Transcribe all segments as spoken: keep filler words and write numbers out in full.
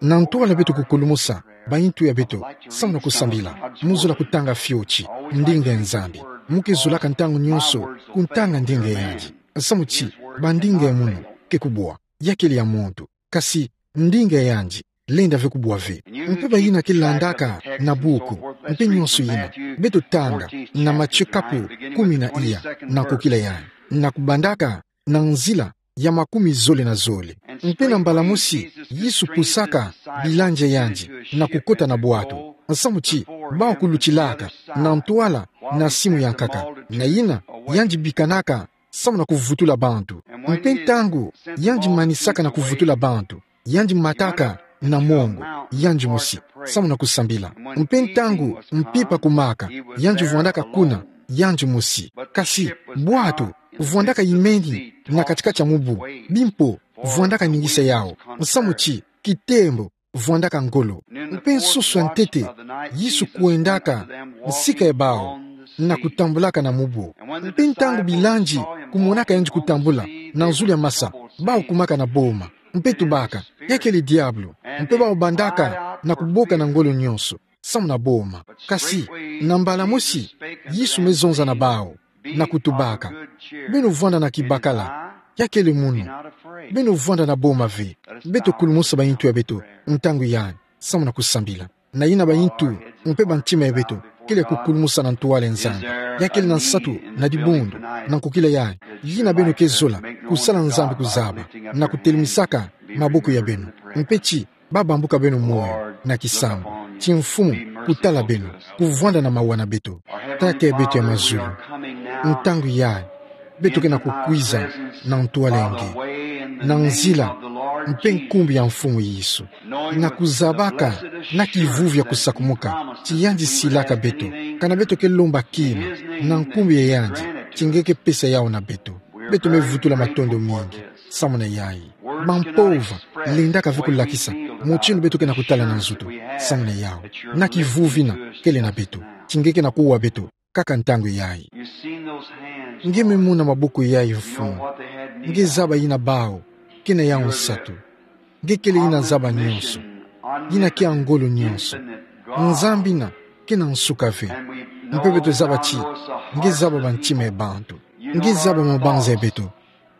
Na ntwala beto kukulumusa bayintu ya beto, samu na kusambila, mu zola kutanga fioti ndinga ya Nzambi. Mu ke zolaka ntangu nyonso kutanga ndinga yandi. Samu ti, bandinga ya munu ke kubwa, yakele ya muntu. Kasi, ndinga yandi lenda ve kubwa ve. Mpe bayina ke landaka na buku, mpe nyonso yina, beto tanga na Matthieu kapu kumi na iya, na nkokila yandi, na kubandaka na nzila ya makumi zole na zole. Mpe na mbala mosi, Yesu pusaka bilangi ya yandi na kukota na bwato, samu ti bawu kulutilaka na ntwala na simu ya nkaka, na yina yandi bikanaka samu na kuvutula bantu. Mpe ntangu yandi manisaka na kuvutula bantu, yandi mataka na mongo, yandi mosi, samu na kusambila. Mpe ntangu mpimpa kumaka, yandi vwandaka kuna, yandi mosi. Kasi bwato vwandaka yimeni na kati-kati ya mubu, bimpo vwandaka ningisa yawu, samu ti kitembo vwandaka ngolo. Mpe nsoso ya ntete, Yesu kwendaka nsika ya bawu, na kutambulaka na mubu. Mpe ntangu bilangi kumonaka yandi kutambula na zulu ya masa, bawu kumaka na boma, mpe tubaka: "Yakele diabolo." Mpe bawu bandaka na kuboka na ngolo nyonso, samu na boma. Kasi, na mbala mosi, Yesu me zonza na bawu, na kutubaka: "Beno vwanda na kibakala, yakele munu. Beno vwanda na boma ve." Beto kulumusa bayintu ya beto ntangu yandi, samu na kusambila. Na yina bayintu, mpe bantima ya beto kele ya kukulumusa na ntwala ya Nzambi. Yakele na nsatu na dibundu, na nkokila yandi, yina beno ke zola kusala Nzambi kuzaba, na kutelemisaka maboko ya beno, mpe ti ba bambuka beno moyo na kisambu, ti Mfumu kutala beno, kuvwanda na mawa na beto. Tata ya beto ya mazulu, ntangu yayi beto ke na kukwiza na ntwala ya nge, na nzila mpe nkumbu ya Mfumu Yesu, na kuzabaka na kivuvi ya kusakumuka ti yandi silaka beto, kana beto ke lomba kima na nkumbu ya yandi, ti nge ke pesa yawu na beto. Beto me vutula matondo mingi samu na yayi. Bampova lendaka ve kulakisa mutindu beto ke na kutala na nzutu samu na yawu. Na kivuvi yina kele na beto, ti nge ke na kuwa beto kaka ntangu yayi. Nge me mona maboko yayi, Mfumu. Nge zaba yina bawu ke na yawu nsatu. Nge kele yina zaba nyonso, yina ke ya ngolo nyonso. Nzambi yina ke na nsuka ve. Mpe beto zaba ti nge zaba bantima ya bantu. Nge zaba mabanza ya beto.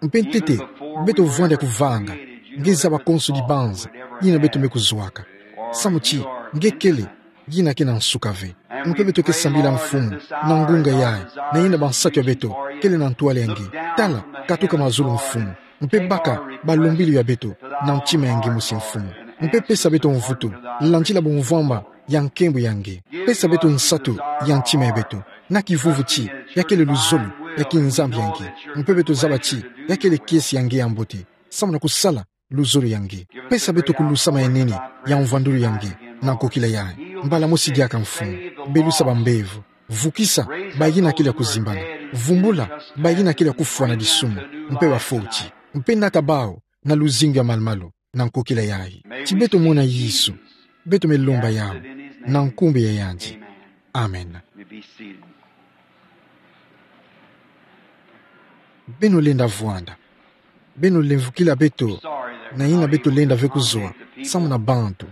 Mpe ntete, beto vwanda ya kuvanga, nge zaba konso dibanza yina beto me kuzwaka. Samu ti nge kele yina ke na nsuka ve. Mpe beto ke sambila, Mfumu, na ngunga yayi, na yina bansatu ya beto kele na ntwala ya nge. Tala, katuka mazulu, Mfumu. Mpe baka balombilu ya beto na ntima ya nge mosi, Mfumu. Mpe pesa beto mvutu, landila bumvwama ya nkembo ya nge. Pesa beto nsatu ya ntima ya beto, na kivuvi ti yakele luzolo ya kinzambi ya nge. Mpe beto zaba ti yakele kiese ya nge ya mbote, samu na kusala luzolo ya nge. Pesa beto kulusama ya nene ya mvwandulu ya nge, na nkokila yayi. Mbala mosi diaka, Mfumu, belusa bambevo. Vukisa bayina kele ya kuzimbana. Vumbula bayina kele ya kufwa na disumu mpe bafoti. Mpe nata bawu na luzingu ya malu-malu, na nkokila yayi. Ti beto mona Yesu, beto me lomba yawu na nkumbu ya yandi. Amen. Beno lenda vwanda. Beno lemvukila beto na yina beto lenda ve kuzwa samu na bantu,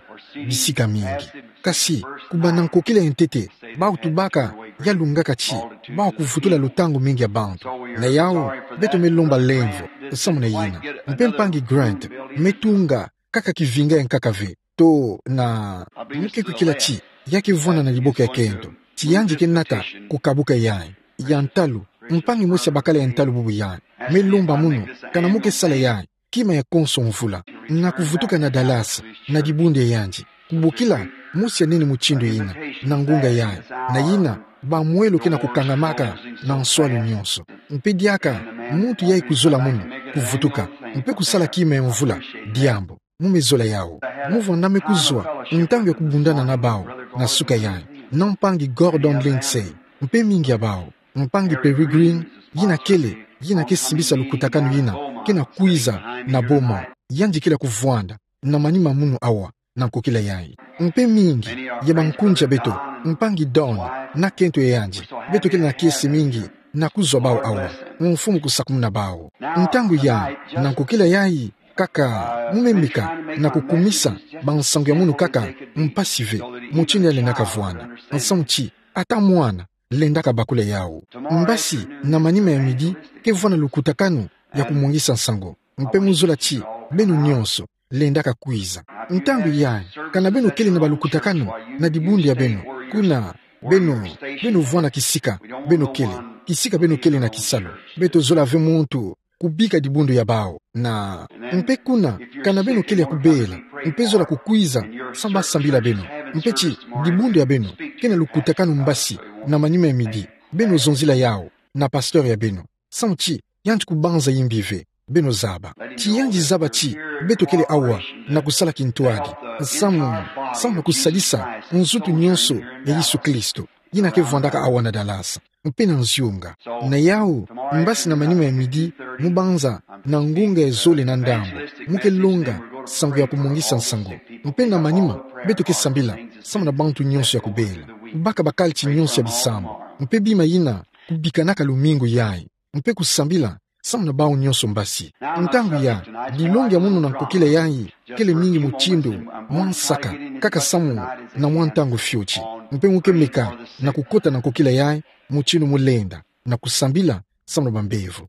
bisika mingi. Kasi, kubanda nkokila ya ntete, bawu tubaka ya lungaka ti bawu kuvutula lutangu mingi ya bantu. Na yawu, beto me lomba lemvo samu na yina. Mpe mpangi Grant me tunga kaka kivinga ya nkaka ve. To na, mu ke kwikila ti ya ke vwanda na diboko ya kento, ti yandi ke nata kukabuka yayi. Ya ntalu, mpangi mosi ya bakala ya ntalu bubu yayi me lomba munu, kana mu ke sala yayi kima ya konso mvula, na kuvutuka na Dallas, na dibundu ya yandi, kubokila mosi ya nene mutindu yina, na ngunga yayi, na yina bamwelo ke na kukangamaka na nswalu nyonso. Mpe diaka muntu yayi kuzola munu kuvutuka mpe kusala kima ya mvula, diambu. Mu me zola yawu. Mu vwanda me kuzwa ntangu ya kubundana na bawu na suka yayi, na mpangi Gordon Lindsay, mpe mingi ya bawu. Mpangi Peregrine, yina kele, yina ke simbisa lukutakanu yina ke na kwiza na Beaumont, yandi kele ya kuvwanda na manima munu awa, na nkokila yayi. Mpe mingi ya bankunzi ya beto, mpangi Don na kento ya yandi, beto kele na kiese mingi na kuzwa bawu awa. Mfumu kusakumuna bawu. Ntangu yayi, na nkokila yayi, Kaka, mu me meka na kukumisa bansango ya munu kaka mpasi ve, mutindu yalendaka vwanda. Nsamu ti, ata mwana lendaka bakula yawu. Mbasi, na manima ya midi, kevwanda lukutakanu ya kumwangisa nsango. Mpe mu zola ti, beno nyonso lendaka kwiza. Ntangu yayi, kana beno kele na balukutakanu na dibundu ya beno, kuna beno, beno vwanda kisika beno kele, kisika beno kele na kisalu, beto zola ve muntu kubika dibundu ya bawu. Na, mpe kuna, kana beno kele ya kubela, mpe zola kukwiza, samu basambila beno. Mpe ti, dibundu ya beno ke na lukutakanu mbasi na manima ya midi, beno zonzila yawu na pasteur ya beno. Samu ti, yandi kubanza yimbi ve, beno zaba. Ti yandi zaba ti, beto kele awa na kusala kintwadi, samu, samu na kusalisa nzutu nyonso ya Yesu Kristo, yina kevwandaka awa na Dallas, mpe na nziunga. Na yawu, mbasi na manima ya midi, mu banza na ngunga ya zole na ndambu, mu ke longa nsangu ya kumwangisa nsangu. Mpe na manima, beto ke sambila samu na bantu nyonso ya kubela, baka bakalti nyonso ya bisambu, mpe bima yina kubikanaka lumingu yayi, mpe kusambila samu na bawu nyonso mbasi. Ntangu yayi, dilongi ya munu na nkokila yayi kele mingi mutindu mwa nsaka, kaka samu na mwa ntangu fioti. Mpe mu ke meka na kukota na nkokila yayi mutindu mu lenda na kusambila samu na bambevo.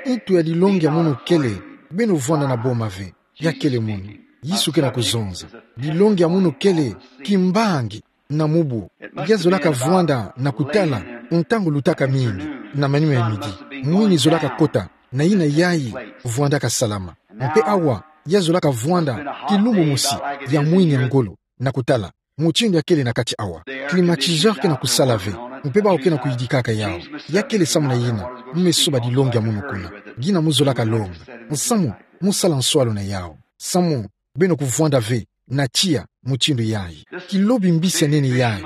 Ntu ya dilongi ya munu kele, beno vwanda na boma ve, ya kele munu. Yesu ke na kuzonza. Dilongi ya munu kele, kimbangi na mubu, ya zolaka vwanda na kutala ntangu lutaka mingi, na manima ya midi. Mwini zolaka kota na yina yayi vwandaka salama. Mpe awa, ya zolaka vwanda kilumbu mosi ya mwini ya ngolo na kutala mutindu ya kele na kati awa. Climatiseur ke na kusala ve, mpe bawu ke na kuyidikaka yawu. Ya kele samu na yina mu me soba dilongi ya munu kuna. Gina mu zolaka longa. Nsamu, mu sala nswalu na yawu. Samu, beno kuvwanda ve na tiya mutindu yayi. Kilobi mbisi ya nene yayi,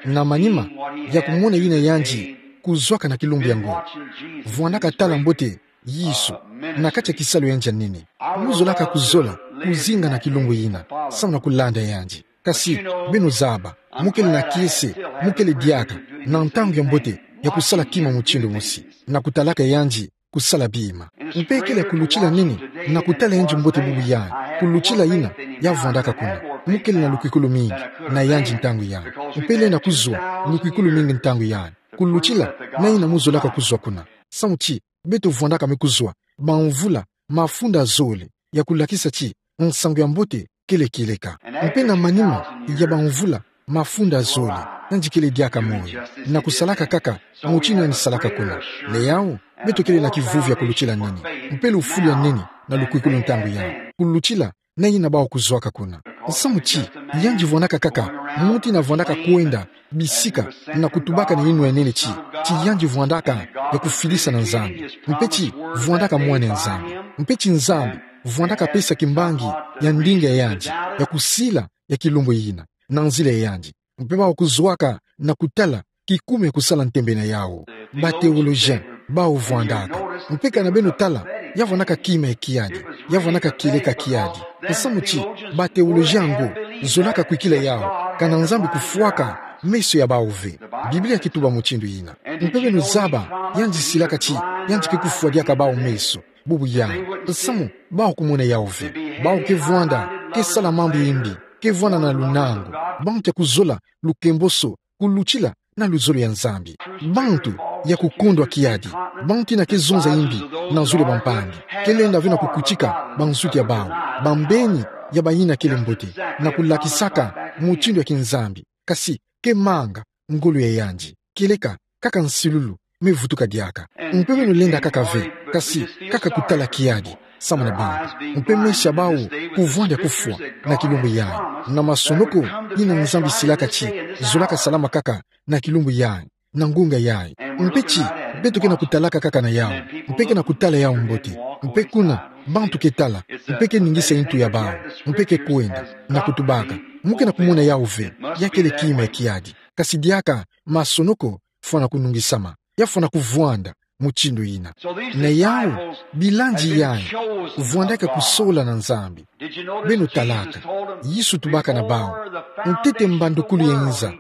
na manima ya kumona yina yandi kuzwaka na kilumbu yango, vwandaka tala mbote Yesu na kati ya kisalu ya yandi ya nene. Mu zolaka kuzola kuzinga na kilumbu yina samu na kulanda yandi. Kasi, beno zaba, mu kele na kiese, mu kele diaka na ntangu ya mbote ya kusala kima mutindu mosi, na kutalaka yandi kusala bima. Mpe kele ya kulutila nene na kutala yandi mbote bubu yayi, kulutila yina ya vwandaka kuna. Mu kele na lukwikulu mingi na yandi ntangu yayi. Mpe lenda kuzwa lukwikulu mingi ntangu yayi, kulutila na yina mu zolaka kuzwa kuna. Samu ti, beto vwandaka me kuzwa bamvula mafunda zole ya kulakisa ti nsangu ya mbote kele kieleka. Mpe na manima ya bamvula mafunda zole, yandi kele diaka moyo, na kusalaka kaka mutindu yandi salaka kuna. Na yawu, beto kele na kivuvi ya kulutila nene, mpe lufulu ya nene na lukwikulu ntangu yayi, kulutila na yina bawu kuzwaka kuna. Nsamu ti, yandi vwandaka kaka muntu yina vwandaka kwenda bisika na kutubaka na yinwa ya nene ti, ti yandi vwandaka ya kufidisa na Nzambi, mpe ti vwandaka mwana ya Nzambi, mpe ti Nzambi vwandaka pesa kimbangi ya ndinga ya yandi ya kusila ya kilumbu yina na nzila ya yandi. Mpe bawu kuzwaka na kutala kikumi ya kusala ntembe na yawu. Ba théologiens bawu vwandaka. Mpe kana beno tala, ya vwandaka kima ya kiadi, ya vwandaka kieleka kiadi. Nsamu ti, ba théologiens yango zolaka kwikila yawu kana Nzambi kufwaka meso ya bawu ve. Biblia kituba mutindu yina. Mpe beno zaba, yandi silaka ti yandi ke kufwa diaka bawu meso bubu yayi. Nsamu, bawu kumona yawu ve. Bawu ke vwanda, ke sala mambu ya imbi, ke vwanda na lunangu, bantu ya kuzola lukemboso, kulutila na luzolo ya Nzambi. Bantu ya kukondwa kiadi, bantu yina ke zonza imbi na zulu ya bampangi, ke lenda ve na kukutika bansuki ya bawu, bambeni ya bayina kele mbote, na kulakisaka mutindu ya kinzambi, kasi ke manga ngolo ya yandi. Kieleka kaka nsilulu me vutuka diaka. Mpe beno lenda kaka ve, kasi kaka kutala kiadi samu na bantu. Mpe meso ya bawu kuvwanda kufwa na kilumbu yayi, na masonoko yina Nzambi silaka ti zolaka salama kaka na kilumbu yayi, na ngunga yayi. Mpe ti, beto ke na kutalaka kaka na yawu, mpe ke na kutala yawu mbote. Mpe kuna, bantu ke tala, mpe ke ningisa yintu ya bawu, mpe ke kwenda na kutubaka. Mu ke na kumona yawu ve, ya kele kima ya kiadi. Kasi diaka masonoko fwana kunungisama, ya fwana kuvwanda mutindu yina. Na yawu, bilandi yayi vwandaka kusola na Nzambi. Beno talaka, Yesu tubaka na bawu, ntete mbandukulu ya inza,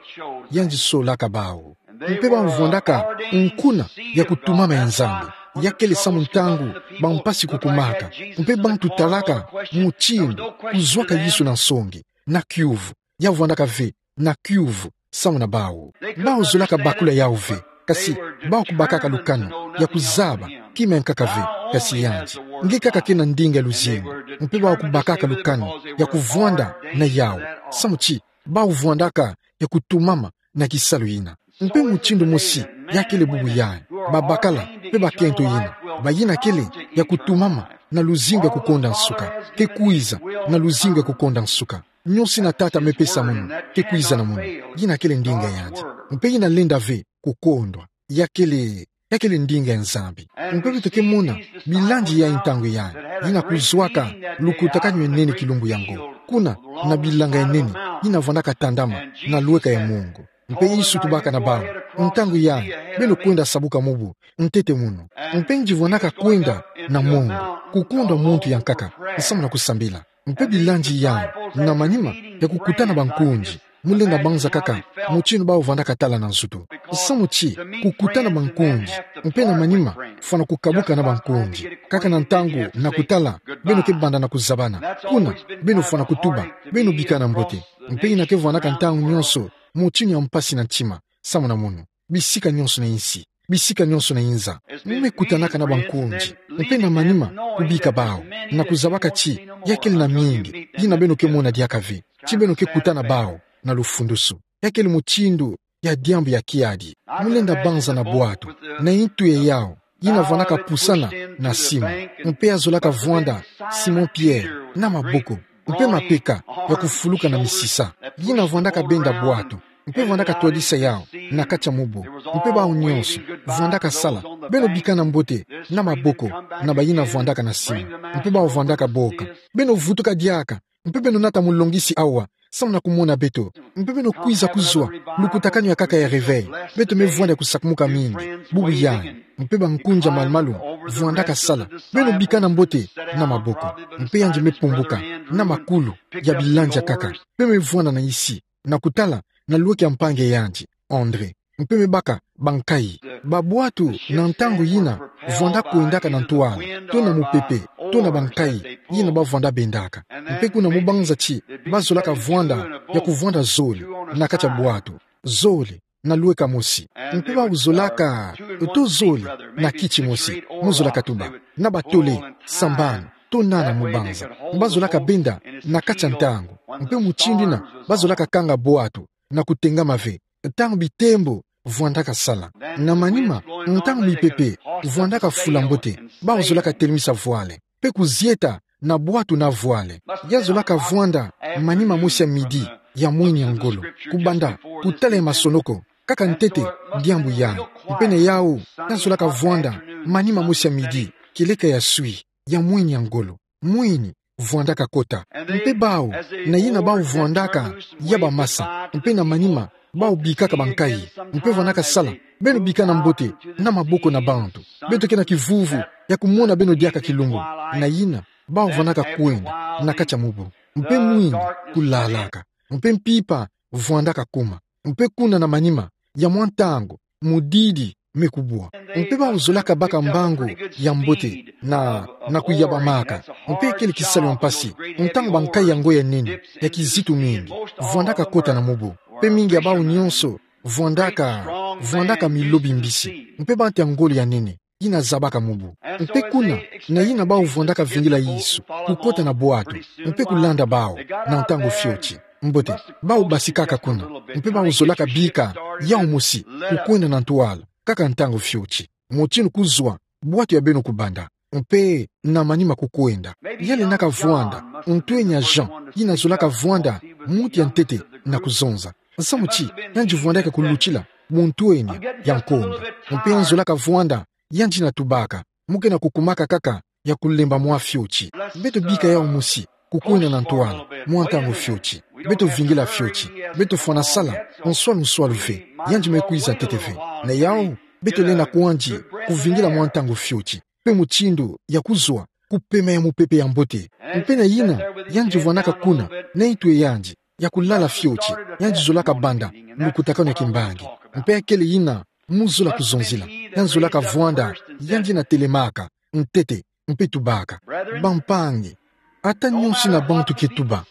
yandi solaka bawu. Mpe bawu vwandaka nkuna ya kutumama ya Nzambi, Ya kele samu ntangu bampasi kukumaka, mpe bantu talaka mutindu kuzwaka Yesu na nsongi, na kiuvu, ya vwandaka ve, na kiuvu, samu na bawu. Bawu zolaka bakula yawu ve, kasi bawu kubakaka lukanu ya kuzaba kima yankaka ve, kasi yandi. Nge kaka kena ndinga luzingu, mpe bawu kubakaka lukanu ya kuvwanda na yawu. Samu ti, bawu vwandaka ya kutumama na kisalu yina. Mpe mutindu mosi, ya kele bubu yai. Babakala, mpe bakento yina. Bayina kele ya kutumama na luzingu ya kukonda nsuka. Ke kwiza na luzingu ya kukonda nsuka. Nyoso yina Tata mepesa mono, ke kwiza na mono. Yina kele ndinga yandi. Mpe yina lenda ve kukondwa. Ya kele, ya kele ndinga ya Nzambi. Mpe beto ke mona bilandi yai ntangu yai, yina kuzwaka lukutakanu ya nene kilumbu yango. Kuna na bilanga ya nene, yina vwandaka tandama na lweka ya mongo. Mpe Yesu tubaka na bawu: Ntangu yai, beno kwenda sabuka mubu ntete mono. Mpe nge vwandaka kwenda na mongo, kukondwa muntu yankaka, samu na kusambila. Mpe bilandi yai, na manima ya kukutana bankunzi, mulenda banza kaka mutindu bawu vwandaka tala na nzutu. Samu ti, kukutana bankunzi, mpe na manima fwana kukabuka na bankunzi. Kaka na ntangu na kutala, beno ke banda na kuzabana. Kuna, beno fwana kutuba, beno bikana mbote. Mpe yina ke vwandaka ntangu nyoso mutindu ya mpasi na ntima, samu na mono, bisika nyoso na insi, bisika nyoso na inza, mekutanaka na bankunzi, mpe na manima kubika bawu, na kuzabaka ti ya kele na mingi yina beno ke mona diaka ve, ti beno ke kutana bawu na lufundusu. Ya kele mutindu ya diambu ya kiadi. Mulenda banza na bwatu, na intu ya yawu, yina vwandaka pusana na simu. Mpe ya zolaka vwanda Simon Pierre na maboko, mpe mapeka ya kufuluka na misisa. Yina vwandaka benda bwatu, mpe vwandaka twadisa yawu na kati ya mubu. Mpe bawu nyoso vwandaka sala, beno bikana mbote, na maboko na bayina vwandaka na simu. Mpe bawu vwandaka boka: Beno vutuka diaka, mpe beno nata mulongisi awa, samu na kumona beto. Mpe beno kwiza kuzwa lukutakanu yankaka ya réveil. Beto me vwanda ya kusakumuka mingi bubu yai. Mpe bankunzi ya malu-malu vwandaka sala, beno bikana mbote, na maboko. Mpe yandi me pumbuka na makulu ya bilandi yankaka, mpe me vwanda na insi, na kutala na lweki ya mpangi ya yandi, André. Mpe me baka bankayi. Babwatu na ntangu yina vwanda kwendaka na ntwala, to na mupepe, to na bankayi yina bavwanda bendaka. Mpe kuna mu banza ti, bazolaka vwanda ya kuvwanda zole na kati ya bwatu. Zole na lweka mosi. Mpe bawu zolaka to zole na kiti mosi, mu zolaka tuba, na batole sambanu to nana mu banza. Bazolaka benda na kati ya ntangu. Mpe mutindu yina bazolaka kanga bwatu na kutengama ve, ntangu bitembo vwandaka sala. Na manima, ntangu mipepe vwandaka fula mbote, bawu zolaka telemisa vwale, mpe kuzieta na bwatu na vwale. Ya zolaka vwanda manima mosi ya midi ya mweni ya ngolo, kubanda kutala ya masonoko, kaka ntete diambu yai. Mpe na yawu, ya zolaka vwanda manima mosi ya midi, kieleka ya swi, ya mweni ya ngolo. Mweni vwandaka kota. Mpe bawu, na yina bawu vwandaka ya bamasa, mpe na manima, bawu bikaka bankayi, mpe vwandaka sala, beno bikana mbote, na maboko na bantu. Beto ke na kivuvu ya kumona beno diaka kilumbu. Na yina, bawu vwandaka kwenda na kati ya mubu. Mpe mwini kulalaka, mpe mpimpa vwandaka kuma. Mpe kuna na manima ya mwa ntangu, mudidi me kubwa. Mpe bawu zolaka baka mbangu ya mbote na, na kuyabamaka. Mpe kele kisalu ya mpasi, ntangu bankayi yango ya nene, ya kizitu mingi, vwandaka kota na mubu. Mpe mingi ya bawu nyoso vwandaka, vwandaka milobi mbisi, mpe bantu ya ngolo ya nene yina zabaka mubu. Mpe kuna, na yina bawu vwandaka vingila Yesu, kukota na bwatu, mpe kulanda bawu, na ntangu fioti. Mbote, bawu basikaka kuna, mpe bawu zolaka bika yawu mosi, kukwenda na ntwala, kaka ntangu fioti. Mutindu kuzwa bwatu ya beno kubanda, mpe na manima kukwenda. Ya lendaka vwanda ntwenya Jean, yina zolaka vwanda muntu ya ntete na kuzonza. Samu ti, yandi vwandaka kulutila mu ntwenya ya nkonda. Mpe yandi zolaka vwanda, yandi na tubaka, mu ke na kukumaka kaka ya kulemba mwa fioti. Beto bika yawu mosi, kukwenda na ntwala, mwa ntangu fioti. Beto vingila fioti. Beto fwana sala nswalu nswalu ve, yandi me kwiza ntete ve. Na yawu, beto lenda kwandi kuvingila mwa ntangu fioti, mpe mutindu ya kuzwa kupema ya mupepe ya mbote. Mpe na yina, yandi vwandaka kuna, na intu ya yandi ya kulala fioti, yandi zolaka banda lukutakanu ya kimbangi. Mpe ya kele yina Mu zola kuzonzila. Ya nzolaka vwanda, yandi na telemaka, ntete, mpe tubaka. Bampangi, ata nyonso ina bantu ke tuba,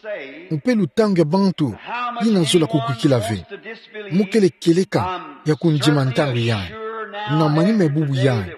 mpe lutangu ya bantu ina zola kukwikila ve, mu kele kieleka ya kundima ntangu yai, na manima ya bubu yai,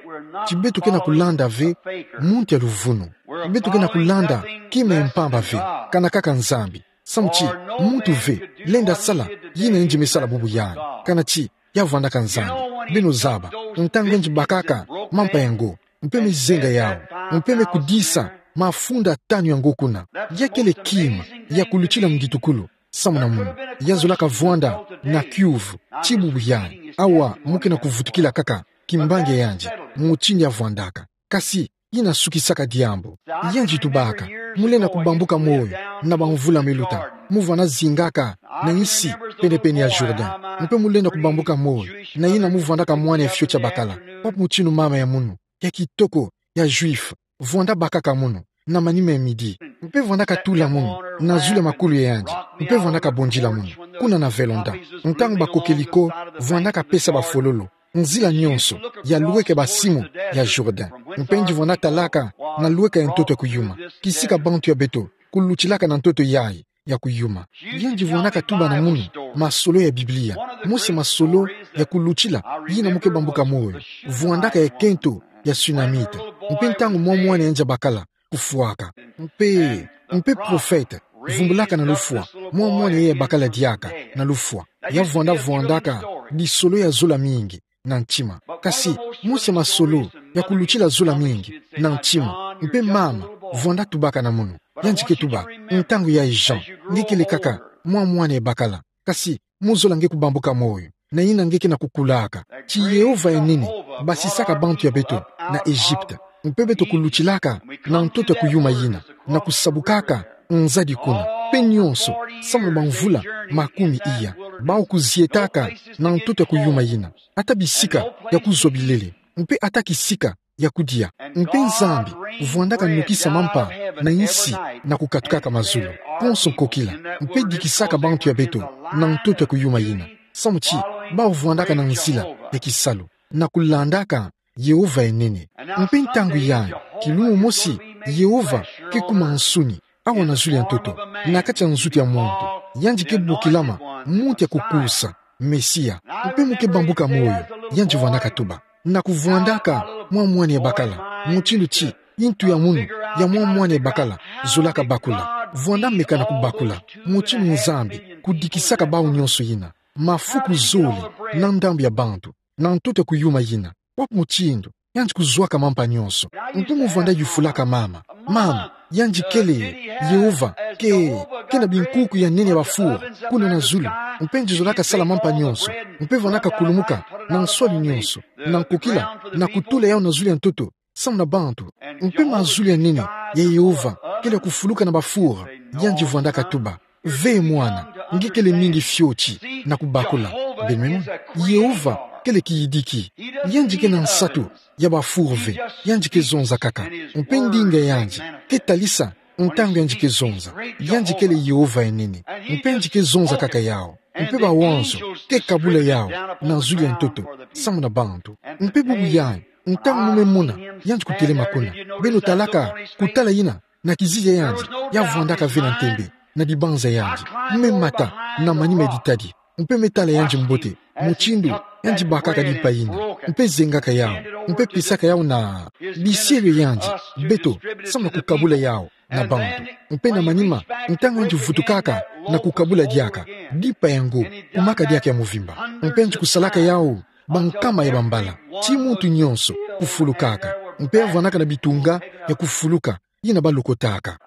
ti beto ke na kulanda ve muntu ya luvunu. Beto ke na kulanda kima ya mpamba ve, kana kaka Nzambi. Samu ti muntu ve lenda sala yina yandi me sala bubu yai, kana ti ya vwandaka Nzambi. Beno zaba, ntangu yandi bakaka mampa yango, mpe me zenga yau, mpe me kudisa mafunda tanu yango kuna. Ya kele kima ya kulutila muditukulu, samu na munu. Ya zolaka vwanda na kiuvu, ti bubu yai. Awa mu ke na kuvutukila kaka kimbangi ya yandi, mutindu ya vwandaka. Kasi, ina sukisaka diambu. Yandi tubaka, mu lenda kubambuka moyo, na bamvula me luta, mu vwanda zingaka na insi penepene ya Jourdain. Mpe mu lenda kubambuka moyo, na ina mu vwandaka mwana ya fioti ya bakala. Wapi mutindu mama ya munu, ya kitoko, ya juif, vwanda bakaka munu, na manima ya midi. Mpe vwandaka tula munu na zulu ya makulu ya yandi. Mpe vwandaka bondila munu, kuna na velonda. Ntangu bakokeli ko, vwandaka pesa bafololo nzila nyonso ya lweke basimu ya Jourdain. Mpe yandi vwanda talaka na lweka ya ntoto ya kuyuma, kisika bantu ya beto kulutilaka na ntoto yai ya kuyuma. Yandi vwandaka tuba na munu masolo ya Biblia, mosi masolo ya kulutila yina mu ke bambuka moyo, vwandaka ya kento ya Sunamite. Mpe ntangu mwa mwana yandi ya bakala kufwaka. Mpe, mpe profete vumbulaka na lufwa mwa mwana yai ya bakala diaka na lufwa. Ya vwanda vwandaka bisolo ya zola mingi na ntima. Kasi, mosi masolo ya kulutila zola mingi na ntima. Mpe mama vwanda tubaka na munu. Yandi ke tuba, ntangu yai Jean, nge kele kaka mwa mwana ya bakala. Kasi, mu zola nge kubambuka moyo, na ina nge ke na kukulaka, ti Yehova ya nene basisaka bantu ya beto na Egypte. Mpe beto kulutilaka na ntoto ya kuyuma yina, na kusabukaka nzadi kuna. Mpe nyonso, samu na bamvula makumi iya, bau kuzietaka na ntoto ya kuyuma yina, ata bisika ya kuzwa bilele, mpe ata kisika ya kudia. Mpe Nzambi vwandaka nukisa mampa na insi na kukatukaka mazulu konso nkokila, mpe dikisaka bantu ya beto na ntoto ya kuyuma yina, samu ti bau vwandaka na nzila ya kisalu, na kulandaka Yehova ya nene. Mpe ntangu yai, kilumbu mosi, Yehova ke kuma nsuni, awa na zulu ya ntoto, na kati ya nzutu ya muntu, yandi ke bokilama muntu ya kukusa, Mesia. Mpe mu ke bambuka moyo, yandi vwandaka tuba, na kuvwandaka mwa mwana ya bakala, mutindu ti intu ya munu ya mwa mwana ya bakala zolaka bakula. Vwanda meka na kubakula, mutindu Nzambi kudikisaka bau nyonso yina, mafuku zole na ndambu ya bantu, na ntoto ya kuyuma yina. Wapi mutindu yandi kuzwaka mampa nyonso? Mpe mu vwanda yufulaka mama, mama, yandi kele, Yehova ke, ke na binkuku ya nene ya ba four kuna na zulu, mpe yandi zolaka sala mampa nyonso, mpe vwandaka kulumuka na nswali nyonso, na nkokila, na kutula yau na zulu ya ntoto, samu na bantu? Mpe mazulu ya nene ya Yehova kele kufuluka na ba four, yandi vwandaka tuba, ve mwana, nge kele mingi fioti na kubakula. Beno mona, Yehova kele kiyidiki. Yandi ke na nsatu ya ba four ve, yandi ke zonza kaka. Mpe ndinga ya yandi ke talisa ntangu yandi ke zonza. Yandi kele Yehova ya nene. Mpe yandi ke zonza kaka yau. Mpe bawanzo ke kabula yau na zulu ya ntoto, samu na bantu. Mpe bubu yai, ntangu mu me mona yandi kutelema kuna, beno talaka kutala yina na kizizi ya yandi, ya vwandaka ve na ntembe na dibanza ya yandi. Mu me mata na manima ya ditadi, mpe me tala yandi mbote, mutindu yandi bakaka dimpa yina, mpe zengaka yau, mpe pesaka yau na bisielo ya yandi, beto, samu na kukabula yau na bantu. Mpe na manima, ntangu yandi vutukaka na kukabula diaka, dimpa yango kumaka diaka ya muvimba. Mpe yandi kusalaka yau bankama ya bambala, ti muntu nyonso kufulukaka. Mpe ya vwandaka na bitunga ya kufuluka, yina balokotaka.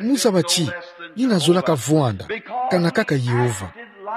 Mu zaba ti yina zolaka vwanda kana kaka Yehova,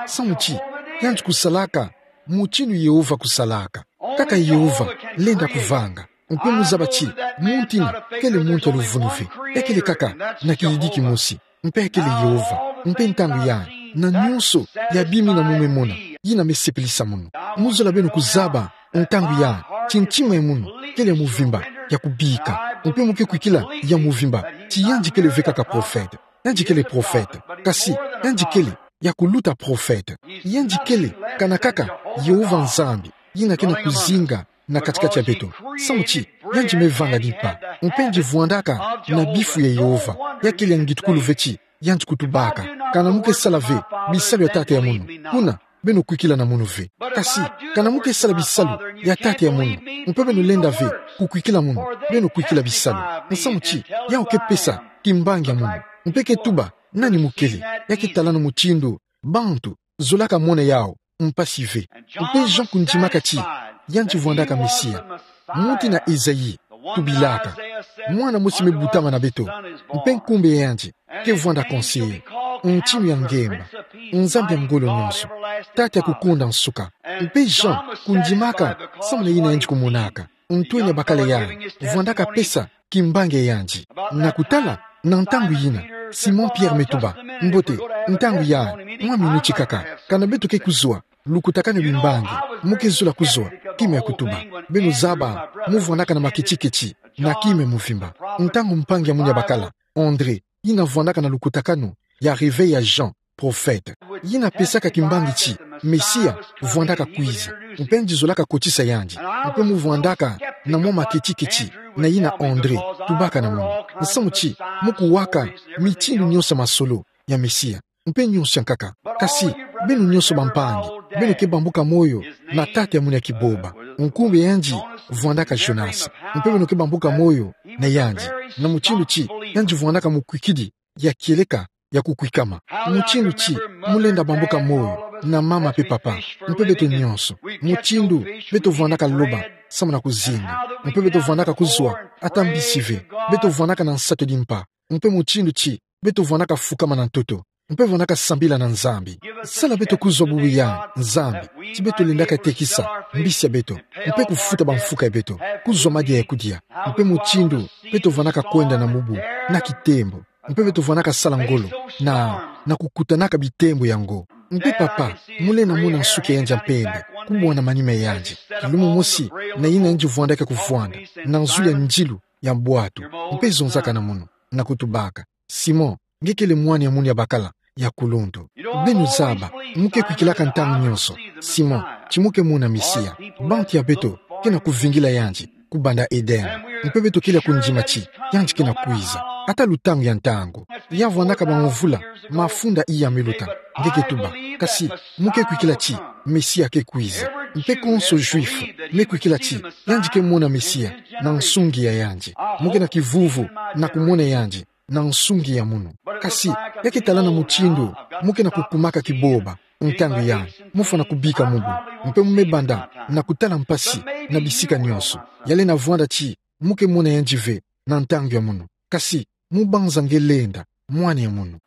samu ti yandi kusalaka mutindu Yehova kusalaka. Kaka Yehova lenda kuvanga. Mpe mu zaba ti muntu yina kele muntu ya luvunu ve. Ya kele kaka na kiyidiki mosi. Mpe ya kele Yehova. Mpe ntangu yai, na nyonso ya bima yina mu me mona, yina me sepelisa munu. Mu zola beno kuzaba ntangu yai ti ntima ya munu kele ya muvimba, ya kubika. Mpe mu ke kwikila ya muvimba ti yandi kele ve kaka profete. Yandi kele profete. Kasi, yandi kele ya kuluta profete. Yandi kele, kana kaka, Yehova Nzambi, yina ke na kuzinga na kati-kati ya beto. Samu ti, yandi me vanga ni mpa. Mpe yandi vwandaka na bifu ya Yehova, ya kele ya ngitukulu ve ti yandi kutubaka. Kana mu ke sala ve bisalu ya tata ya munu, kuna, beno kwikila na munu ve. Kasi, kana mu ke sala bisalu ya tata ya munu, mpe beno lenda ve kukwikila munu, beno kwikila bisalu. Nsamu ti, yau ke pesa kimbangi ya munu. Mpe ke tuba nani mu kele, ya ke talano mutindu bantu zolaka mona yau mpasi ve. Mpe Jean kundimaka ti yandi vwandaka Mesia. Muti na Esaïe tubilaka, mwana mosi me butama na beto, mpe nkumbu ya yandi ke vwanda Conseiller, Ntinu ya Ngemba, Nzambi ya ngolo nyonso, Tata ya kukonda nsuka. Mpe Jean kundimaka samu na yina yandi kumonaka. Ntwenya bakala yandi vwandaka pesa kimbangi ya yandi. Na kutala, na ntangu yina, Simon Pierre me tuba: Mbote, ntangu yandi, mwa minuti kaka, kana beto ke kuzwa lukutakanu ya bimbangi, mu ke zola kuzwa kima ya kutuba. Beno zaba, mu vwandaka na maketiketi na kima ya muvimba. Ntangu mpangi ya munu ya bakala, André, yina vwandaka na lukutakanu ya Réveil ya Jean, profete, yina pesaka kimbangi ti Mesia vwandaka kwiza, mpe yandi zolaka kotisa yandi. Mpe mu vwandaka na mwa maketiketi na yina André tubaka na munu. Nsamu ti, mu kuwaka mitindu nyonso ya masolo ya Mesia, mpe nyonso ya nkaka. Kasi, beno nyonso bampangi, beno ke bambuka moyo na tata ya munu ya kiboba. Nkumbu ya yandi vwandaka Jonas. Mpe beno ke bambuka moyo na yandi, na mutindu ti yandi vwandaka mukwikidi ya kieleka ya kukwikama. Mutindu ti, mu lenda bambuka moyo na mama mpe papa, mpe beto nyonso, mutindu beto vwandaka loba samu na kuzinga, mpe beto vwandaka kuzwa ata mbisi ve, beto vwandaka na nsatu di mpa, mpe mutindu ti beto vwandaka fukama na ntoto, mpe vwandaka sambila na Nzambi. Sala beto kuzwa bubu yandi, Nzambi, ti beto lendaka tekisa mbisi ya beto, mpe kufuta bamfuka ya beto, kuzwa madia ya kudia, mpe mutindu beto vwandaka kwenda na mubu na kitembo, mpe beto vwandaka sala ngolo na, na kukutanaka bitembo yango. Mpe papa, mu lenda mona nsuki ya yandi ya mpembe kubwana manima ya yandi. Kilumu mosi na yina yandi vwandaka kuvwanda, na nzuli ya ndilu ya bwatu, mpe zonzaka na munu, na kutubaka: Simon, nge kele mwana ya munu ya bakala ya kuluntu. Beno zaba, mu ke kwikilaka ntangu nyonso, Simon, ti mu ke mona Mesia. Bantu ya beto ke na kuvingila yandi kubanda Eden. Mpe beto kele ya kundima ti yandi ke na kwiza, ata lutangu ya ntangu. Ya vwandaka bamvula mafunda iya me luta, nge ke tuba. Kasi, mu ke kwikila ti Mesia ke kwiza. Mpe konso Juif me kwikila ti yandi ke mona Mesia na nsungi ya yandi. Mu ke na kivuvu na kumona yandi na nsungi ya munu. Kasi, ya ke talana mutindu mu ke na kukumaka kiboba ntangu yandi, mu fwana kubika mubu, mpe mu me banda na kutala mpasi na bisika nyonso. Ya lenda vwanda ti mu ke mona yandi ve na ntangu ya munu. Kasi, mu banza nge lenda, mwana ya munu.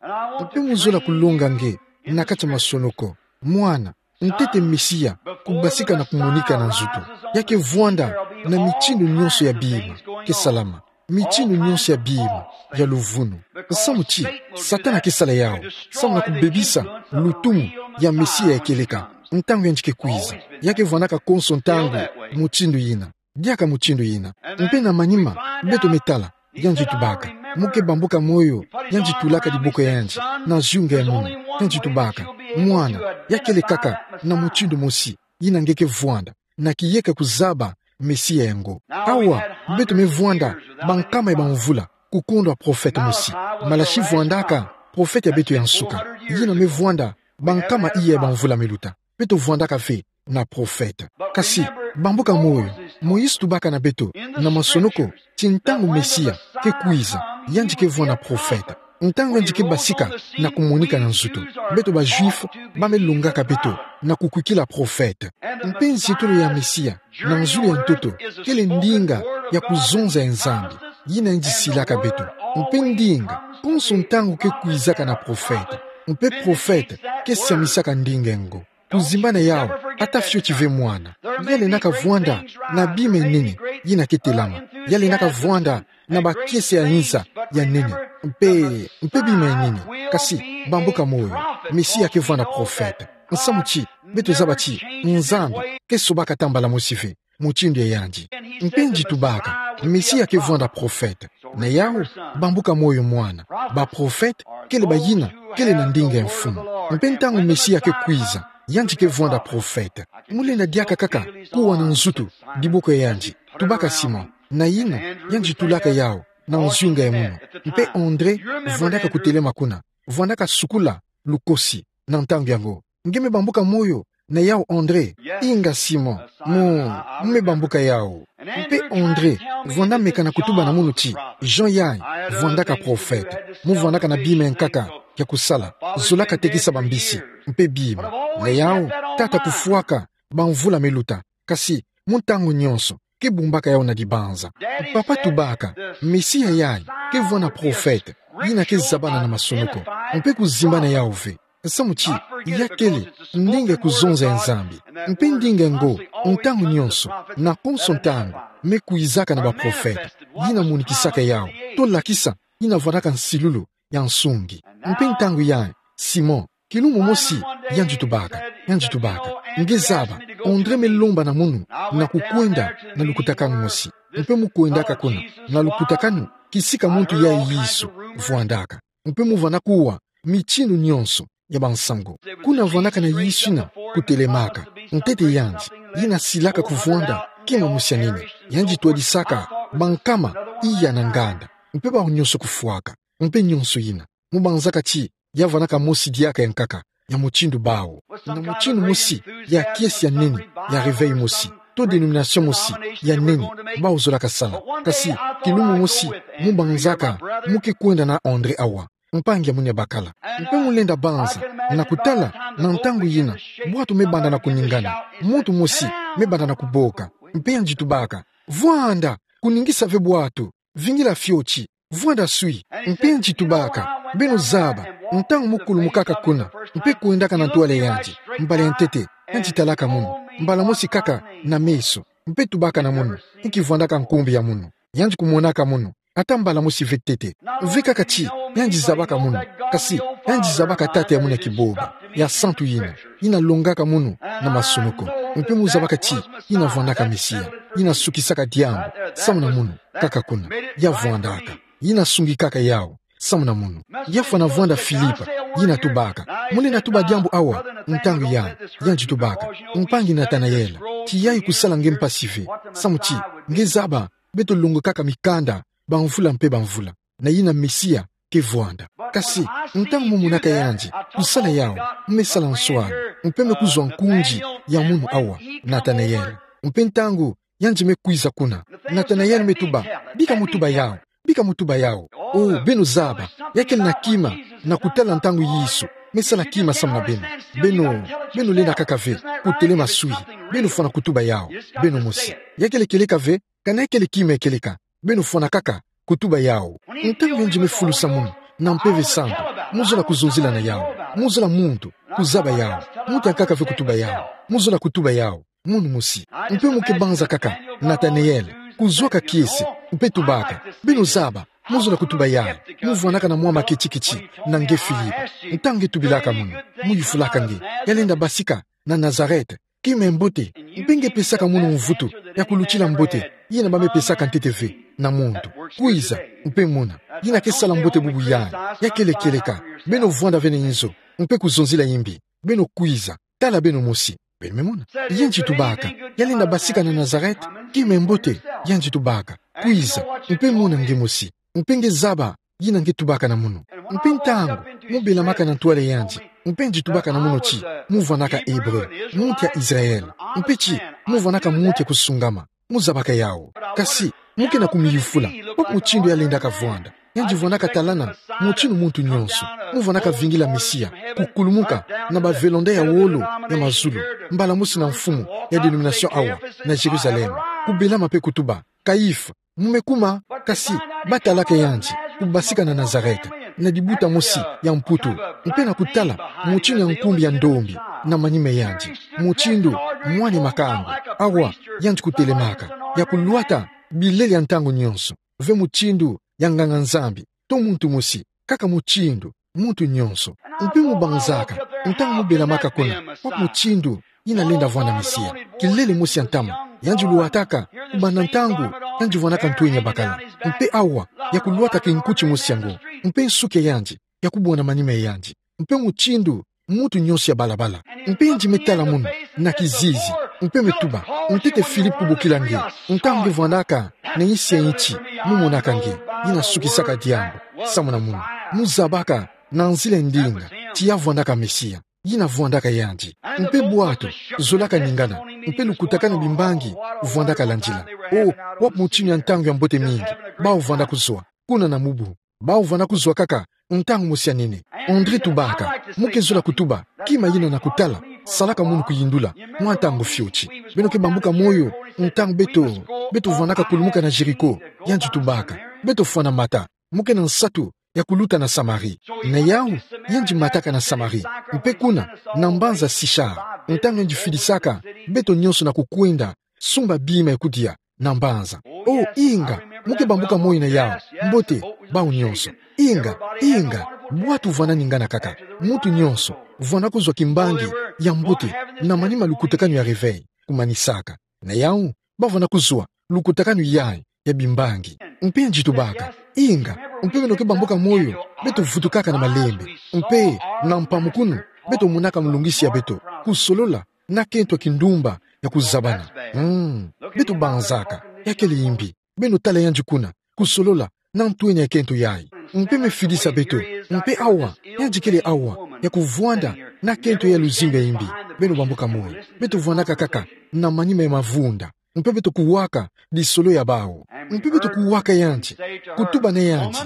Mpe mu zola kulonga nge na kati ya masonoko, mwana, ntete Mesia kubasika na kumonika na nzutu. Ya ke vwanda na mitindu nyonso ya bima ke salama, mitindu nyonso ya bima ya luvunu. Nsamu ti Satana ke sala yau samu na kubebisa lutumu ya Mesia ya kieleka ntangu yandi ke kwiza. Ya ke vwandaka konso ntangu mutindu yina. Diaka mutindu yina. Mpe na manima, beto me tala, yandi tubaka: Mu ke bambuka moyo, yandi tulaka diboko ya yandi na zunga ya munu, yandi tubaka: Mwana, ya kele kaka na mutindu mosi yina nge ke vwanda, na kiyeka kuzaba Mesia yango. Awa, beto me vwanda bankama ya bamvula kukondwa profete mosi. Malaki vwandaka profete ya beto ya nsuka, yina me vwanda bankama iya ya bamvula me luta. Beto vwandaka ve na profete. Kasi, bambuka moyo, Moïse tubaka na beto na masonoko ti ntangu Mesia ke kwiza, yandi ke vwanda profete. Ntangu yandi ke basika na kumonika na nzutu, beto ba Juif ba me longaka beto na kukwikila profete. Mpe nzietolo ya Mesia na nzuli ya ntoto kele ndinga ya kuzonza ya Nzambi, yina yandi silaka beto. Mpe ndinga, konso ntangu ke kwizaka na profete. Mpe profete ke siamisaka ndinga yango. Kuzimbana yau, ata fioti ve mwana. Ya lendaka vwanda na bima ya nene yina ke telama. Ya lendaka vwanda na bakiese ya nza ya nene, mpe, mpe bima ya nene. Kasi, bambuka moyo, Mesia ke vwanda profete. Nsamu ti beto zaba ti Nzambi ke sobaka ata mbala mosi ve mutindu ya yandi. Mpe yandi tubaka, Mesia ke vwanda profete. Na yau, bambuka moyo mwana. Baprofete kele bayina kele na ndinga ya mfumu. Mpe ntangu Mesia ke kwiza, yandi ke vwanda profete. Mu lenda diaka kaka kuwa na nzutu diboko ya yandi, tubaka Simon, na Andro, yandi tulaka yawu na nzunga ya munu. Mpe Andro vwandaka kutelema kuna, vwandaka sukula lukosi na ntangu yango. Nge me bambuka moyo na yawu, Andro? Inga, Simon. Mu, mu me bambuka yawu. Mpe Andro vwanda meka na kutuba na munu ti, Jean yayi vwandaka profete. Mu vwandaka na bima ya nkaka ya kusala, zolaka tekisa bambisi mpe bima. Na yawu, tata kufwaka bamvula me luta, kasi mu ntangu nyonso ke bumbaka yawu na dibanza. Papa tubaka, Mesia yayi ke vwanda profete, yina ke zabana na masunuko, mpe kuzimbana yawu ve. Samu ti ya kele ndinga ya kuzonza ya Nzambi. Mpe ndinga ngo, ntangu nyonso, na konso ntangu, me kwizaka na baprofete, yina monikisaka yawu, to lakisa, yina vwandaka nsilulu ya nsungi. Mpe ntangu yayi, Simon, kilumbu mosi, yandi tubaka, yandi tubaka, nge zaba, Andro me lomba na munu na kukwenda na lukutakanu mosi. Mpe mu kwendaka kuna na lukutakanu, kisika muntu yayi Yesu vwandaka. Mpe mu vwanda kuwa mitindu nyonso ya bansangu. Kuna vwandaka na Yesu yina kutelemaka, ntete yandi, yina silaka kuvwanda kima mosi ya nene. Yandi twadisaka bankama iya na nganda, mpe bawu nyonso kufwaka, mpe nyonso yina. Mu banzaka ti ya vwandaka mosi diaka ya nkaka ya mutindu bawu, na mutindu mosi ya kiese ya nene, ya réveil mosi, to dénomination mosi ya nene bawu zolaka sala. Kasi kilumbu mosi, mu banzaka mu ke kwenda na Andro awa, mpangi ya munu ya bakala. Mpe mu lenda banza na kutala, na ntangu yina bwatu me banda na kuningana, muntu mosi me banda na kuboka. Mpe yandi tubaka, vwanda kuningisa ve bwatu, vingila fioti, vwanda swi. Mpe yandi tubaka, beno zaba, ntangu mu kulumukaka kuna, mpe kwendaka na ntwala ya yandi, mbala ya ntete, yandi talaka munu, mbala mosi kaka na meso, mpe tubaka na munu, inki vwandaka nkumbu ya munu? Yandi kumonaka munu ata mbala mosi ve ntete. Ve kaka ti yandi zabaka munu, kasi yandi zabaka Tata ya munu ya kibombo, ya santu yina, yina longaka munu na masunuko. Mpe mu zabaka ti yina vwandaka Mesia, yina sukisaka diambu samu na munu, kaka kuna ya vwandaka, yina sungikaka yawu samu na munu. Ya fwana vwanda Filipe, yina tubaka, mu lenda tuba diambu awa, ntangu yayi, yandi tubaka, mpangi Natanayele, tiya kusala nge mpasi ve, samu ti nge zaba, beto longokaka mikanda bamvula mpe bamvula, na yina Mesia ke vwanda. Kasi ntangu mu monaka yandi kusala yawu, me sala nswala, mpe me kuzwa nkunzi ya munu awa, Natanayele. Mpe ntangu yandi me kwiza kuna, Natanayele me tuba, bika mu tuba yawu, bika mu tuba yawu. O, beno zaba, ya kele na kima na kutala ntangu Yesu me sala kima samu na beno. Beno, beno lenda kaka ve kutelema swi, beno fwana kutuba yawu, beno mosi. Ya kele kieleka ve, kana ya kele kima ya kieleka, beno fwana kaka kutuba yawu. Ntangu yandi me fulusa munu na Mpeve Santu, mu zola kuzonzila na yawu, mu zola muntu kuzaba yawu, muntu ya nkaka ve kutuba yawu, mu zola kutuba yawu, munu mosi. Mpe mu ke banza kaka Natanayele, kuzwaka kiese, mpe tubaka, beno zaba, mu zola kutuba yawu, mu vwandaka na mwa maketiketi na nge Filipe. Ntangu nge tubilaka munu, mu yufulaka nge, ya lenda basika na Nazarete, kima ya mbote, mpe nge pesaka munu mvutu ya kulutila mbote yina ba me pesaka ntete ve na muntu. Kwiza, mpe mona, yina ke sala mbote bubu yayi, ya kele kieleka, beno vwanda ve na inzo, mpe kuzonzila imbi, beno kwiza, tala beno mosi, beno me mona. Yandi tubaka, ya lenda basika na Nazarete, kima ya mbote, yandi tubaka, kwiza, mpe mona nge mosi, mpe nge zaba yina nge tubaka na munu. Mpe ntangu mu belamaka na ntwala ya yandi, mpe yandi tubaka na munu ti, mu vwandaka Ebre, muntu ya Israele, mpe ti, mu vwandaka muntu ya kusungama, mu zabaka yawu. Kasi mu ke na kumiyufula, wapi mutindu ya lendaka vwanda? Yandi vwandaka talana mutindu muntu nyonso, mu vwandaka vingila Mesia kukulumuka na bavelonda ya wolo ya mazulu, mbala mosi na mfumu ya dénomination awa na Jérusalem, kubelama mpe kutuba, Kayifa, mu me kuma, kasi ba talaka yandi kubasika na Nazarete, na dibuta mosi ya Mputu, mpe na kutala mutindu ya nkumbu ya ndombi na manima ya yandi, mutindu mwana makangu, awa yandi kutelemaka, ya kulwata bilele ya ntangu nyonso, ve mutindu ya nganga-Nzambi, to muntu mosi, kaka mutindu muntu nyonso. Mpe mu banzaka, ntangu mu belamaka kuna, wapi mutindu yina lenda vwanda Mesia? Kilele mosi ya ntama yandi lwataka kubanda ntangu yandi vwandaka ntwenya bakala. Mpe awa, ya kulwata kinkuti mosi yango, mpe nsuki ya yandi ya kubwana manima ya yandi, mpe mutindu muntu nyonso ya balabala. Mpe yandi me tala munu na kizizi, mpe me tuba: Ntete Filipe, kubokila nge, ntangu nge vwandaka na insi ya nti, mu monaka nge. Yina sukisaka diambu, samu na munu, mu zabaka na nzila ya ndinga ti ya vwandaka Mesia. Yina vwandaka yandi. Mpe bwatu zolaka ningana, mpe lukutakanu bimbangi vwandaka landila. O, wapi mutinu ya ntangu ya mbote mingi bawu vwanda kuzwa kuna na mubu. Bawu vwanda kuzwa kaka ntangu mosi ya nene. André tubaka: Mu ke zola kutuba kima yina na kutala, salaka munu kuyindula mwa ntangu fioti. Beno ke bambuka moyo ntangu beto, beto vwandaka kulumuka na Jéricho? Yandi tubaka: Beto fwana mata, mu ke na nsatu ya kuluta na Samarie. Na yawu, yandi mataka na Samarie, mpe kuna, na mbanza Sichar, ntangu yandi fidisaka beto nyonso na kukwenda sumba bima ya kudia na mbanza. O, inga, mu ke bambuka moyo na yawu. Mbote, bawu nyonso. Inga, inga, bwatu vwanda ningana kaka. Muntu nyonso vwanda kuzwa kimbangi ya mbote na manima lukutakanu ya réveil kumanisaka. Na yawu, ba vwanda kuzwa lukutakanu yayi ya bimbangi. Mpe yandi tubaka: Inga, mpe beno ke bambuka moyo, beto vutukaka na malembe, mpe na mpamukunu beto monaka mulungisi ya beto, kusolola na kento ya kindumba ya kuzabana. Mm, beto banzaka ya kele yimbi. Beno tala yandi kuna, kusolola na ntwenya ya kento yayi. Mpe me fidisa beto, mpe awa, yandi kele awa ya kuvwanda na kento ya luzingu ya yimbi. Beno bambuka moyo, beto vwandaka kaka na manima ya mavunda, mpe beto kuwaka disolo ya bawu. Mpe beto kuwaka yandi, kutuba na yandi: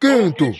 Kento,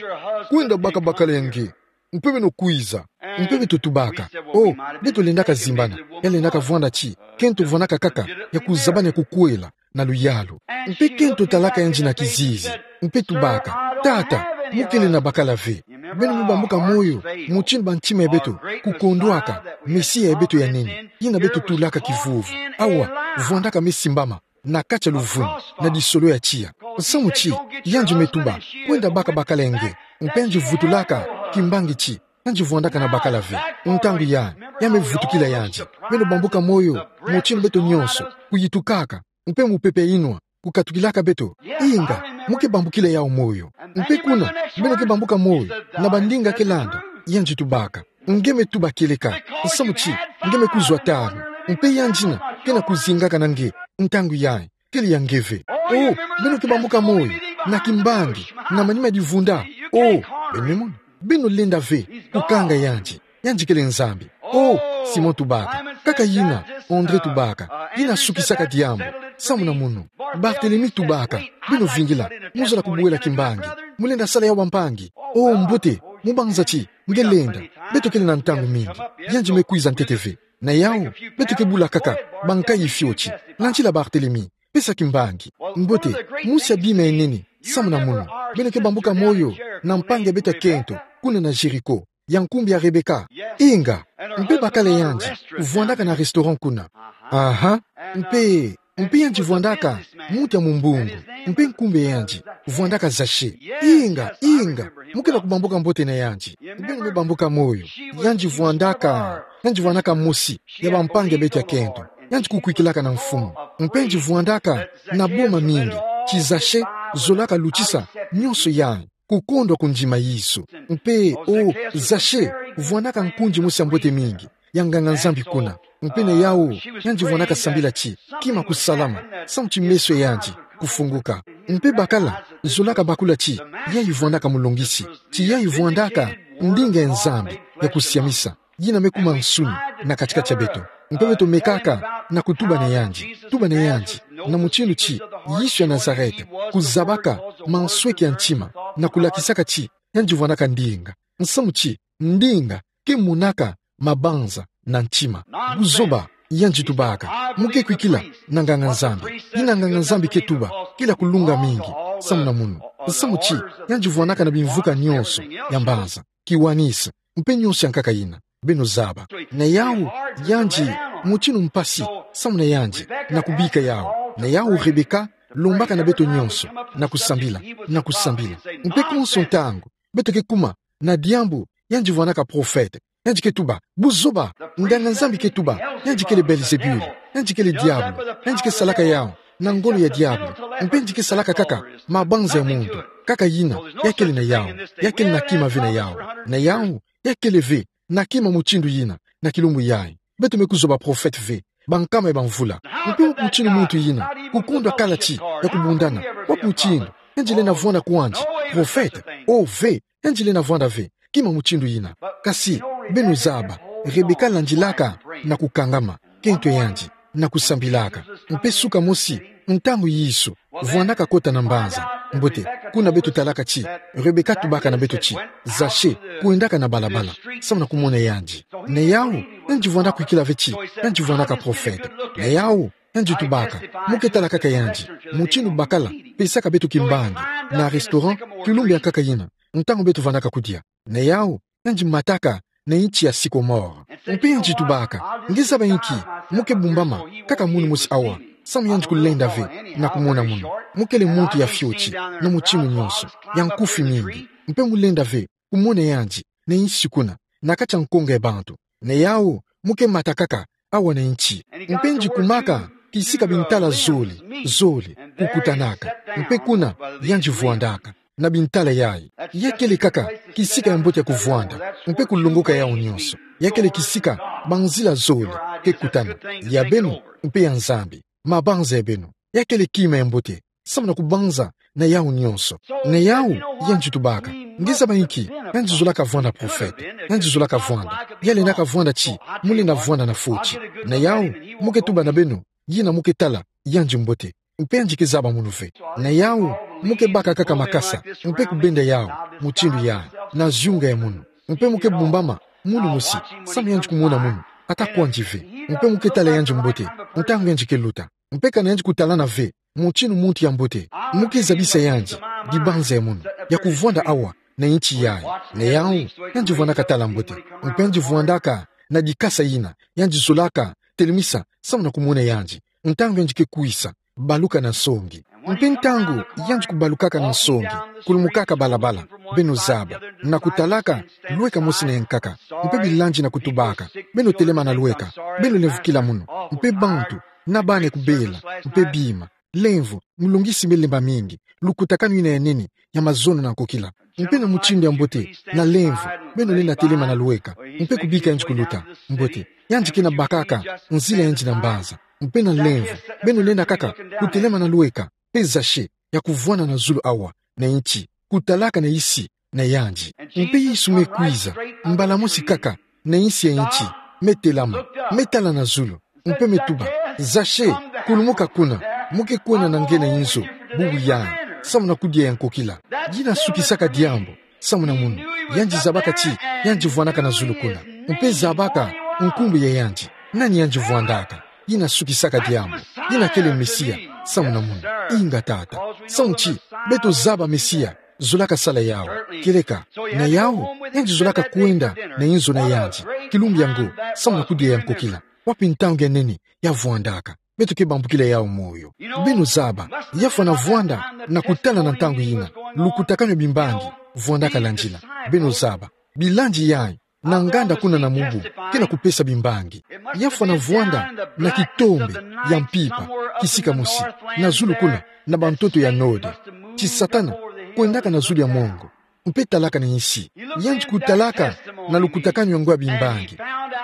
kwenda baka bakala ya nge, mpe beno kwiza. Mpe beto tubaka: O, beto lendaka zimbana, ya lendaka vwanda ti kento vwandaka kaka ya kuzabana ya kukwela na luyalu. Mpe kento talaka yandi na kizizi, mpe tubaka: Tata, mu kele na bakala ve. Beno me bambuka moyo mutinu bantima ya beto kukondwaka Mesia ya beto ya nene, yina beto tulaka kivuvu, awa, vwandaka me simbama na kati ya luvunu na disolo ya tiya. Nsamu ti yandi me tuba: Kwenda baka bakala ya nge. Mpe yandi vutulaka kimbangi ti yandi vwandaka na bakala ve. Ntangu ya, ya me vutukila yandi. Beno bambuka moyo mutinu beto nyonso kuyitukaka, mpe mupepe ya inwa kukatukilaka beto. Inga, mu ke bambukila yawu moyo. Mpe kuna, beno ke bambuka moyo na bandinga ke landa. Yandi tubaka: Nge me tuba kieleka, nsamu ti nge me kuzwa tanu, mpe yandi yina ke na kuzingaka na nge ntangu yayi kele ya nge ve. O, beno ke bambuka moyo na kimbangi, na manima ya divunda. O, beno me mona, beno lenda ve kukanga yandi. Yandi kele Nzambi. O, Simon tubaka: Kaka yina. André tubaka: Yina sukisaka diambu, samu na munu. Barthélemy tubaka: Beno vingila, mu zola kubuela kimbangi. Mu lenda sala yawu, bampangi. O, mbote, mu banza ti nge lenda. Beto kele na ntangu mingi. Yandi me kwiza ntete ve. Na yawu, beto ke bula kaka bankayi fioti. Landila Barthélemy, pesa kimbangi. Mbote, mosi ya bima ya nene, samu na munu, beno ke bambuka moyo na mpangi ya beto ya kento, kuna na Jéricho, ya nkumbu ya Rebecca. Inga, mpe bakala yandi vwandaka na restaurant kuna. Aha, mpe, mpe yandi vwandaka muntu ya mumbungu, mpe nkumbu ya yandi vwandaka Zachée. Inga, inga, mu ke na kubambuka mbote na yandi. Beno me bambuka moyo. Yandi vwandaka, yandi vwandaka mosi ya bampangi ya beto ya kento. Yandi kukwikilaka na Mfumu. Mpe yandi vwandaka na boma mingi, ti Zachée zolaka lutisa nyonso yayi kukondwa kundima Yezu. Mpe, o, Zachée vwandaka nkundi mosi ya mbote mingi, ya nganga-Nzambi kuna. Mpe na yawu, yandi vwandaka sambila ti kima kusalama, samu ti meso ya yandi kufunguka. Mpe bakala zolaka bakula ti yayi vwandaka mulongisi, ti yayi vwandaka ndinga ya Nzambi ya kusiamisa, yina me kuma nsuni na kati-kati ya beto. Mpe beto mekaka na kutuba na yandi, tuba na yandi na mutinu ti Yezu ya Nazareth, kuzabaka mansweki ya ntima, na kulakisaka ti yandi vwandaka ndinga. Nsamu ti ndinga ke monaka mabanza na ntima. Buzoba, yandi tubaka, mu ke kwikila na nganga-Nzambi. Yina nganga-Nzambi ke tuba, kele ya kulunga mingi, samu na munu. Nsamu ti yandi vwandaka na bimvuka nyonso ya mbanza, kiwanisa, mpe nyonso ya nkaka yina beno zaba. Na yawu, yandi, mutinu mpasi, samu na yandi, na kubika yawu. Na yawu Rebecca lombaka na beto nyonso na kusambila, na kusambila. Mpe konso ntangu beto ke kuma na diambu, yandi vwandaka prophète. Yandi ke tuba, buzoba, nganga-Nzambi ke tuba, yandi kele Belzebul, yandi kele diabulu, yandi ke salaka yawu na ngolo ya diabulu, mpe yandi ke salaka kaka mabanza ya muntu. Kaka yina, ya kele na yawu, ya kele na kima ve na yawu. Na yawu, ya kele ve na kima mutindu yina, na kilumbu yayi. Beto me kuzwa baprofete ve, bankama ya bamvula. Mpe wapi mutindu muntu yina, kukondwa kala ti, ya kubundana, wapi mutindu, yandi lenda vwanda kwandi, profete, o ve, yandi lenda vwanda ve, kima mutindu yina. Kasi, beno zaba, Rebeka landilaka, na kukangama, kento yandi, na kusambilaka. Mpe suka mosi, ntangu Yesu, vwandaka kota na mbanza. Mbote, kuna beto talaka ti, Rebeka tubaka na beto ti, zase, kwendaka na balabala, samu na kumona yandi. Na yawu, yandi vwanda kwikila ve ti, yandi vwandaka profete. Na yawu, yandi tubaka, mu ke tala kaka yandi, mutindu bakala, pesaka beto kimbangi, na restaurant, kilumbu yankaka yina, ntangu beto vandaka kudia. Na yawu, yandi mataka, na inti ya sycomore. Mpe yandi tubaka, nge zaba inki, mu ke bumbama, kaka munu mosi awa, samu yandi kulenda ve, na kumona munu. Mu kele muntu ya fioti, na mutindu nyonso, ya nkufi mingi. Mpe mu lenda ve, kumona yandi, na insi kuna, na kati ya nkonga ya bantu. Na yawu, mu ke mata kaka, awa na inti. Mpe yandi kumaka, kisika bintala zole, zole, kukutanaka. Mpe kuna, yandi vwandaka. Na bintala yayi. Ya kele kaka, kisika ya mbote ya kuvwanda. Mpe kulongoka yawu nyonso. Ya kele kisika, banzila zole, ke kutana. Ya beno, mpe ya Nzambi. Mabanza ya beno. Ya kele kima ya mbote. Samu na kubanza, na yawu nyonso. Na yawu, yandi tubaka. Nge zaba inki, yandi zolaka vwanda profete. Yandi zolaka vwanda. Ya lendaka vwanda ti, mu lenda vwanda na fioti. Na yawu, mu ke tuba na beno, yina mu ke tala, yandi mbote. Mpe yandi ke zaba munu ve. Na yawu, mu ke baka kaka makasa, mpe kubenda yawu, mutindu yayi, na ziunga ya munu. Mpe mu ke bumbama, munu mosi, samu yandi kumona munu, ata kwandi ve. Mpe mu ke tala yandi mbote, ntangu yandi ke luta. Mpe kana yandi kutalana ve, mutindu muntu ya mbote, mu ke zabisa yandi, dibanza ya munu, ya kuvwanda awa, na inti yayi, na yawu, yandi vwandaka tala mbote. Mpe yandi vwandaka, na dikasa yina, yandi zolaka, telemisa, samu na kumona yandi, ntangu yandi ke kwisa, baluka na nsongi. Mpe ntangu, yandi kubalukaka na nsongi, kulumukaka balabala, beno zaba, na kutalaka, lweka mosi na yankaka, mpe bilandi na kutubaka, beno telemana lweka, beno lemvukila munu, mpe bantu, na bana kubela, mpe bima, lemvo, mulongisi me lemba mingi, lukutakanu yina ya nene, ya mazono na nkokila. Mpe na mutindu ya mbote, na lemvo, beno lenda telemana lweka, mpe kubika yandi kuluta, mbote, yandi ke na bakaka, nzila yandi na mbanza, mpe na lemvo, beno lenda kaka, kutelemana lweka, mpe zase, ya kuvwanda na zulu awa, na inti, kutalaka na insi, na yandi. Mpe Yesu me kwiza, mbala mosi kaka, na insi ya inti, me telama, me tala na zulu, mpe me tuba, zase, kulumuka kuna, mu ke kwenda na nge na inzo, bubu yayi, samu na kudia ya nkokila. Yina sukisaka diambu, samu na munu, yandi zabaka ti, yandi vwandaka na zulu kuna, mpe zabaka, nkumbu ya yandi, nani yandi vwandaka. Yina sukisaka diambu. Yina kele Mesia. Samu na munu. Inga tata. Samu ti, beto zaba Mesia. Zolaka sala yawu. Kieleka. Na yawu, yandi zolaka kwenda, na inzo na yandi. Kilumbu yango. Samu na kudia ya nkokila. Wapi ntangu ya nene, ya vwandaka. Beto ke bambukila yawu moyo. Beno zaba. Ya fwana vwanda, na kutala na ntangu yina. Lukutakanu ya bimbangi. Vwandaka landila. Beno zaba. Bilandi yayi. Na nganda kuna na mubu, ke na kupesa bimbangi. Ya fwana vwanda na kitombe ya mpimpa, kisika mosi, na zulu kuna, na bantoto ya node. Ti Satana, kwendaka na zulu ya mongo. Mpe talaka na insi. Yandi kutalaka na lukutakanu yango ya bimbangi.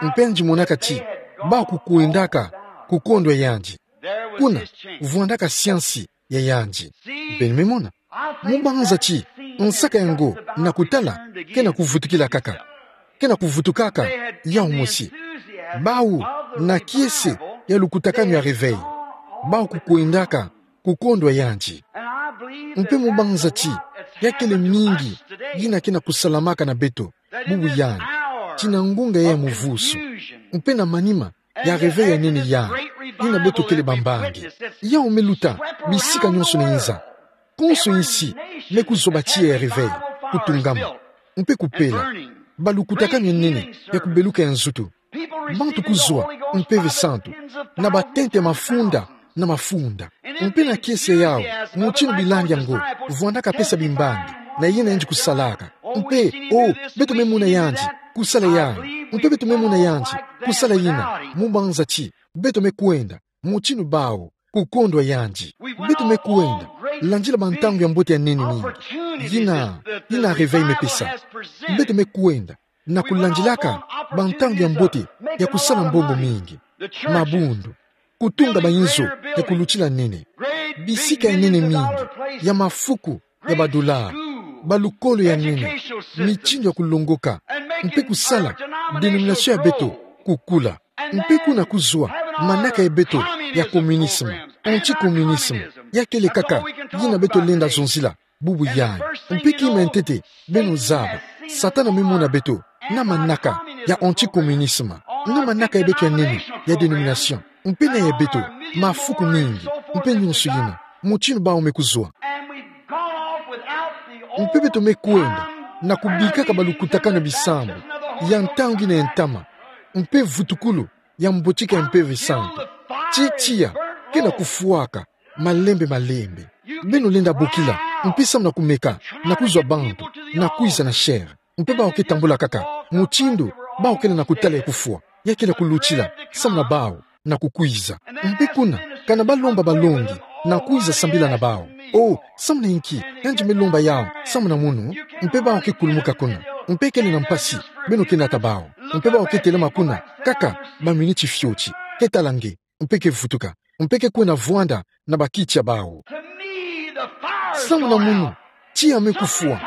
Mpe yandi monaka ti, bawu kukwendaka, kukondwa yandi. Kuna, vwandaka siansi, ya yandi. Beno me mona. Mu banza ti, nsaka yango, na kutala, ke na kuvutukila kaka. Ke na kuvutukaka, yawu mosi. Bawu, na kiese, ya lukutakanu ya réveil. Bawu kukwendaka, kukondwa yandi. Mpe mu banza ti, ya kele mingi, yina ke na kusalamaka na beto, bubu yayi. Ti na ngunga ya muvusu. Mpe na manima, ya réveil ya nene yayi. Yina beto kele bambangi. Yawu me luta, bisika nyonso na inza. Konso insi, me kuzwa ba tiya ya réveil, kutungama. Mpe kupela. Balukutakanu ya nene, ya kubeluka ya nzutu. Bantu kuzwa, Mpeve Santu. Na batente mafunda, na mafunda. Mpe na kiese yawu, mutindu bilandi yango, vwandaka pesa bimbangi, na yina yandi kusalaka. Mpe, o, beto me mona yandi, kusala yayi. Mpe beto me mona yandi, kusala yina, mu banza ti, beto me kwenda, mutindu bawu, kukondwa yandi. Beto me kwenda, landila bantangu ya mbote ya nene mingi. Yina, yina réveil me pesa. Beto me kwenda, na kulandilaka bantangu ya mbote ya kusala mbongo mingi, mabundu, kutunga bainzo ya kulutila nene, bisika ya nene mingi, ya mafuku ya badola, balukolo ya nene, mitindu ya kulongoka, mpe kusala denomination ya beto kukula. Mpe kuna kuzwa manaka ya beto ya communisme, anticommunisme, ya kele kaka yina beto lenda zonzila bubu yayi. Mpe kima ya ntete, beno zaba, Satana me mona beto na manaka ya anticommunisme, na manaka ya beto ya nene ya denomination, mpe na ya beto mafuku mingi, mpe nyonso yina, mutindu bawu me kuzwa. Mpe beto me kwenda na kubikaka balukutakanu ya bisambu ya ntangu yina ya ntama, mpe vutukulu ya mbotika ya Mpeve Santu. Ti tiya ke na kufwaka malembe malembe. Beno lenda bokila, mpe samu na kumeka na kuzwa bantu na kwiza na chaire. Mpe bawu ke tambula kaka mutindu bawu kele na kutala ya kufwa, ya kele kulutila samu na bawu na kukwiza. Mpe kuna, kana balomba balongi na kwiza sambila na bawu. O, samu na inki, yandi me lomba yawu samu na munu? Mpe bawu ke kulumuka kuna. Mpe kele na mpasi, beno ke nata bawu. Mpe bawu ke telama kuna kaka baminiti fioti, ke tala nge, mpe ke vutuka, mpe ke kwenda vwanda na bakiti ya bawu. Samu na munu, tiya me kufwa,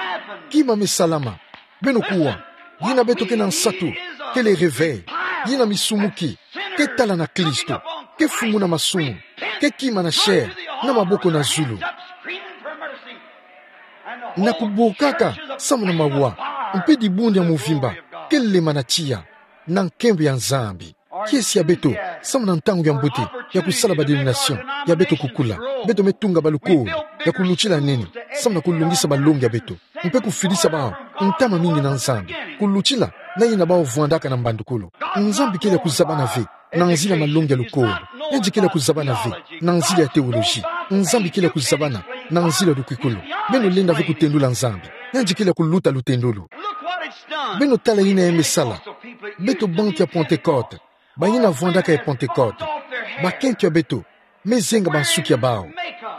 kima me salama. Beno kuwa, yina beto ke na nsatu, kele réveil, yina misumuki ke tala na Kristo, ke funguna masumu, ke kima na chaire, na maboko na zulu, na kubokaka samu na mawa, mpe dibundu ya mvimba ke lema na tiya na nkembo ya Nzambi. Kiese ya beto, samu na ntangu ya mbote ya kusala badenomination ya beto kukula, beto me tunga balukolo ya kulutila nene samu na kulongisa balongi ya beto, mpe kufidisa bawu ntama mingi na Nzambi, kulutila na yina bawu vwandaka na mbandukulu. Nzambi kele ya kuzabana ve na nzila ya malongi ya lukolo. Yandi kele ya kuzabana ve na nzila ya théologie. Nzambi kele ya kuzabana na nzila ya lukikulu. Beno lenda ve kutendula Nzambi. Yandi kele ya kuluta lutendolo. Beno tala yina ya me sala beto bantu ya Pentecôte, bayina vwandaka ya Pentecôte. Bakento ya beto me zenga bansuki ya bawu.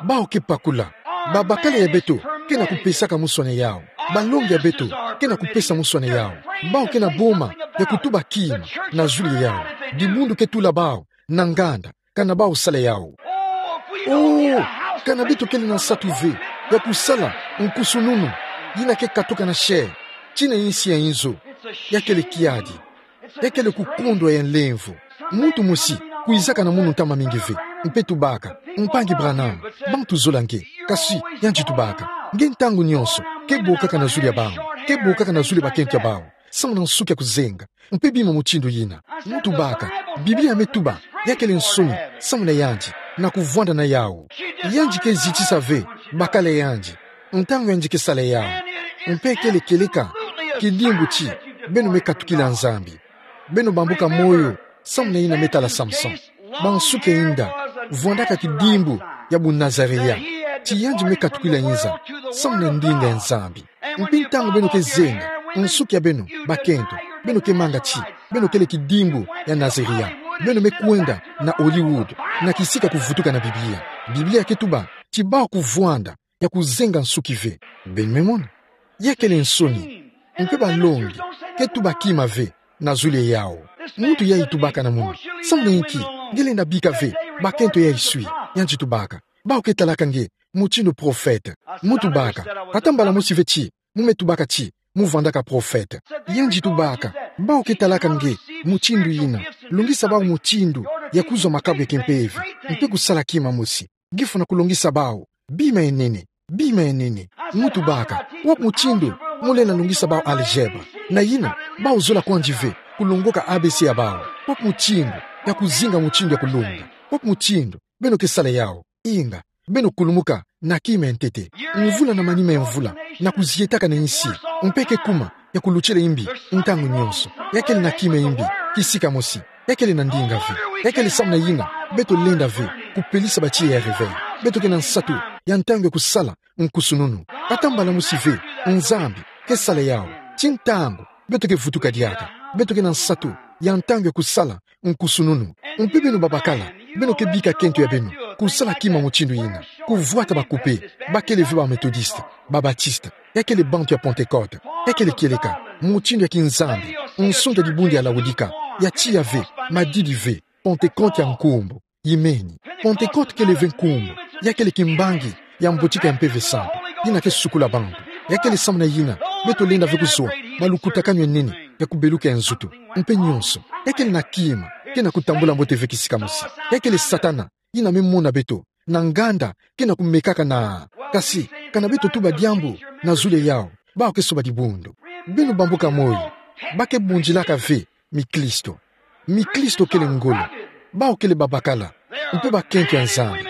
Bawu ke pakula. Babakala ya beto ke na kupesaka muswane yawu. Balongi ya beto ke na kupesa muswane yawu. Bawu ke na boma ya kutuba kima na zulu ya yawu. Dibundu ke tula bawu na nganda kana bawu sala yawu. O, kana beto kele na nsatu ve ya kusala nkusununu yina ke katuka na chaire tii na insi ya inzo, ya kele kiadi, ya kele kukondwa ya nlemvo. Muntu mosi kwizaka na munu ntama mingi ve, mpe tubaka: Mpangi Branham, bantu zola nge. Kasi yandi tubaka: Nge ntangu nyonso ke bokaka na zulu ya bawu, ke bokaka na zulu ya bakento ya bawu, samu na nsuki ya kuzenga, mpe bima mutindu yina. Ntubaka: Biblia me tuba ya kele nsoni samu na yandi na kuvwanda na yawu. Yandi ke zitisa ve bakala yandi ntangu yandi ke sala yawu. Mpe kele kieleka kidimbu ti beno me katukila Nzambi. Beno bambuka moyo samu na yina me tala Samson. Bansuki ya inda vwandaka kidimbu ya bu Nazaréen, ti yandi me katukila inza samu na ndinga ya Nzambi. Mpe ntangu beno ke zenga nsuki ya beno, bakento, beno ke manga ti beno kele kidimbu ya Nazaréen. Beno me kwenda na Hollywood, na kisika kuvutuka na Biblia. Biblia ke tuba ti bawu kuvwanda ya kuzenga nsuki ve. Beno me mona? Ya kele nsoni. Mpe balongi ke tuba kima ve na zulu ya yawu. Muntu yayi tubaka na munu: Samu na inki nge lenda bika ve bakento yayi swi? Yandi tubaka: Bawu ke talaka nge mutindu prophète. Ntubaka: Ata mbala mosi ve ti mu me tubaka ti mu vwandaka prophète. Yandi tubaka: Bawu ke talaka nge mutindu yina. Longisa bawu mutindu ya kuzwa makabu ya kimpeve, mpe kusala kima mosi. Nge fwana kulongisa bawu bima ya nene, bima ya nene. Ntubaka: Wapi mutindu mu lenda longisa bawu algèbre? Na yina bawu zola kwandi ve kulongoka A B C ya bawu. Wapi mutindu ya kuzinga mutindu ya kulonga? Wapi mutindu beno ke sala yawu? Inga, beno kulumuka na kima ya ntete. Mvula na manima ya mvula na kuzietaka na insi, mpe ke kuma ya kulutila imbi ntangu nyonso. Ya kele na kima ya imbi kisika mosi. Ya kele na ndinga ve. Ya kele samu na yina beto lenda ve kupelisa batiya ya réveil. Beto ke na nsatu ya ntangu ya kusala nkusununu. Ata mbala mosi ve Nzambi ke sala yawu. Ti ntangu beto ke vutuka diaka, beto ke na nsatu ya ntangu ya kusala nkusununu. Mpe beno babakala, beno ke bika kento ya beno kusala kima mutindu yina, kuvwata bakupe, ba kele ve ba Methodiste, ba Baptiste, ya kele bantu ya Pentecôte, ya kele kieleka. mutindu ya kinzambi, nsungi ya dibundu ya Laodika, ya tiya ve, madidi ve, Pentecote ya nkumbu. Imeni. Pentecote kele ve nkumbu, ya kele kimbangi ya mbotika ya Mpeve Santu, yina ke sukula bantu. Ya kele samu na yina beto lenda ve kuzwa malukutakanu ya nene ya kubeluka ya nzutu, mpe nyonso. Ya kele na kima ke na kutambula mbote ve kisika mosi. Ya kele Satana, yina me mona beto na nganda ke na kumekaka na. Kasi, kana beto tuba diambu na zulu ya yawu, bawu ke soba dibundu. Beno bambuka moyo, ba ke bundilaka ve miklisto. Miklisto kele ngolo. Bawu kele babakala, mpe bakento ya Nzambi,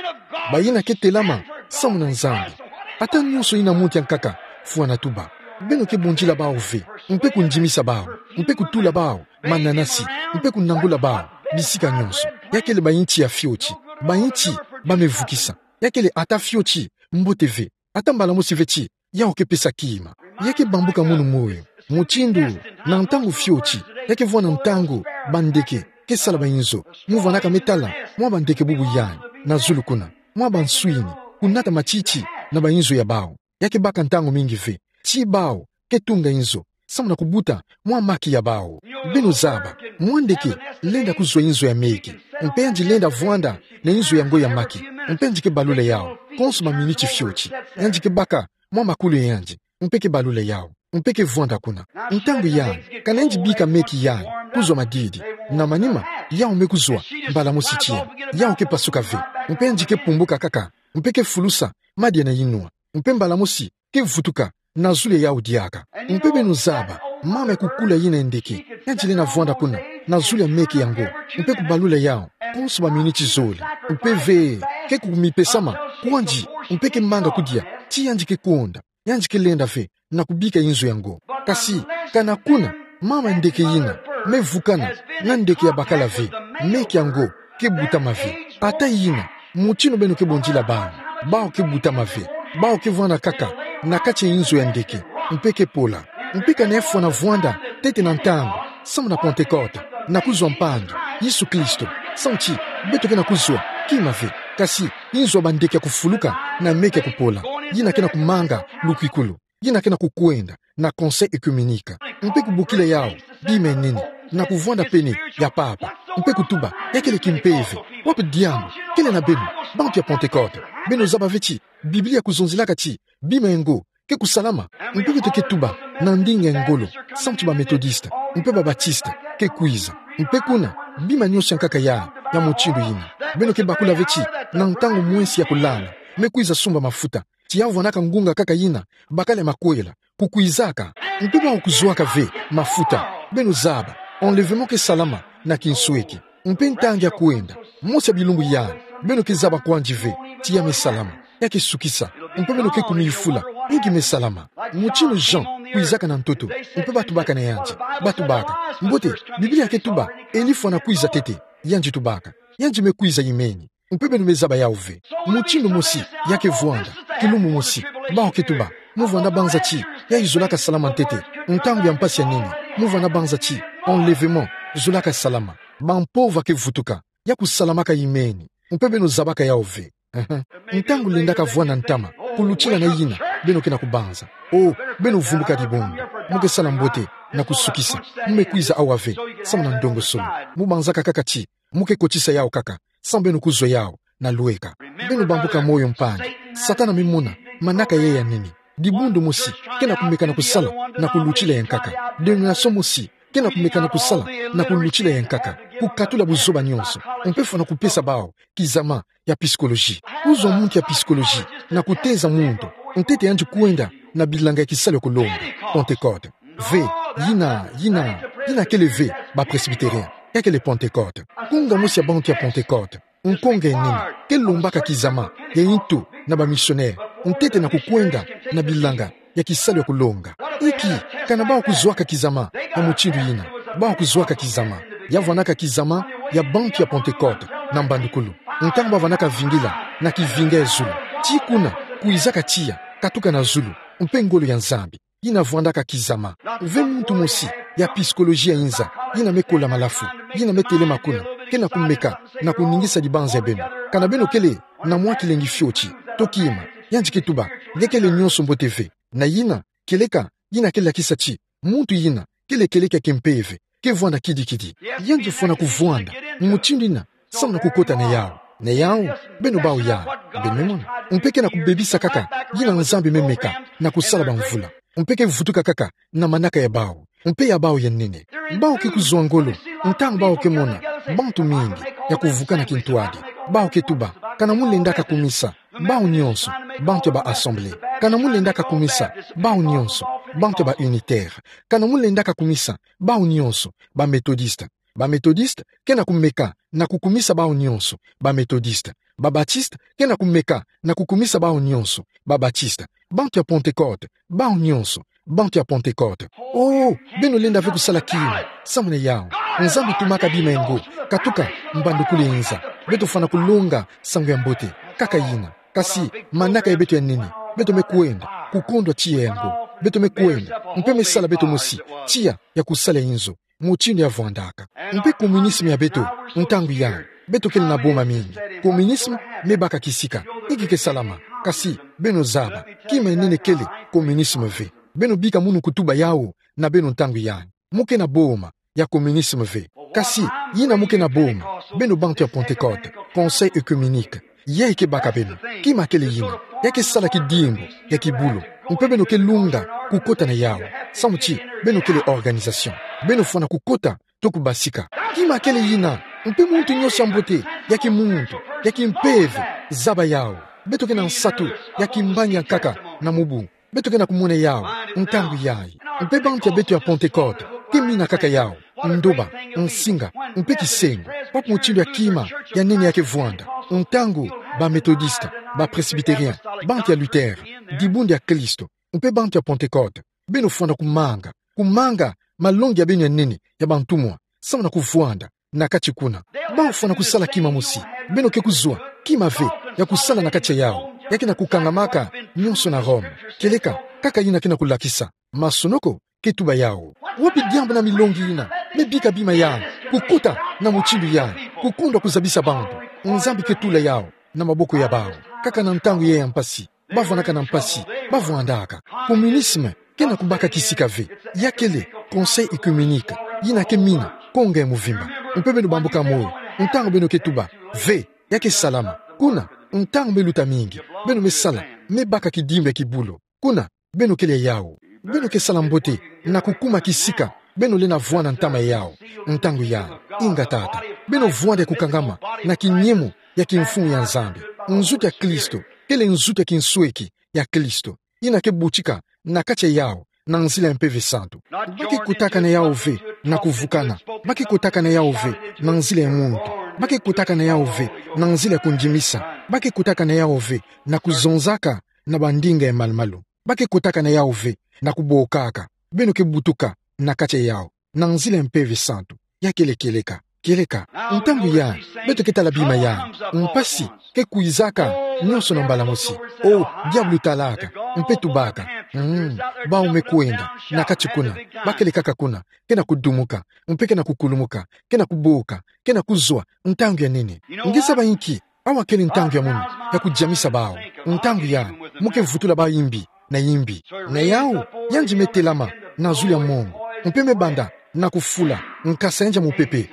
bayina ke telama samu na Nzambi. Ata nyonso yina muntu ya nkaka fwana tuba, beno ke bundila bawu ve, mpe kundimisa bawu, mpe kutula bawu mananasi, mpe kunangula bawu bisika nyonso. Ya kele bayinti ya fioti, bayinti ba me vukisa. Ya kele ata fioti mbote ve, ata mbala mosi ve ti yawu ke pesa kima. Ya ke bambuka munu moyo, mutindu na ntangu fioti, ya ke vwanda ntangu bandeke ke sala bayinzo. Mu vwandaka me tala mwa bandeke bubu yandi na zulu kuna, mwa banswini, kunata matiti na bayinzo ya bawu. Ya ke baka ntangu mingi ve ti bawu ke tunga inzo samu na kubuta mwa maki ya bawu. Beno zaba, mwa ndeke lenda kuzwa inzo ya meke, mpe yandi lenda vwanda na inzo yango ya maki, mpe yandi ke balula yawu konso maminiti fioti. Yandi ke baka mwa makulu ya yandi, mpe ke balula yawu, mpe ke vwanda kuna. Ntangu yandi, kana yandi bika meke yandi kuzwa madidi, na manima, yawu me kuzwa mbala mosi tiya. Yawu ke pasuka ve, mpe yandi ke pumbuka kaka, mpe ke fulusa madia na yinwa, mpe mbala mosi ke vutuka na zulu ya yawu diaka. Mpe beno zaba, mama ya kukula yina ya ndeke, yandi lenda vwanda kuna na zulu ya meke yango, mpe kubalula yawu konso baminiti zole. Mpe ve, ke kumipesama kwandi, mpe ke manga kudia ti yandi ke konda, yandi ke lenda ve na kubika inzo yango. Kasi, kana kuna, mama ndeke yina me vukana na ndeke ya bakala ve, meke yango ke butama ve. Ata yina, mutindu beno ke bundila bawu, bawu ke butama ve. Bawu ke vwanda kaka na kati ya inzo ya ndeke, mpe ke pola. Mpe kana ya fwana vwanda ntete na ntangu samu na Pentecote, na kuzwa mpangi, Yesu Kristo, samu ti beto ke na kuzwa kima ve, kasi inzo ya bandeke ya kufuluka na meke ya kupola, yina ke na kumanga lukwikulu, yina ke na kukwenda na Conseil œcuménique, mpe kubokila yawu bima ya nene, na kuvwanda pene ya papa, mpe kutuba, ya kele kimpeve. Wapi diambu kele na beno, bantu ya Pentecote? Beno zaba ve ti Biblia kuzonzelaka ti bima yango ke kusalama. Mpe beto ke tuba na ndinga ya ngolo, samu ti ba Methodiste mpe ba Baptiste ke kwiza. Mpe kuna, bima nyonso ya nkaka ya, ya mutindu yina. Beno ke bakula ve ti na ntangu mwesi ya kulala, me kwiza sumba mafuta, ti ya vwandaka ngunga kaka yina bakala ya makwela kukwizaka. Mpe bawu kuzwaka ve mafuta. Beno zaba, enlèvement ke salama na kinsweki. Mpe ntangu ya kwenda, mosi ya bilumbu yandi, beno ke zaba kwandi ve ti ya me salama, ya ke sukisa. Mpe beno ke kumiyufula, inki me salama? Mutindu Jean kwizaka na ntoto, mpe ba tubaka na yandi, ba tubaka: Mbote, Biblia ke tuba Elie fwana kwiza ntete. Yandi tubaka: Yandi me kwiza, imeni. Mpe beno me zaba yawu ve. Mutindu mosi ya ke vwanda, kilumbu mosi, bawu ke tuba: Mu vwanda banza ti ya izolaka salama ntete, ntangu ya mpasi ya nene, mu vwanda banza ti enlèvement zolaka salama, bampova ke vutuka, ya kusalamaka, imeni. Mpe beno zabaka yawu ve. Ehe. Ntangu lendaka vwanda ntama kulutila na yina beno ke na kubanza. O, beno vumbuka dibundu. Mu ke sala mbote na kusukisa. Mu me kwiza awa ve, samu na ndongosolo. Mu banzaka kaka ti mu ke kotisa yawu kaka, samu beno kuzwa yawu na lweka. Beno bambuka moyo, mpangi. Satana me mona manaka yayi ya nene. Dibundu mosi ke na kumeka na kusala na kulutila ya nkaka. Denomination mosi ke na kumeka na kusala na kulutila ya nkaka, kukatula buzoba nyonso, mpe fwana kupesa bawu kizama ya psychologie. Kuzwa muntu ya psychologie na kuteza muntu ntete yandi kwenda na bilanga ya kisalu ya kulonga, Pentecôte. Ve, yina, yina, yina kele ve ba Presbytérien. Ya kele Pentecôte. Konga mosi ya bantu ya Pentecôte, nkonga ya nene, ke lombaka kizama ya yintu na ba missionnaire ntete na kukwenda na bilanga ya kisalu ya kulonga. Inki, kana bawu kuzwaka kizama ya mutindu yina? Bawu kuzwaka kizama. Ya vwandaka kizama ya bantu ya Pentecôte na mbandukulu, ntangu ba vwandaka vingila na kivinga ya zulu. Ti kuna, kwizaka tiya, katuka na zulu, mpe ngolo ya Nzambi yina vwandaka kizama. Ve muntu mosi ya psychologie ya inza yina me kola malafu, yina me telema kuna, ke na kumeka na kuningisa dibanza ya beno. Kana beno kele na mwa kilengi fioti, to kima, yandi ke tuba: Nge kele nyonso mbote ve. Na yina, kieleka yina ke lakisa ti Muntu yina kele kieleka kia kimpeve, ke vwanda kidikidi. Yandi fwana kuvwanda mutindu yina samu na kukota na yawu. Na yawu, beno bau ya, beno me mona. Mpe kena kubebisa kaka yina Nzambi me meka na kusala bamvula. Mpe ke vutuka kaka na manaka ya bawu. Mpe ya bawu ya nene. Bawu ke kuzwa ngolo ntangu bawu ke mona bantu mingi ya kuvukana kintwadi. Bawu ke tuba, kana mu lendaka kumisa bawu nyonso bantu ya ba Assemblée. Kana mu lendaka kumisa bawu nyonso bantu ya ba Unitaire. Kana mu lendaka kumisa bawu nyonso ba Méthodiste. Ba Méthodiste kena kumeka na kukumisa bawu nyonso ba Méthodiste. Ba Baptiste kena kumeka na kukumisa bawu nyonso ba Baptiste. Bantu ya Pentecôte, bawu nyonso bantu ya Pentecôte. Oh, beno lenda ve kusala kima samu na yawu. Nzambi tumaka bima ya ngo. Katuka mbandukulu ya inza, beto fwana kulonga nsangu ya mbote kaka yina. Kasi manaka ya beto ya nene, beto me kwenda kukondwa tiya ya ngo. Beto me kwenda mpe me sala beto mosi tiya ya kusala inzo mutindu ya vwandaka. Mpe communisme ya beto, ntangu yayi, beto kele na boma mingi. Communisme me baka kisika. Inki ke salama? Kasi beno zaba, kima ya nene kele communisme ve. Beno bika munu kutuba yawu na beno ntangu yayi. Mu ke na boma ya communisme ve. Kasi yina mu ke na boma, beno bantu ya Pentecôte, Conseil œcuménique, yayi ke baka beno. Kima kele yina? Ya ke sala kidimbu ya kibulu. Mpe beno ke lunga kukota na yawu. Samu ti beno kele organisation. Beno fwana kukota to kubasika. Kima kele yina? Mpe muntu nyonso ya mbote, ya kimuntu, ya kimpeve, zaba yawu. Beto ke na nsatu ya kimbangi ya nkaka na mubu. Beto ke na kumona yawu ntangu yayi. Mpe bantu ya beto ya Pentecôte ke mina kaka yawu, ndoba, nsinga, mpe kisengo. Wapi mutindu ya kima ya nene ya ke vwanda? Ntangu ba Méthodiste, ba Presbytérien, bantu ya Luther, dibundu ya Kristo, mpe bantu ya Pentecôte, beno fwana kumanga, kumanga malongi ya beno ya nene ya bantumwa samu na kuvwanda na kati kuna. Bawu fwana kusala kima mosi. Beno ke kuzwa kima ve ya kusala na kati ya yawu. Ya ke na kukangamaka nyonso na Rome. Kieleka kaka yina ke na kulakisa. Masonoko ke tuba yawu. Wapi diambu na milongi yina me bika bima yayi kukota na mutindu yayi, kukondwa kuzabisa bantu? Nzambi ke tula yawu na maboko ya bawu. Kaka na ntangu yayi ya mpasi, ba vwanaka na mpasi, ba vwandaka. Communisme ke na kubaka kisika ve. Ya kele Conseil œcuménique yina ke mina konga ya muvimba. Mpe beno bambuka moyo ntangu beno ke tuba, ve, ya ke salama. Kuna, ntangu me luta mingi, beno me sala, me baka kidimbu ya kibulu. Kuna, beno kele yawu. Beno ke sala mbote na kukuma kisika. Beno lenda vwanda ntama ya yawu ntangu yayi. Inga tata, beno vwanda ya kukangama na kinyemo ya kimfumu ya Nzambi. Nzutu ya Kristo kele nzutu ya kinsweki ya Kristo, yina ke butika na kati ya yawu na nzila ya Mpeve Santu. Ba ke kotaka na yawu ve na kuvukana. Ba ke kotaka na yawu ve na nzila ya muntu. Ba ke kotaka na yawu ve na nzila ya kundimisa. Ba ke kotaka na yawu ve na kuzonzaka na bandinga ya malu-malu. Ba ke kotaka na yawu ve na kubokaka. Beno ke butuka na kati ya yawu na nzila ya Mpeve Santu. Ya kele kieleka, kieleka. Ntangu yayi, beto ke tala bima yayi. Mpasi ke kwizaka nyonso na mbala mosi. Oh, diabulu talaka, mpe tubaka, mm, bawu me kwenda na kati kuna. Ba kele kaka kuna, ke na kudumuka, mpe ke na kukulumuka, ke na kuboka, ke na kuzwa ntangu ya nene. Nge zaba inki? Awa kele ntangu ya munu ya kudiamisa bawu. Ntangu yayi, mu ke vutula bawu yimbi na yimbi. Na yawu, yandi me telama na zulu ya mongo, mpe me banda na kufula nkasa yandi ya mupepe.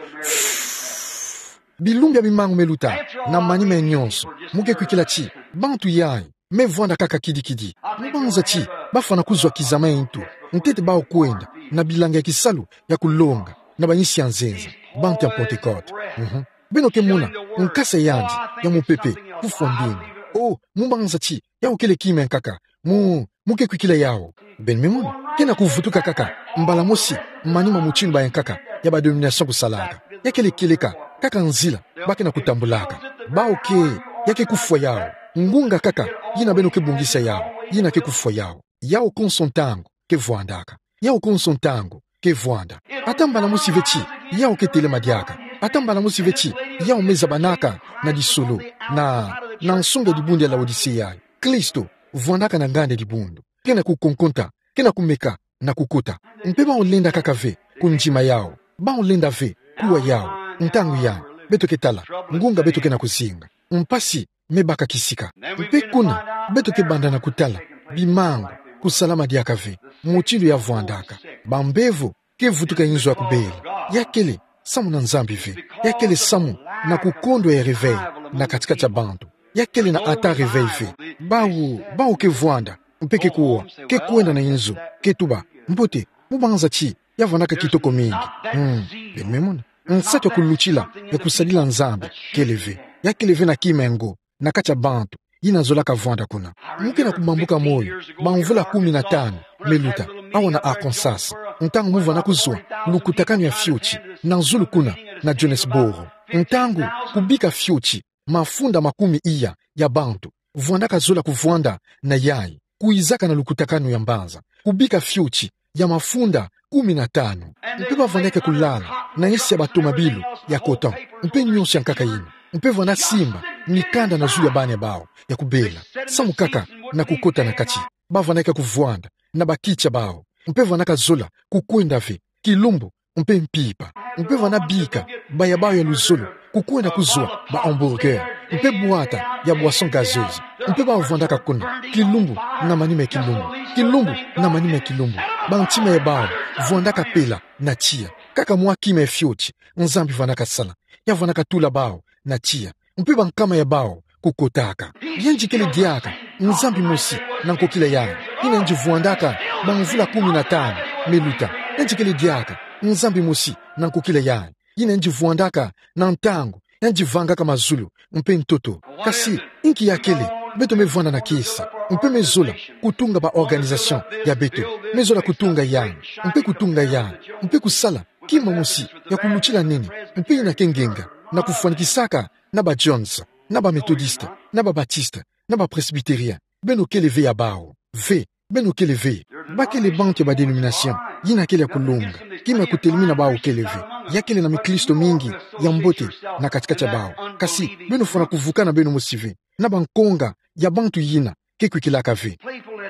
Bilumbu ya bimangu me luta na manima ya nyonso. Mu ke kwikila ti bantu yayi me vwanda kaka kidikidi. Mu banza ti ba fwana kuzwa kizama ya ntu, ntete bawu kwenda na bilanga ya kisalu ya kulonga na bayinsi ya nzenza, bantu ya Pentecote. Mhm. Beno ke mona nkasa yandi ya mupepe kufwa mbingu. Oh, mu banza ti yawu kele kima ya nkaka. Mu, mu ke kwikila yawu. Beno me mona, ke na kuvutuka kaka mbala mosi manima mutindu bayankaka ya ba dénomination kusalaka. Ya kele kieleka kaka nzila ba ke na kutambulaka. Bawu ke, ya ke kufwa yawu. Ngunga kaka yina beno ke bongisa yawu, yina ke kufwa yawu. Yawu konso ntangu ke vwandaka. Yawu konso ntangu ke vwanda. Ata mbala mosi ve ti yawu ke telema diaka. Ata mbala mosi ve ti yawu me zabanaka na disolo, na, na nsonga ya dibundu ya Laodicée yayi. Kristo vwandaka na nganda ya dibundu. Ke na kukonkonta, ke na kumeka na kukota. Mpe bawu lenda kaka ve kundima yawu. Bawu lenda ve kuwa yawu. Ntangu yayi, beto ke tala ngunga beto ke na kuzinga. Mpasi me baka kisika. Mpe kuna, beto ke banda na kutala bimangu Kusalama diaka ve. Mutindu ya vwandaka. Bambevo ke vutuka inzo ya kubela. Ya kele samu na Nzambi ve. Ya kele samu na kukondwa ya réveil na kati-kati ya bantu. Ya kele na ata réveil ve. Bawu, bawu ke vwanda, mpe ke kuwa, ke kwenda na inzo, ke tuba: Mbote, mubanza ti ya vwandaka kitoko mingi. Hmm, beno me mona. Nsatu ya kulutila, ya kusadila Nzambi, kele ve. Ya kele ve na kima ya ngo na kati ya bantu yina zolaka vwanda kuna. Mu ke na kubambuka moyo bamvula kumi na tanu me luta, awa na Arkansas, ntangu mu vwanda kuzwa lukutakanu ya fioti na zulu kuna na Jonesboro. Ntangu kubika fioti mafunda makumi iya ya bantu vwandaka zola kuvwanda na yayi, kwizaka na lukutakanu ya mbanza, kubika fioti ya mafunda kumi na tanu. Mpe bavwandaka kulala na esi ya batomabilu ya coton, mpe nyonso ya nkaka yina. Mpe vwanda simba mikanda na zulu ya bana ya bawu ya kubela, samu kaka na kukota na kati. Bavwandaka kuvwanda na bakiti ya bawu, mpe vwandaka zola kukwenda ve, kilumbu, mpe mpimpa. Mpe vwanda bika baya bawu ya luzolo kukwenda kuzwa ba hamburger, mpe bwata ya boisson gazeuse. Mpe bawu vwandaka kuna, kilumbu na manima ya kilumbu, kilumbu na manima ya kilumbu. Bantima ya bawu vwandaka pela na tiya. Kaka mwa kima ya fioti, Nzambi vwandaka sala. Ya vwandaka tula bawu na tiya. Mpe bankama ya bawu kukotaka. Yandi kele diaka Nzambi mosi na nkokila yayi, yina yandi vwandaka bamvula kumi na tanu me luta. Yandi kele diaka Nzambi mosi na nkokila yayi, yina yandi vwandaka na ntangu yandi vangaka mazulu mpe ntoto. Kasi inki ya kele? Beto me vwanda na kiese, mpe me zola kutunga ba organisation ya beto, me zola kutunga yandi, mpe kutunga yandi, mpe kusala kima mosi ya kulutila nini, mpe yina ke ngenga, na kufwanikisaka na ba Jones, na ba Methodiste, na ba Baptiste, na ba Presbytérien. Beno kele ve ya bawu ve. Beno kele ve. Ba kele bantu ya ba dénomination yina kele ya kulonga. Kima ya kutelemina bawu kele ve. Ya kele na miklisto mingi ya mbote na kati-kati ya bawu. Kasi beno fwana kuvukana beno mosi ve na bankonga ya bantu yina ke kwikilaka ve.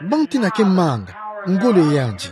Bantu yina ke manga ngolo ya yandi.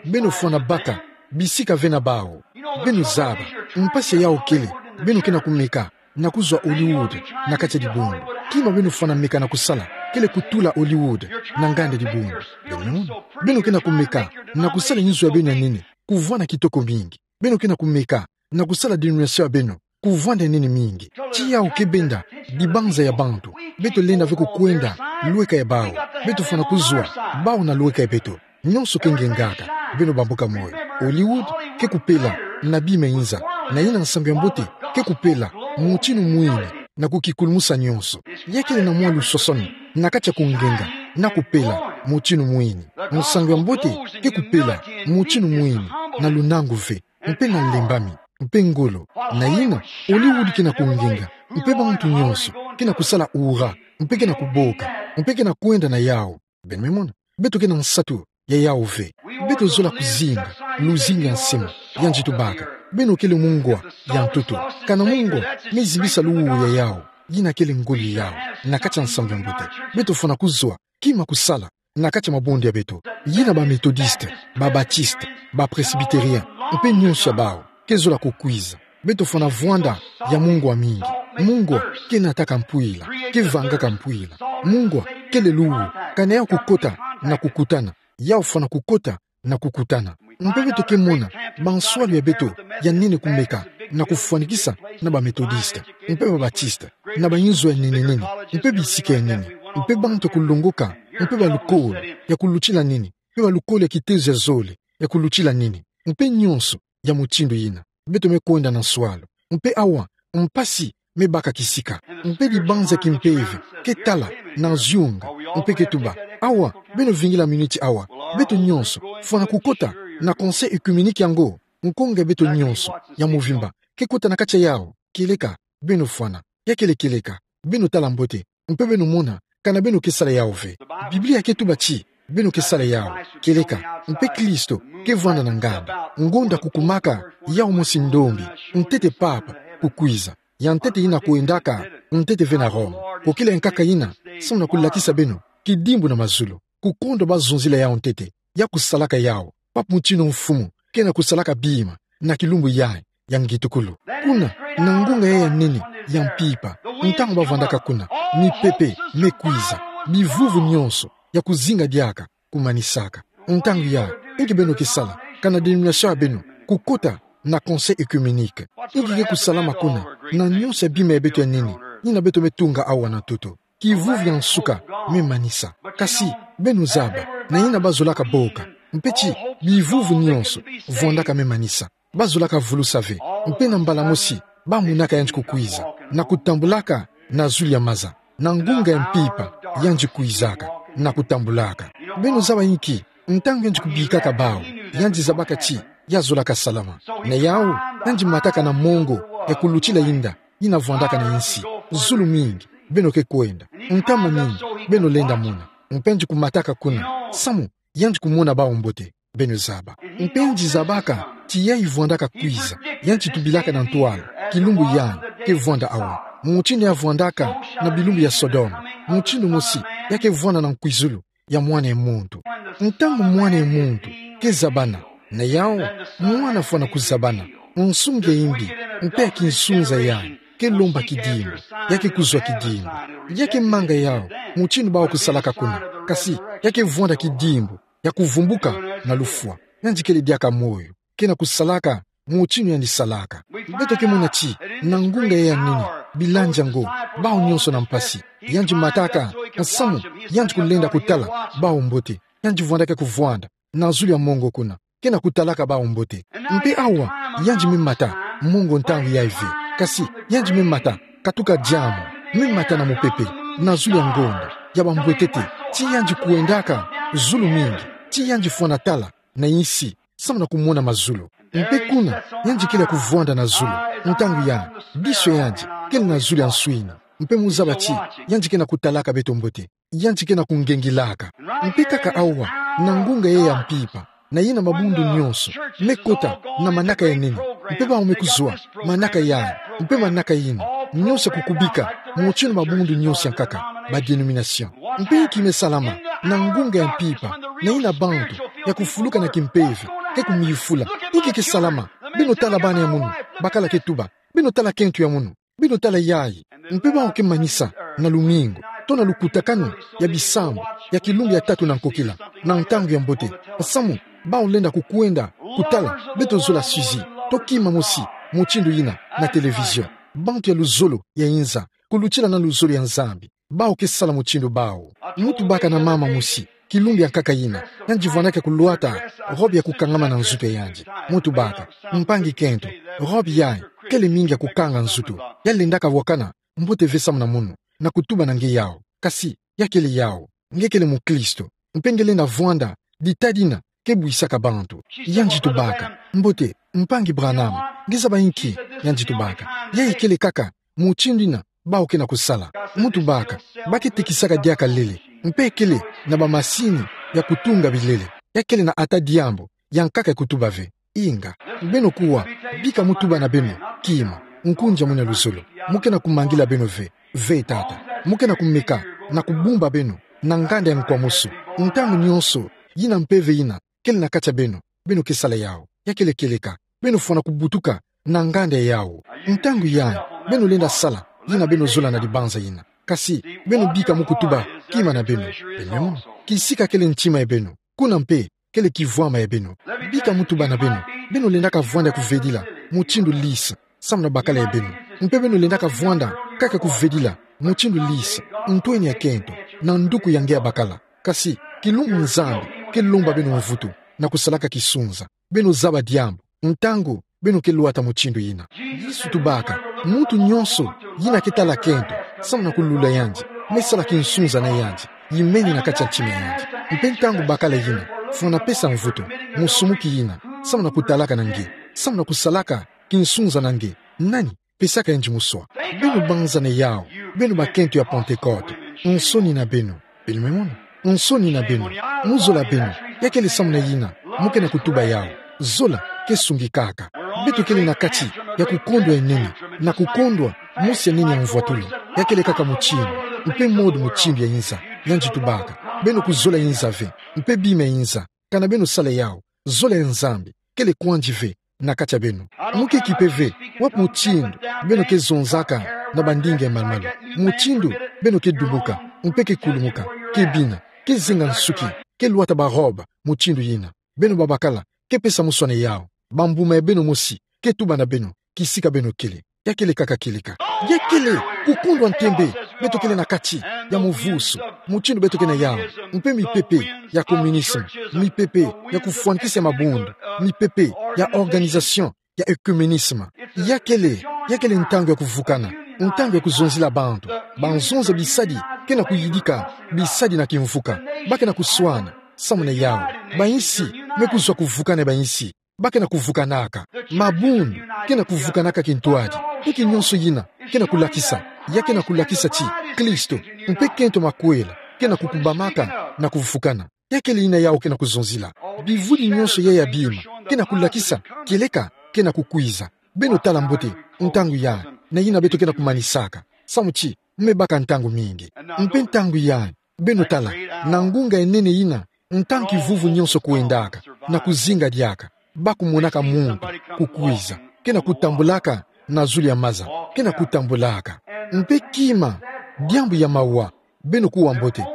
Beno fwana baka bisika ve na bawu. Beno zaba, mpasi ya yawu kele, beno ke na kumeka na kuzwa Hollywood na kati ya dibundu. Kima beno fwana meka na kusala kele kutula Hollywood na nganda dibundu. Beno, beno ke na kumeka na kusala inzo ya beno ya nene kuvwanda kitoko mingi. Beno ke na kumeka na kusala dénomination ya beno kuvwanda ya nene mingi. Ti yawu ke benda dibanza ya bantu. Beto lenda ve kukwenda lweka ya bawu. Beto fwana kuzwa bawu na lweka ya beto. Nyonso ke ngengaka. Beno bambuka moyo. Hollywood ke kupela na bima inza. Na yina nsangu ya mbote ke kupela mutinu mwini na kukikulumusa nyonso. Ya kele na mwa luswaswani na kati ya kungenga na kupela mutinu mwini. Nsangu ya mbote ke kupela mutinu mwini na lunangu ve, mpe na lembami, mpe ngolo. Na yina, Hollywood ke na kungenga, mpe bantu nyonso ke na kusala ura, mpe ke na kuboka, mpe ke na kwenda na yawu. Beno me mona, beto ke na nsatu ya yawu ve. Beto zola kuzinga luzingu ya nsima, yandi tubaka. Beno kele mungwa ya ntoto. Kana mungwa me zimbisa luwu ya yawu, yina kele ngolo ya yawu na kati ya nsangu ya mbote. Beto fwana kuzwa kima kusala na kati ya mabonde ya beto. Yina ba Methodiste, ba Baptiste, ba Presbytérien, mpe nyonso ya bawu ke zola kukwiza. Beto fwana vwanda ya mungwa mingi. Mungwa ke nataka mpwila, ke vangaka mpwila. Mungwa kele luwu, kana yawu kukota na kukutana. Yawu fwana kukota na kukutana. Mpe beto ke mona banswalu ya beto ya nene kumeka na kufwanikisa na ba Methodiste, mpe ba Baptiste, na ba inzo ya nene nene, mpe bisika ya nene, mpe bantu ya kulongoka, mpe ba lukolo ya kulutila nene, mpe ba lukolo ya kitezo ya zole ya kulutila nene, mpe nyonso ya mutindu yina. Beto me kwenda na nswalu. Mpe awa, mpasi me baka kisika. Mpe dibanza kimpeve ke tala na zunga, mpe ke tuba: Awa, beno vingila miniti awa. Beto nyonso fwana kukota na conseil œcuménique yango. Nkonga ya beto nyonso ya mvimba ke kota na kati ya yawu. Kieleka, beno fwana. Ya kele kieleka. Beno tala mbote, mpe beno mona kana beno ke sala yawu ve. Biblia ke tuba ti beno ke sala yawu. Kieleka, mpe Kristo ke vwanda na nganda. Ngonda kukumaka, yawu mosi ndombi, ntete papa kukwiza. Ya ntete yina kwendaka ntete ve na Roma. Kokila nkaka yina, samu na kulakisa beno kidimbu na mazulu, kukondwa bazonzila yawu ntete, ya kusalaka yawu, papa mutinu mfumu ke na kusalaka bima na kilumbu yayi ya ngitukulu. Kuna, na ngonga yayi ya nene ya mpimpa, ntangu bavwandaka kuna, mipepe me kwiza, bivuvu nyonso ya kuzinga diaka kumanisaka. Ntangu ya, inki beno ke sala, kana denomination ya beno, kukota na Conseil œcuménique. Inki ke kusalama kuna, na nyonso ya bima ya beto ya nene, yina beto me tunga awa na ntoto. Kivuvu ya nsuka me manisa. Kasi, beno zaba, na yina bazolaka boka. Mpe ti, bivuvu nyonso, vwandaka me manisa. Bazolaka vulusa ve, mpe na mbala mosi, bamonaka yandi kukwiza, na kutambulaka na zulu ya maza, na ngunga ya mpimpa, yandi kwizaka, na kutambulaka. Beno zaba inki, ntangu yandi kubikaka bawu, yandi zabaka ti, ya zolaka salama. Na yawu, yandi mataka na mongo, ya kulutila yinda, yina vwandaka na insi, zulu mingi, beno ke kwenda, ntama mingi, beno lenda mona, mpe yandi kumataka kuna, samu, yandi kumona bawu mbote. Beno zaba. Mpe yandi zabaka, ti yayi vwandaka kwiza, yandi tubilaka na ntwala, kilumbu yandi, ke vwanda awa. Mutindu ya vwandaka, na bilumbu ya Sodome. Mutindu mosi, ya ke vwanda na nkwizulu, ya mwana ya muntu. Ntangu mwana ya muntu, ke zabana, na yawu, mwana fwana kuzabana, nsungi ya imbi, mpe ya kinsunza yandi, ke lomba kidimbu, ya ke kuzwa kidimbu. Ya ke manga yawu, mutindu bawu kusalaka kuna, kasi, ya ke vwanda kidimbu, ya kuvumbuka na lufwa. Yandi kele diaka moyo. Ke na kusalaka, mutindu yandi salaka. Beto ke mona ti, na ngunga ya nene, bilanja ngo, bawu nyonso na mpasi. Yandi mataka, nsamu, yandi kulenda kutala, bawu mbote. Yandi vwandaka kuvwanda, na zulu ya mongo kuna. Ke na kutalaka bawu mbote. Mpe awa, yandi me mata, mongo ntangu yayi ve. Kasi, yandi me mata, katuka diambu, me mata na mupepe, na zulu ya ngonda, ya bambwetete, ti yandi kwendaka, zulu mingi, ti yandi fwana tala, na insi, samu na kumona mazulu. Mpe kuna, yandi kele ya kuvwanda na zulu, ntangu yandi, diso yandi, kele na zulu ya nswini, mpe mu zaba ti, yandi ke na kutalaka beto mbote. Yandi ke na kungengilaka. Mpe kaka awa, na ngunga yayi ya mpimpa, na yina mabundu nyonso, me kota, na manaka ya nene, mpe bawu me kuzwa, manaka yayi, mpe manaka yina, nyonso kukubika, mutindu mabundu nyonso ya nkaka, ba denomination. Mpe inki me salama, na ngunga ya mpimpa, na yina bantu, ya kufuluka na kimpeve, ke kumiyufula, inki ke salama, beno tala bana ya munu, bakala ke tuba, beno tala kento ya munu. Beno tala yayi, mpe bawu ke manisa, na lumingu, to na lukutakanu, ya bisambu, ya kilumbu ya tatu na nkokila, na ntangu ya mbote, nsamu, bawu lenda kukwenda, kutala, beto zola sujet, to kima mosi, mutindu yina, na télévision. Bantu ya luzolo, ya inza, kulutila na luzolo ya Nzambi, bawu ke sala mutindu bawu. Mu tubaka na mama mosi, kilumbu ya nkaka yina, yandi vwandaka kulwata, robe ya kukangama na nzutu ya yandi. Mu tubaka, mpangi kento, robe yayi, kele mingi ya kukanga nzutu, ya lendaka wakana, mbote ve samu na munu, na kutuba na nge yawu, kasi, ya kele yawu, nge kele mukristo, mpe nge lenda vwanda, dita dina, ke bwisaka bantu. Yandi tubaka, mbote, mpangi Branham, nge zaba inki, yandi tubaka. Yayi kele kaka, mutindu yina, bawu ke na kusala. Mu tubaka, ba ke tekisaka diaka lele, mpe kele, na bamasini, ya kutunga bilele. Ya kele na ata diambu, ya nkaka ya kutuba ve. Inga. Beno kuwa, bika mu tuba na beno, kima, nkundi ya munu ya luzolo. Mu ke na kumangila beno ve, ve tata. Mu ke na kumeka, na kubumba beno, na nganda ya nkwamusu. Ntangu nyonso, yina mpeve yina, kele na kati ya beno, beno ke sala yawu. Ya kele kieleka, beno fwana kubutuka, na nganda yawu. Ntangu yandi, beno lenda sala, yina beno zola na dibanza yina. Kasi, beno bika mu kutuba, kima na beno. Beno, kisika kele ntima ya beno. Kuna mpe, kele kivwama ya beno. Bika mu tuba na beno. Beno lendaka vwanda kuvedila, mutindu lisa, samu na bakala ya beno. Mpe beno lendaka vwanda, kaka kuvedila, mutindu lisa, ntweni ya kento, na nduku ya nge ya bakala. Kasi, kilumbu Nzambi, ke lomba beno mvutu, na kusalaka kisunza. Beno zaba diambu, ntangu, beno ke lwata mutindu yina. Yesu tubaka, muntu nyonso, yina ke tala kento, samu na kulula yandi, me sala kinsunza na yandi, yimeni na kati ya ntima ya yandi. Mpe ntangu bakala yina, fwana pesa mvutu, musumuki yina, samu na kutalaka na nge, samu na kusalaka, kinsunza na nge, nani, pesaka yandi muswa. Beno banzana yawu, beno bakento ya Pantekote, nsoni na beno. Beno me mona. Nsoni na beno. Mu zola beno. Ya kele samu na yina. Mu ke na kutuba yawu. Zola, ke sungikaka. Beto kele na kati, ya kukondwa ya nene. Na kukondwa, mosi ya nene ya mvwatuli. Ya kele kaka mutindu. Mpe modu mutindu ya inza. Yandi tubaka. Beno kuzola inza ve. Mpe bima ya inza. Kana beno sala yawu. Zola ya Nzambi. Kele kwandi ve. Na kati ya beno. Mu ke kipe ve, wapi mutindu, beno ke zonzaka, na bandinga ya malu-malu. Mutindu, beno ke dumuka, mpe ke kulumuka, ke bina, ke zenga nsuki, ke lwata ba robe mutindu yina. Beno babakala, ke pesa muswane yau. Bambuma ya beno mosi, ke tuba na beno, kisika beno kele. Ya kele kaka kieleka. Ya kele kukundwa ntembe, beto kele na kati ya muvusu, mutindu beto ke na yau. Mpe mipepe ya communisme, mipepe ya kufwanikisa mabundu, mipepe ya organisation ya œcuménisme. Ya kele, ya kele ntangu ya kuvukana, ntangu ya kuzonzila bantu. Banzonza bisadi ke na kuyidika, bisadi na kimvuka. Ba ke na kuswana, samu na yau. Bayinsi me kuzwa kuvukana ya bayinsi. Ba ke na kuvukanaka. Mabundu ke na kuvukanaka kintwadi. Nki nyonso yina ke na kulakisa? Ya ke na kulakisa ti Kristo mpe kento makwela ke na kukubamaka na kuvukana. Ya kele yina yau ke na kuzonzila. Bivudi nyonso ya ya bima ke na kulakisa kieleka ke na kukwiza. Beno tala mbote ntangu yai, na yina beto ke na kumanisaka. Samu ti me baka ntangu mingi. Mpe ntangu yai, beno tala, na ngunga ya nene yina, ntangu kivuvu nyonso kwendaka na kuzinga diaka, ba kumonaka muntu kukwiza, ke na kutambulaka na zulu ya maza, ke na kutambulaka. Mpe kima, diambu ya mawa, beno kuwa mbote.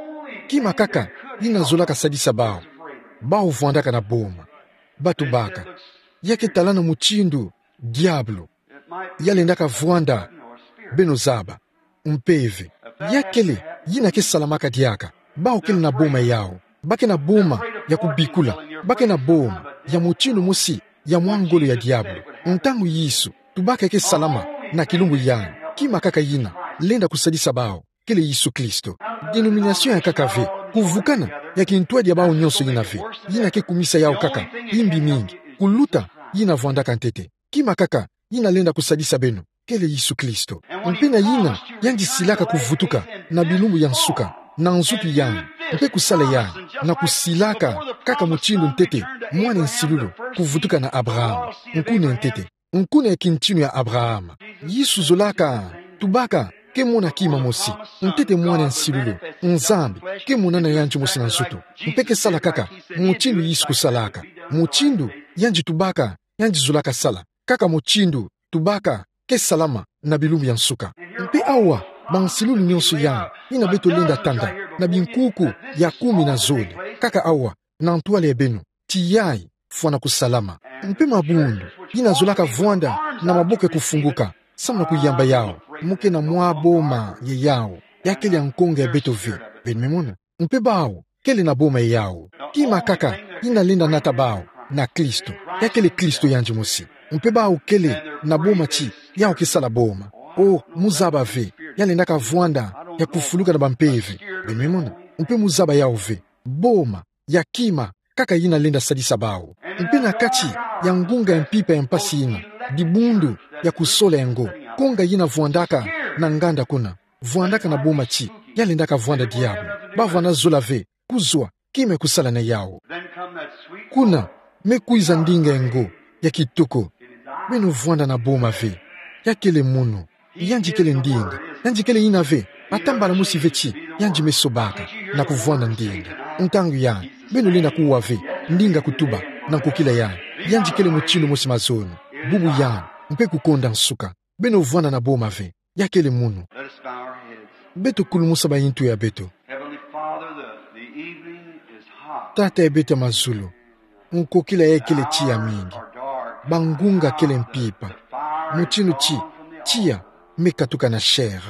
Kima kaka yina zolaka sadisa bau. Bau vwandaka na boma. Ba tubaka. Ya ke talana mutindu diabulu ya lendaka vwanda, beno zaba. Mpeve. Ya kele yina ke salamaka diaka. Bau kele na boma yau. Ba ke na boma ya kubikula. Ba ke na boma ya mutindu mosi ya mwa ngolo ya diabulu. Ntangu Yesu tubaka ke salama na kilumbu yai, kima kaka yina lenda kusadisa bau, kele Yesu Kristo. Denomination ya nkaka ve, kuvukana ya kintwadi ya bau nyonso yina ve. Yina ke kumisa yau kaka, imbi mingi kuluta yina vwandaka ntete. Kima kaka yina lenda kusadisa beno, kele Yesu Kristo. Mpe na yina yandi silaka kuvutuka na bilumbu ya nsuka, na nzutu yandi, mpe kusala yandi, na kusilaka kaka mutindu ntete mwana nsilulu kuvutuka na Abraham, nkuna ntete, nkuna ya kintinu ya Abraham. Yesu zolaka, tubaka, ke mona kima mosi, ntete mwana nsilulu, Nzambi ke monana yandi mosi na nzutu, mpe ke sala kaka mutindu Yesu kusalaka, mutindu yandi tubaka, yandi zolaka sala, kaka mutindu tubaka ke salama na bilumbu ya nsuka. Mpe awa, bansilulu nyonso yai yina beto lenda tanda na binkuku ya kumi na zole, kaka awa, na ntwala ya beno, ti yai fwana kusalama. Mpe mabundu yina zolaka vwanda na maboko ya kufunguka, samu na kuyamba yau, mu ke na mwa boma ya yau, ya kele ya nkonga ya beto ve. Beno me mona? Mpe bau kele na boma ya yau. Kima kaka yina lenda nata bau na Kristo, ya kele Kristo yandi mosi. Mpe bau kele na boma ti yau ke sala boma. O, mu zaba ve, ya lendaka vwanda ya kufuluka na bampeve. Beno me mona? Mpe mu zaba yau ve, boma ya kima kaka yina lenda sadisa bau. Mpe na kati ya ngunga ya mpimpa ya mpasi yina, dibundu ya kusola ya ngo, nkonga yina vwandaka na nganda kuna, vwandaka na boma ti ya lendaka vwanda diabulu. Ba vana zola ve kuzwa kima kusala na yau. Kuna me kwiza ndinga ya ngo ya kitoko. Beno vwanda na boma ve. Ya kele munu. Yandi kele ndinga. Yandi kele yina ve. Ata mbala mosi ve ti yandi me sobaka na kuvwanda ndinga. Ntangu yai, beno lenda kuwa ve ndinga kutuba na nkokila yandi. Yandi kele mutindu mosi mazono, bubu yandi, mpe kukonda nsuka. Beno vwanda na boma ve. Ya kele munu. Let us bow our heads. Beto kulumusa bayintu ya beto. Heavenly Father, the, the evening is hot. Tata ya beto ya mazulu, nkokila yai kele tiya mingi. Bangunga kele mpimpa. Mutindu ti tiya me katuka na chair.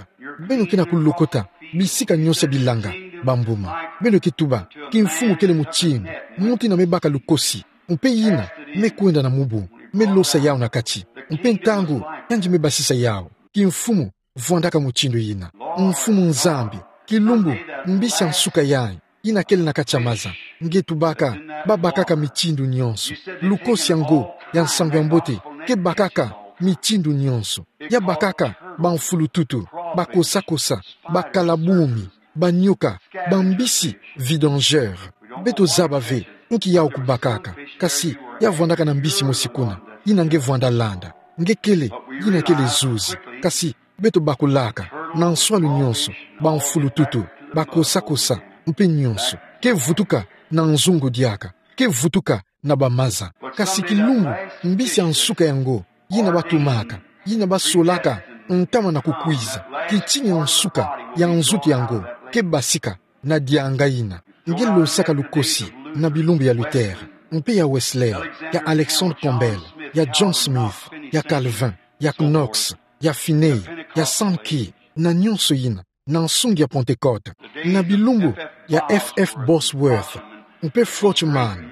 Beno ke na kulokota bisika nyonso ya bilanga, bambuma. Beno ke tuba, kimfumu kele mutindu, muntu yina me baka lukosi, mpe yina me kwenda na mubu, me losa yau na kati, mpe ntangu yandi me basisa yau. Kimfumu, vwandaka mutindu yina. Mfumu Nzambi, kilumbu, mbisi ya nsuka yai yina kele na kati ya maza, nge tubaka, babakaka mitindu nyonso. Lukosi ya ngo ya nsangu-ya-mbote ke bakaka mitindu nyonso. Ya bakaka bamfulututu, bakosakosa, bakalabumi, banyoka, bambisi, vidangeur. Beto zaba ve nki yau kubakaka, kasi ya vwandaka na mbisi mosi kuna yina nge vwanda landa. Nge kele, yina kele zuzi, kasi beto bakulaka na nswalu nyonso, bamfulututu, bakosakosa, mpe nyonso ke vutuka na nzungu diaka, ke vutuka na bamaza. Kasi kilumbu, mbisi ya nsuka ya ngo yina batumaka, yina basolaka ntama na kukwiza, kitini ya nsuka ya nzutu ya ngo ke basika na dianga yina. Nge losaka lukosi na bilumbu ya Luther, mpe ya Wesley, ya Alexander Campbell, ya John Smith, ya Calvin, ya Knox, ya Finney, ya Sankey, na nyonso yina, na nsungi ya Pentecôte, na bilumbu ya F F Bosworth, mpe Frohman,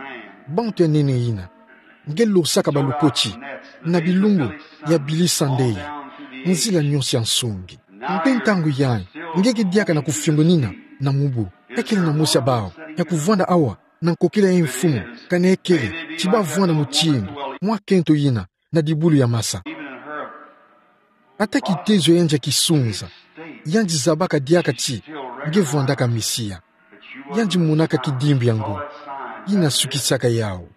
bantu ya nene yina. Nge losaka balukoti na bilumbu ya Billy Sunday, nzila nyonso ya nsungi. Mpe ntangu yayi, nge ke diaka na kufiongonina na mubu. Ekele na mosi ya bawu ya kuvwanda awa na nkokila ya mfumu, kana ekele ti bavwanda mutindu mwa kento yina na dibulu ya masa. Ata kitezo yandi ya kisunza, yandi zabaka diaka ti nge vwandaka Mesia. Yandi monaka kidimbu ya ngu yina sukisaka yawu.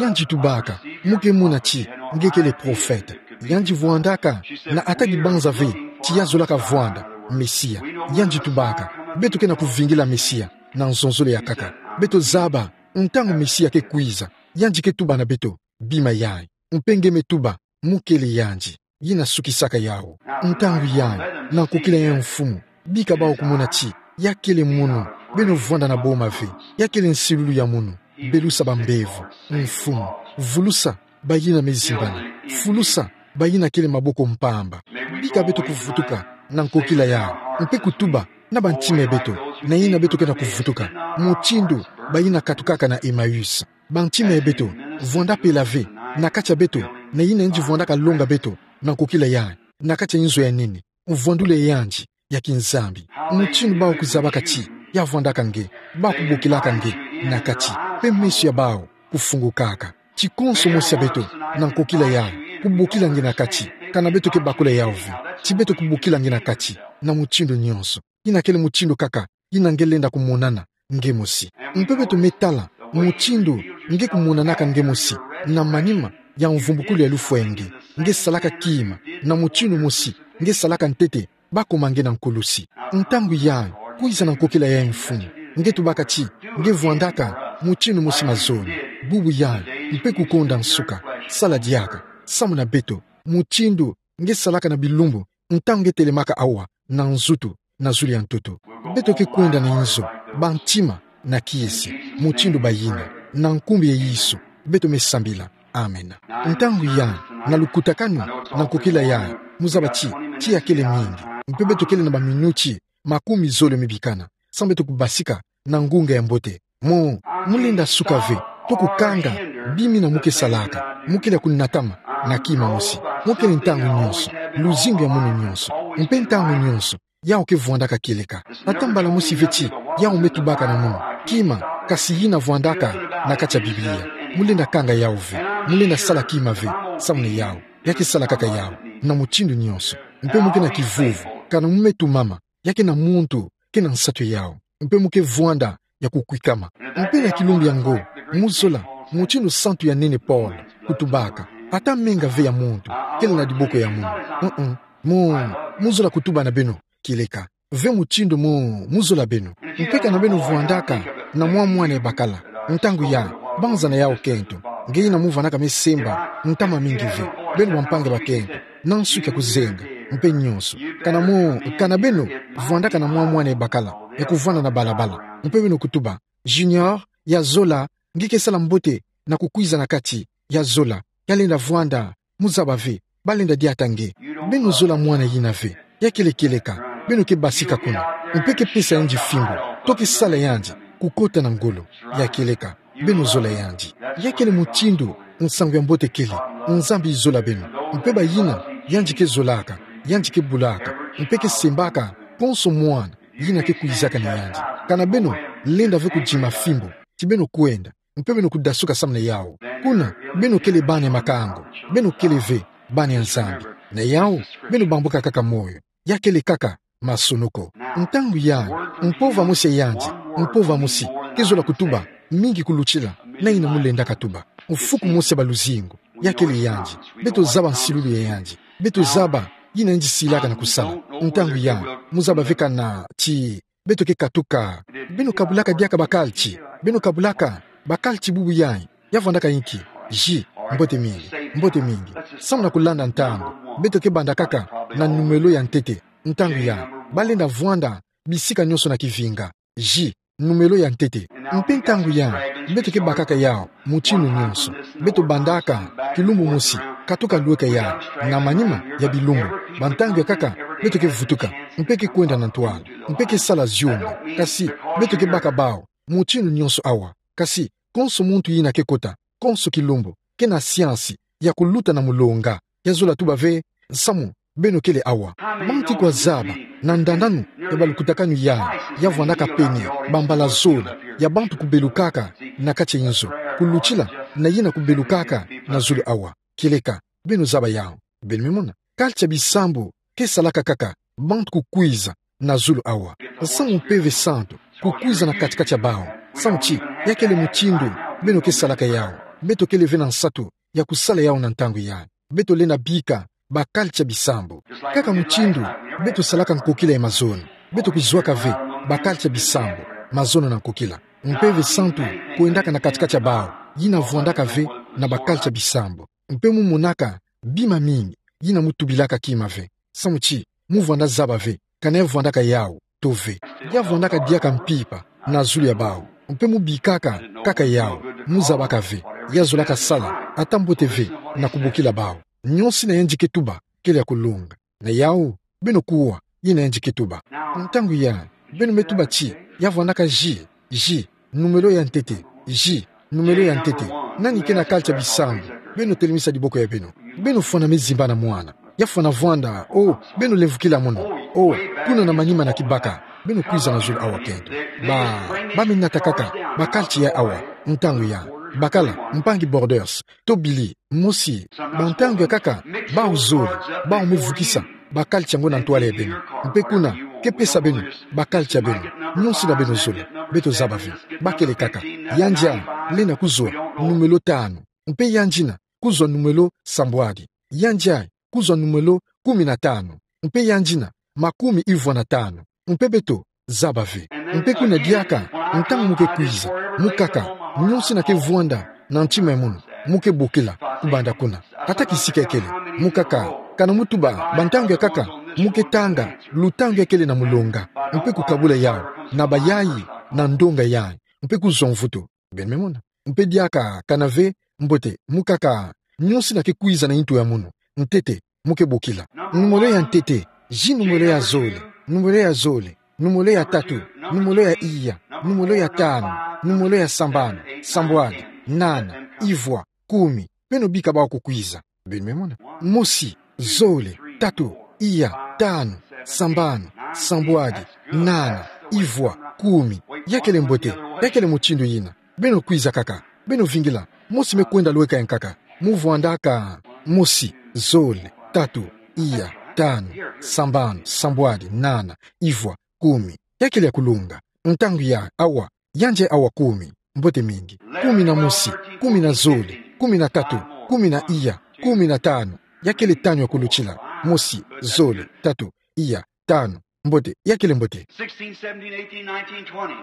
Yandi tubaka, mu ke mona ti nge kele profeta. Yandi vwandaka na ata dibanza ve ti ya zolaka vwanda Mesia. Yandi tubaka, beto ke na kuvingila Mesia na nzonzolo ya nkaka. Beto zaba, ntangu Mesia ke kwiza, yandi ke tuba na beto bima yayi. Mpe nge me tuba, mu kele yandi, yina sukisaka yawu. Ntangu yayi, na nkokila ya mfumu, bika bawu kumona ti ya kele munu, beno vwanda na boma ve. Ya kele nsilulu ya munu. Belusa bambevo, mfumu. Vulusa bayina me zimbana. Fulusa bayina kele maboko mpamba. Bika beto kuvutuka na nkokila yayi, mpe kutuba na bantima ya beto, na yina beto ke na kuvutuka, mutindu bayina katukaka na Emmaüs. Bantima ya beto vwanda pela ve na kati ya beto, na yina yandi vwandaka longa beto na nkokila yayi, na kati ya nzo ya nene, mvwandulu ya yandi ya kinzambi. Mutindu bawu kuzabaka ti ya vwandaka nge, bawu kubokilaka nge na kati, mpe meso ya bawu kufungukaka. Ti konso mosi ya beto na nkokila yayi kubokila nge na kati, kana beto ke bakula yawu ve. Ti beto kubokila nge na kati na mutindu nyonso. Yina kele mutindu kaka yina nge lenda kumonana nge mosi. Mpe beto me tala mutindu nge kumonanaka nge mosi na manima ya mvumbukulu ya lufwa ya nge. Nge salaka kima na mutindu mosi nge salaka ntete bakoma nge na nkulusi. Ntangu yayi, kwiza na nkokila ya mfumu, nge tubaka ti nge vwandaka mutindu mosi mazono. Bubu yayi, mpe kukonda nsuka. Sala diaka, samuna beto mutindu nge salaka na bilumbu, ntangu nge telemaka awa na nzutu, na zulu ya ntoto. Beto ke kwenda na inzo, bantima na kiese, mutindu bayina, na nkumbu ya Yesu, beto me sambila. Amen. Ntangu yayi, na lukutakanu na nkokila yayi, muzaba ti tiya kele mingi, mpe beto kele na baminuti makumi zole mibikana, samu beto kubasika na ngunga ya mbote. Mo, mulenda suka ve, to kukanga bima yina mu ke salaka, mu kele kunatama na kima mosi. Mo kele ntangu nyonso, luzingu ya munu nyonso, mpe ntangu nyonso, yawu ke vwandaka kieleka. Ata mbala mosi ve ti yawu me tubaka na munu, kima, kasi yina vwandaka na kati ya Biblia. Mulenda kanga yawu ve, mulenda sala kima ve, samuna yawu. Ya ke sala kaka yawu na mutindu nyonso. Mpe mu ke na kivuvu, kana mu me tumama, ya ke na muntu ke na nsatu yawu. Mpe mu ke vwanda ya kukwikama. Mpe na kilumbu yango, mu zola mutindu santu ya nene Paul kutubaka: Ata menga ve ya muntu kele na diboko ya munu. Mm-mm. Mu, mu zola kutuba na beno kieleka ve mutindu mu, mu zola beno. Mpe kana beno vwandaka na mwa mwana ya bakala, ntangu yayi, banza na yawu kento, nge yina mu vanaka me semba ntama mingi ve, beno bampangi bakento, na nsuki ya kuzenga, mpe nyonso. Kana mu, kana beno vwandaka na mwa mwana ya bakala ya kuvwanda na balabala, mpe beno kutuba: Junior, ya zola, nge ke sala mbote na kukwiza na kati, ya zola, ya lenda vwanda, muzaba ve, balenda diata nge. Beno zola mwana yina ve. Ya kele kieleka. Beno ke basika kuna, mpe ke pesa yandi fimbu, to ke sala yandi kukota na ngolo. Ya kieleka. Beno zola yandi. Ya kele mutindu nsangu ya mbote kele. Nzambi zola beno. Mpe bayina yandi ke zolaka, yandi ke bulaka, mpe ke sembaka konso mwana yina ke kwizaka na yandi. Kana beno lenda ve kudima fimbu, ti beno kwenda, mpe beno kudasuka samuna yawu. Kuna, beno kele bana ya makango, beno kele ve bana ya Nzambi. Na yawu, beno bambuka kaka moyo. Ya kele kaka masonoko. Ntangu yayi, mpova mosi ya yandi, mpova mosi ke zola kutuba mingi kulutila na yina mu lendaka tuba. Mfuku mosi ya baluzingu, ya kele yandi. Beto zaba nsilulu ya yandi. Beto zaba yina yandi silaka na kusala. Ntangu yayi, muzaba ve kana ti beto ke katuka. Beno kabulaka diaka bakalti. Beno kabulaka bakalti bubu yayi. Ya vwandaka inki? Ji, mbote mingi, mbote mingi. Samuna kulanda ntangu, beto ke banda kaka na numelo ya ntete. Ntangu yayi, balenda vwanda bisika nyonso na kivinga. Ji, numelo ya ntete. Mpe ntangu ya, beto ke bakaka yau mutindu nyonso. Beto bandaka kilumbu mosi, katuka lweka ya, na manima ya bilumbu. Ba ntangu ya kaka, beto ke vutuka, mpe ke kwenda na ntwala, mpe ke sala ziomi. Kasi, beto ke baka bau mutindu nyonso awa. Kasi, konso muntu yina ke kota, konso kilumbu, ke na siansi ya kuluta na mulonga, ya zola tuba ve, samu beno kele awa. Banti kwa zaba, na ndananu ya balukutakanu ya, ya vwandaka pene, bambala zole, ya bantu kubelukaka na kati ya inzo, kulutila na yina kubelukaka na zulu awa. Kieleka, beno zaba yau. Beno me mona. Kalti ya bisambu ke salaka kaka bantu kukwiza na zulu awa. Samu Mpeve Santu kukwiza na kati-kati ya bau. Samu ti, ya kele mutindu beno ke salaka yau. Beto kele ve na nsatu ya kusala yau na ntangu ya. Beto lenda bika ba kalti ya bisambu. Kaka mutindu beto salaka nkokila ya mazono, beto kuzwaka ve ba kalti ya bisambu, mazono na nkokila. Mpeve Santu kwendaka na kati-kati ya bau, yina vwandaka ve na ba kalti ya bisambu. Mpe mu monaka bima mingi, yina mu tubilaka kima ve. Samu ti, mu vwanda zaba ve, kana ya vwandaka yau to ve. Ya vwandaka diaka mpimpa na zulu ya bau. Mpe mu bikaka kaka yau, mu zabaka ve. Ya zolaka sala ata mbote ve na kubokila bau. Nyonso yina yandi ke tuba kele ya kulonga. Na yau, beno kuwa yina yandi ke tuba. Ntangu ya, beno me tuba ti, ya vwandaka ji, ji, numelo ya ntete, ji, numelo ya ntete. Nani ke na kalti ya bisambu? Beno telemisa diboko ya beno. Beno fwana me zimba na mwana. Ya fwana vwanda, o, beno lemvukila mono. O, kuna na manima na kibaka. Beno kwiza na zulu awa kento. Ba, ba me nata kaka ba kalti ya awa, ntangu ya. Bakala, mpangi Borders, to Billy, mosi, ba ntangu ya kaka, bau zole, bau me vukisa ba kalti yango na ntwala ya beno. Mpe kuna, ke pesa beno ba kalti ya beno, nyonso yina beno zola. Beto zaba ve. Ba kele kaka. Yandi a lenda kuzwa numelo tanu. Mpe yandi yina kuzwa numelo sambwadi. Yandi a kuzwa numelo kumi na tanu. Mpe yandi yina makumi ivwa na tanu. Mpe beto zaba ve. Mpe kuna diaka, ntangu mu ke kwiza, mu kaka, nyonso yina ke vwanda na ntima ya mono, mu ke bokila kubanda kuna. Ata kisika ya kele, mu kaka, kana mu tuba ba ntangu ya kaka mu ke tanga lutangu ya kele na mulonga, mpe kukabula yau na bayayi na ndonga yayi, mpe kuzwa mvutu. Beno me mona. Mpe diaka kana ve mbote, mu kaka, nyonso yina ke kwiza na ntu ya mono, ntete, mu ke bokila. Numelo ya ntete, ji numelo ya zole, numelo ya zole, numelo ya tatu, numelo ya iya, numelo ya tanu, numelo ya sambanu, sambwadi, nana, ivwa, kumi. Beno bika bau kukwiza. Beno me mona. Mosi, zole, tatu, iya, tanu, sambanu, sambwadi, nana, ivwa, kumi. Ya kele mbote, ya kele mutindu yina. Beno kwiza kaka. Beno vingila. Mosi me kwenda lweka ya nkaka. Mu vwandaka. Mosi, zole, tatu, iya, tanu, sambanu, sambwadi, nana, ivwa, kumi. Ya kele ya kulonga. Ntangu ya awa. Yandi awa kumi. Mbote mingi. Kumi na mosi, kumi na zole, kumi na tatu, kumi na iya, kumi na tanu. Ya kele tanu ya kulutila. Mosi, zole, tatu, iya, tanu. Mbote, ya kele mbote. Sixteen, seventeen, eighteen, nineteen, twenty.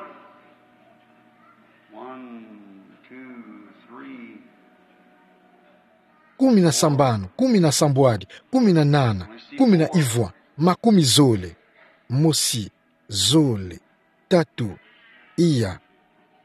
One, two, three. Kumi na sambanu, kumi na sambwadi, kumi na nana, kumi na ivwa, makumi zole. Mosi, zole, tatu, iya.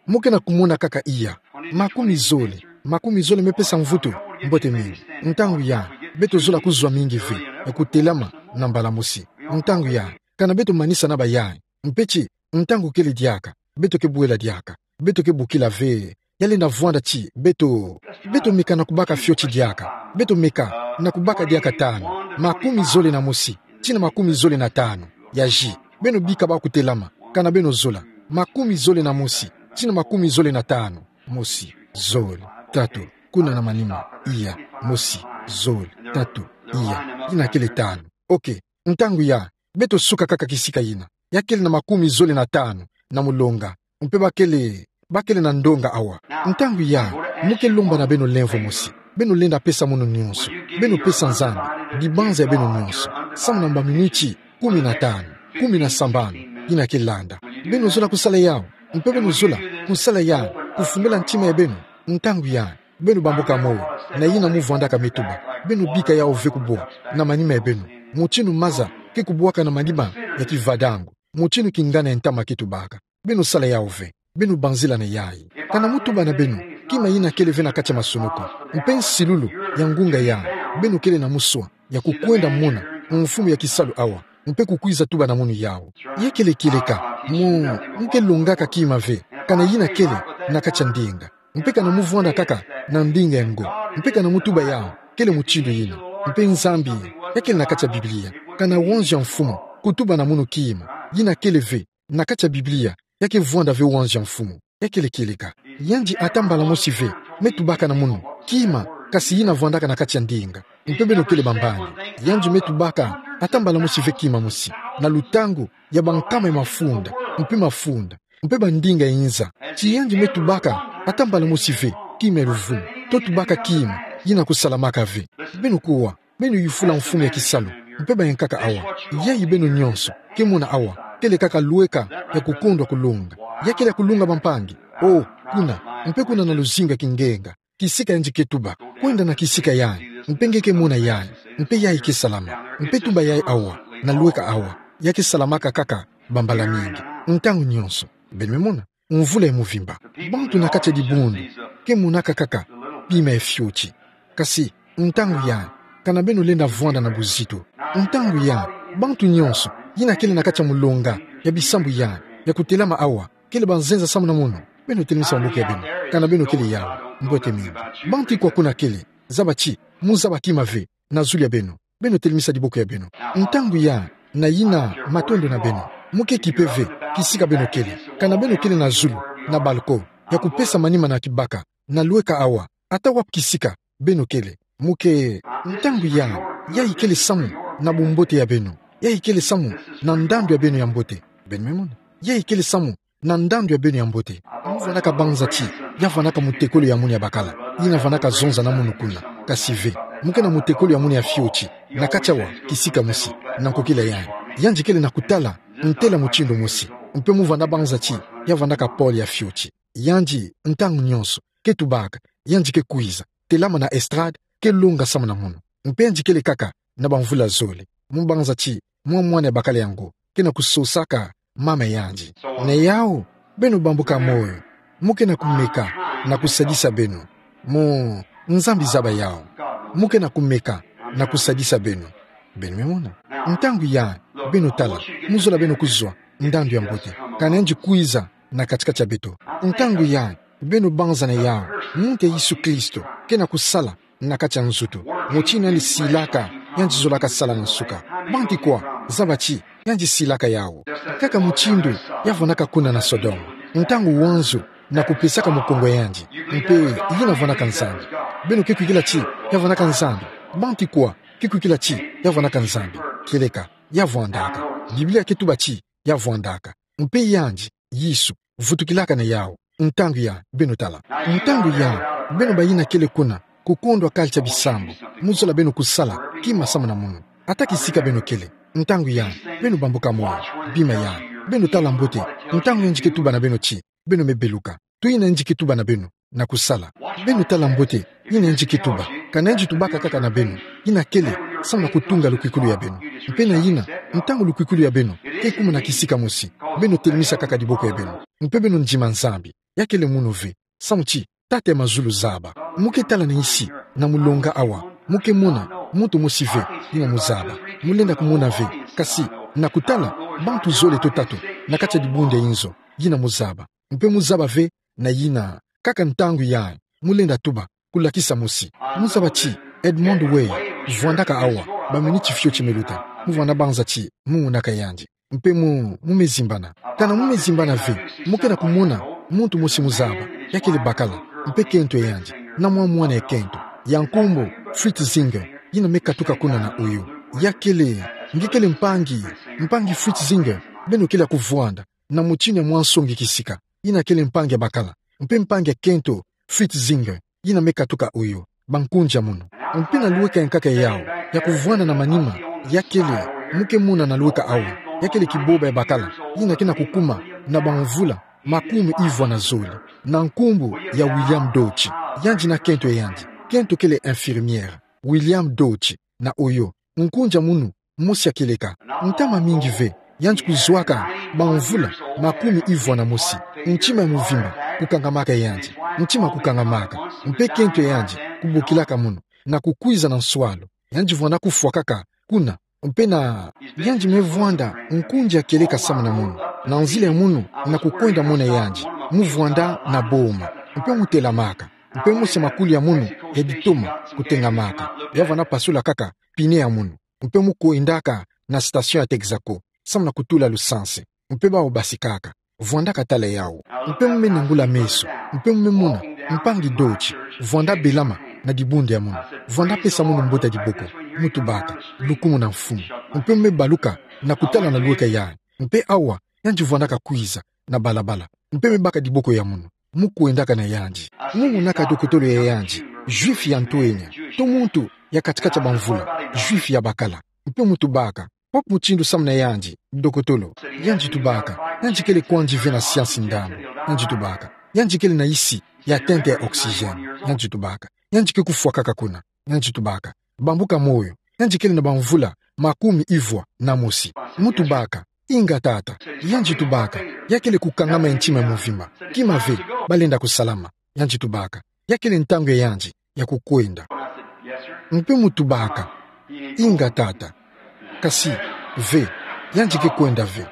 Mu ke na kumona kaka iya. Makumi zole, makumi zole me pesa mvutu. Mbote mingi. Ntangu ya, beto zola kuzwa mingi ve, e kutelama na mbala mosi. Ntangu ya, kana beto manisa na bayayi. Mpe ti, ntangu kele diaka, beto ke bwela diaka. Beto ke bokila ve. Ya lenda vwanda ti, beto. Beto meka na kubaka fioti diaka. Beto meka na kubaka diaka tanu. Makumi zole na mosi, tii na makumi zole na tanu. Ya ji. Beno bika bau kutelama. Kana beno zola. Makumi zole na mosi, tii na makumi zole na tanu. Mosi, zole, tatu, kuna na manima, iya, mosi, zole, tatu, iya. Yina kele tanu. Ok. Ntangu ya, beto suka kaka kisika yina. Ya kele na makumi zole na tanu na mulonga. Mpe ba kele, ba kele na ndonga awa. Ntangu ya, mu ke lomba na beno lemvo mosi. Beno lenda pesa mono nyonso. Beno pesa Nzambi dibanza ya beno nyonso. Samu na mbaminiti kumi na tanu, kumi na sambanu yina ke landa. Beno zola kusala yau. Mpe beno zola kusala yau, kufungula ntima ya beno. Ntangu ya, beno bamboka moyo, na yina mu vwandaka me tuba. Beno bika yau ve kubwa na manima ya beno. Mutindu maza ke kubwaka na manima ya kivadango. Mutindu kingana ya ntama ke tubaka. beno sala yawu ve. Beno banzila na yayi. Kana mutuba na beno, kima yina kele ve na kati ya masunuku, mpe nsilulu ya ngunga yayi, beno kele na muswa ya kukwenda mona mfumu ya kisalu awa, mpe kukwiza tuba na munu yawu. Ya kele kieleka, mu, muke longaka kima ve, kana yina kele na kati ya ndinga. Mpe kana muvwanda kaka na ndinga ya ngo, mpe kana mutuba yawu, kele mutindu yina. Mpe Nzambi, ya kele na kati ya Biblia. Kana wanzu ya mfumu kutuba na munu kima yina kele ve na kati ya Biblia, ya ke vwanda ve wanzu ya mfumu. Ya kele kieleka. Yandi ata mbala mosi ve me tubaka na munu kima, kasi yina vwandaka na kati ya ndinga. Mpe beno kele bambangi. Yandi me tubaka ata mbala mosi ve kima mosi, na lutangu ya bankama ya mafunda, mpe mafunda, mpe bandinga ya inza. Ti yandi me tubaka ata mbala mosi ve kima ya luvumu. To tubaka kima yina kusalamaka ve. Beno kuwa, beno yufula mfumu ya kisalu, mpe bayankaka awa. Yayi beno nyonso ke mona awa, kele kaka lweka ya kukondwa kulonga. Ya kele ya kulonga, bampangi. O, kuna, mpe kuna na luzingu ya kingenga, kisika yandi ke tuba. Kwenda na kisika yayi, mpe nge ke mona yayi, mpe yayi ke salama. Mpe tuba yayi awa, na lweka awa, ya ke salamaka kaka bambala mingi, ntangu nyonso. Beno me mona? Mvula ya muvimba, bantu na kati ya dibundu ke monaka kaka pima ya fioti. Kasi, ntangu yayi, kana beno lenda vwanda na buzitu. Ntangu yayi, bantu nyonso yina kele na kati ya mulonga ya bisambu yayi, ya kutelama awa, kele banzenza samu na munu. Beno telemisa maboko ya beno, kana beno kele yawu. Mbote mingi. Bantu ikwa kuna kele, zaba ti muzaba kima ve na zulu ya beno. Beno telemisa diboko ya beno. Ntangu yayi, na yina matondo na beno. Muke kipe ve kisika beno kele. Kana beno kele na zulu, na balcon, ya kupesa manima na kibaka, na lweka awa, ata wapi kisika beno kele. Muke, ntangu yayi, yayi kele samu na bumbote ya beno. Yayi kele samu na ndandu ya beno ya mbote. Beno me mona? Yayi kele samu na ndandu ya beno ya mbote. Muvwanaka banza ti ya vwanaka mutekolo ya munu ya bakala, yina vwanaka zonza na munu kuna. Kasi ve, muke na mutekolo ya munu ya fioti na kati awa, kisika mosi, na nkokila yayi. Yandi kele na kutala ntela mutindu mosi. Mpe muvwanda banza ti ya vwanaka pole ya fioti. Yandi, ntangu nyonso ke tubaka, yandi ke kwiza telama na estrade, ke longa samu na munu. Mpe yandi kele kaka na bamvula zole. Mu banza ti mwa mwana ya bakala yango ke na kusosaka mama yandi. Na yawu, beno bambuka moyo. Muke na kumeka na kusadisa beno. Mu, Nzambi zaba yawu. Muke na kumeka na kusadisa beno. Beno me mona? Ntangu yayi, beno tala, muzola beno kuzwa ndandu ya mbote, kana yandi kwiza na kati-kati ya beto. Ntangu yayi, beno banza na yawu, muntu ya Yesu Kristo ke na kusala na kati ya nzutu. Mutindu yandi silaka, yandi zolaka sala na nsuka. Bantu ikwa, zaba ti yandi silaka yawu. Kaka mutindu ya vwanaka kuna na Sodome, ntangu wanzu na kupesaka mukongo ya yandi, mpe yina vwanaka Nzambi. Beno ke kwikila ti ya vwanaka Nzambi? Bantu ikwa ke kwikila ti ya vwanaka Nzambi? Kieleka, ya vwandaka. Biblia ke tuba ti ya vwandaka. Mpe yandi, Yesu, vutukilaka na yawu. Ntangu yayi, beno tala. Ntangu yayi, beno bayina kele kuna, kukondwa culture ya bisambu, muzola beno kusala kima samu na munu, ata kisika beno kele. Ntangu yayi, beno bambuka moyo. Bima yayi, beno tala mbote. Ntangu yandi ke tuba na beno ti beno me beluka, to yina yandi ke tuba na beno na kusala. Beno tala mbote yina yandi ke tuba. Kana yandi tubaka kaka na beno, yina kele samu na kutunga lukwikulu ya beno. Mpe na yina, ntangu lukwikulu ya beno ke kuma na kisika mosi, beno telemisa kaka diboko ya beno, mpe beno ndima Nzambi. Ya kele munu ve, samu ti Tata ya mazulu zaba. Muke tala na nsi, na mulonga awa, muke mona muntu mosi ve yina muzaba. Mulenda kumona ve, kasi na kutala bantu zole to tatu na kati ya dibundu ya inzo yina muzaba. Mpe muzaba ve na yina, kaka ntangu yayi, mulenda tuba, kulakisa mosi. Muzaba ti Edmond Way vwandaka awa baminiti fioti me luta. Muvwanda banza ti mungunaka yandi. Mpe mu, mu me zimbana. Kana mu me zimbana ve, muke na kumona muntu mosi muzaba, ya kele bakala, mpe kento ya yandi, na mwa mwana ya kento, ya nkumbu Fritz Singer, yina me katuka kuna na Ohio. Ya kele, nge kele mpangi, mpangi Fritz Singer, beno kele ya kuvwanda na mutindu ya mwa nsongi kisika, yina kele mpangi ya bakala, mpe mpangi ya kento Fritz Singer, yina me katuka Ohio, bankunja munu. Mpe na lweka ya nkaka yawu, ya kuvwanda na manima, ya kele, muke mona na lweka awa, ya kele kiboba ya bakala, yina ke na kukuma na bamvula makumi ivwa na zole, na nkumbu ya William Deutsch. Yandi na kento ya yandi, kento kele infirmière. William Deutsch, na Ohio, nkunja munu, mosi ya kieleka. Ntama mingi ve, yandi kuzwaka bamvula makumi ivwa na mosi. Ntima ya mvimba kukangamaka yandi. Ntima kukangamaka. Mpe kento yandi kubokilaka munu na kukwiza na nswalu. Yandi vwanda kufwa kaka kuna. Mpe na yandi me vwanda nkundi ya kieleka samu na munu. Na nzila ya munu na kukwenda mona yandi, mu vwanda na boma. Mpe mu telamaka. Mpe mosi ya makulu ya munu ya ditoma kutengamaka. Ya vwanda pasula kaka pine ya munu. Mpe mu kwendaka na station ya Texaco samu na kutula lusansi. Mpe bawu basikaka. Vwanda katala yawu. Mpe mu me nangula meso. Mpe mu me mona mpangi Dodge vwanda belama na dibundu ya munu. Vwanda pesa munu mbote ya diboko. Mu tubaka: Lukumu na Mfumu. Mpe mu me baluka na kutala na lweka yandi. Mpe awa yandi vwandaka kwiza na balabala. Mpe me baka diboko ya munu. Mu kwendaka na yandi. Mu monaka dokotolo ya yandi, Juif ya ntwenya, to muntu ya kati-kati ya bamvula, Juif ya bakala. Mpe mu tubaka: Wapi mutindu samu na yandi, dokotolo? Yandi tubaka: Yandi kele kwandi ve na siansi ndambu. Yandi tubaka: Yandi kele na isi ya tenta ya oxygène. Yandi tubaka: Yandi ke kufwa kaka kuna. Yandi tubaka: Bambuka moyo. Yandi kele na bamvula makumi ivwa na mosi. Mu tubaka: Inga, tata. Yandi tubaka: Ya kele kukangama ya ntima ya mvimba. Kima ve, balenda kusalama. Yandi tubaka: Ya kele ntangu ya yandi ya kukwenda. Mpe mu tubaka: Inga, tata. Kasi ve, yandi ke kwenda ve.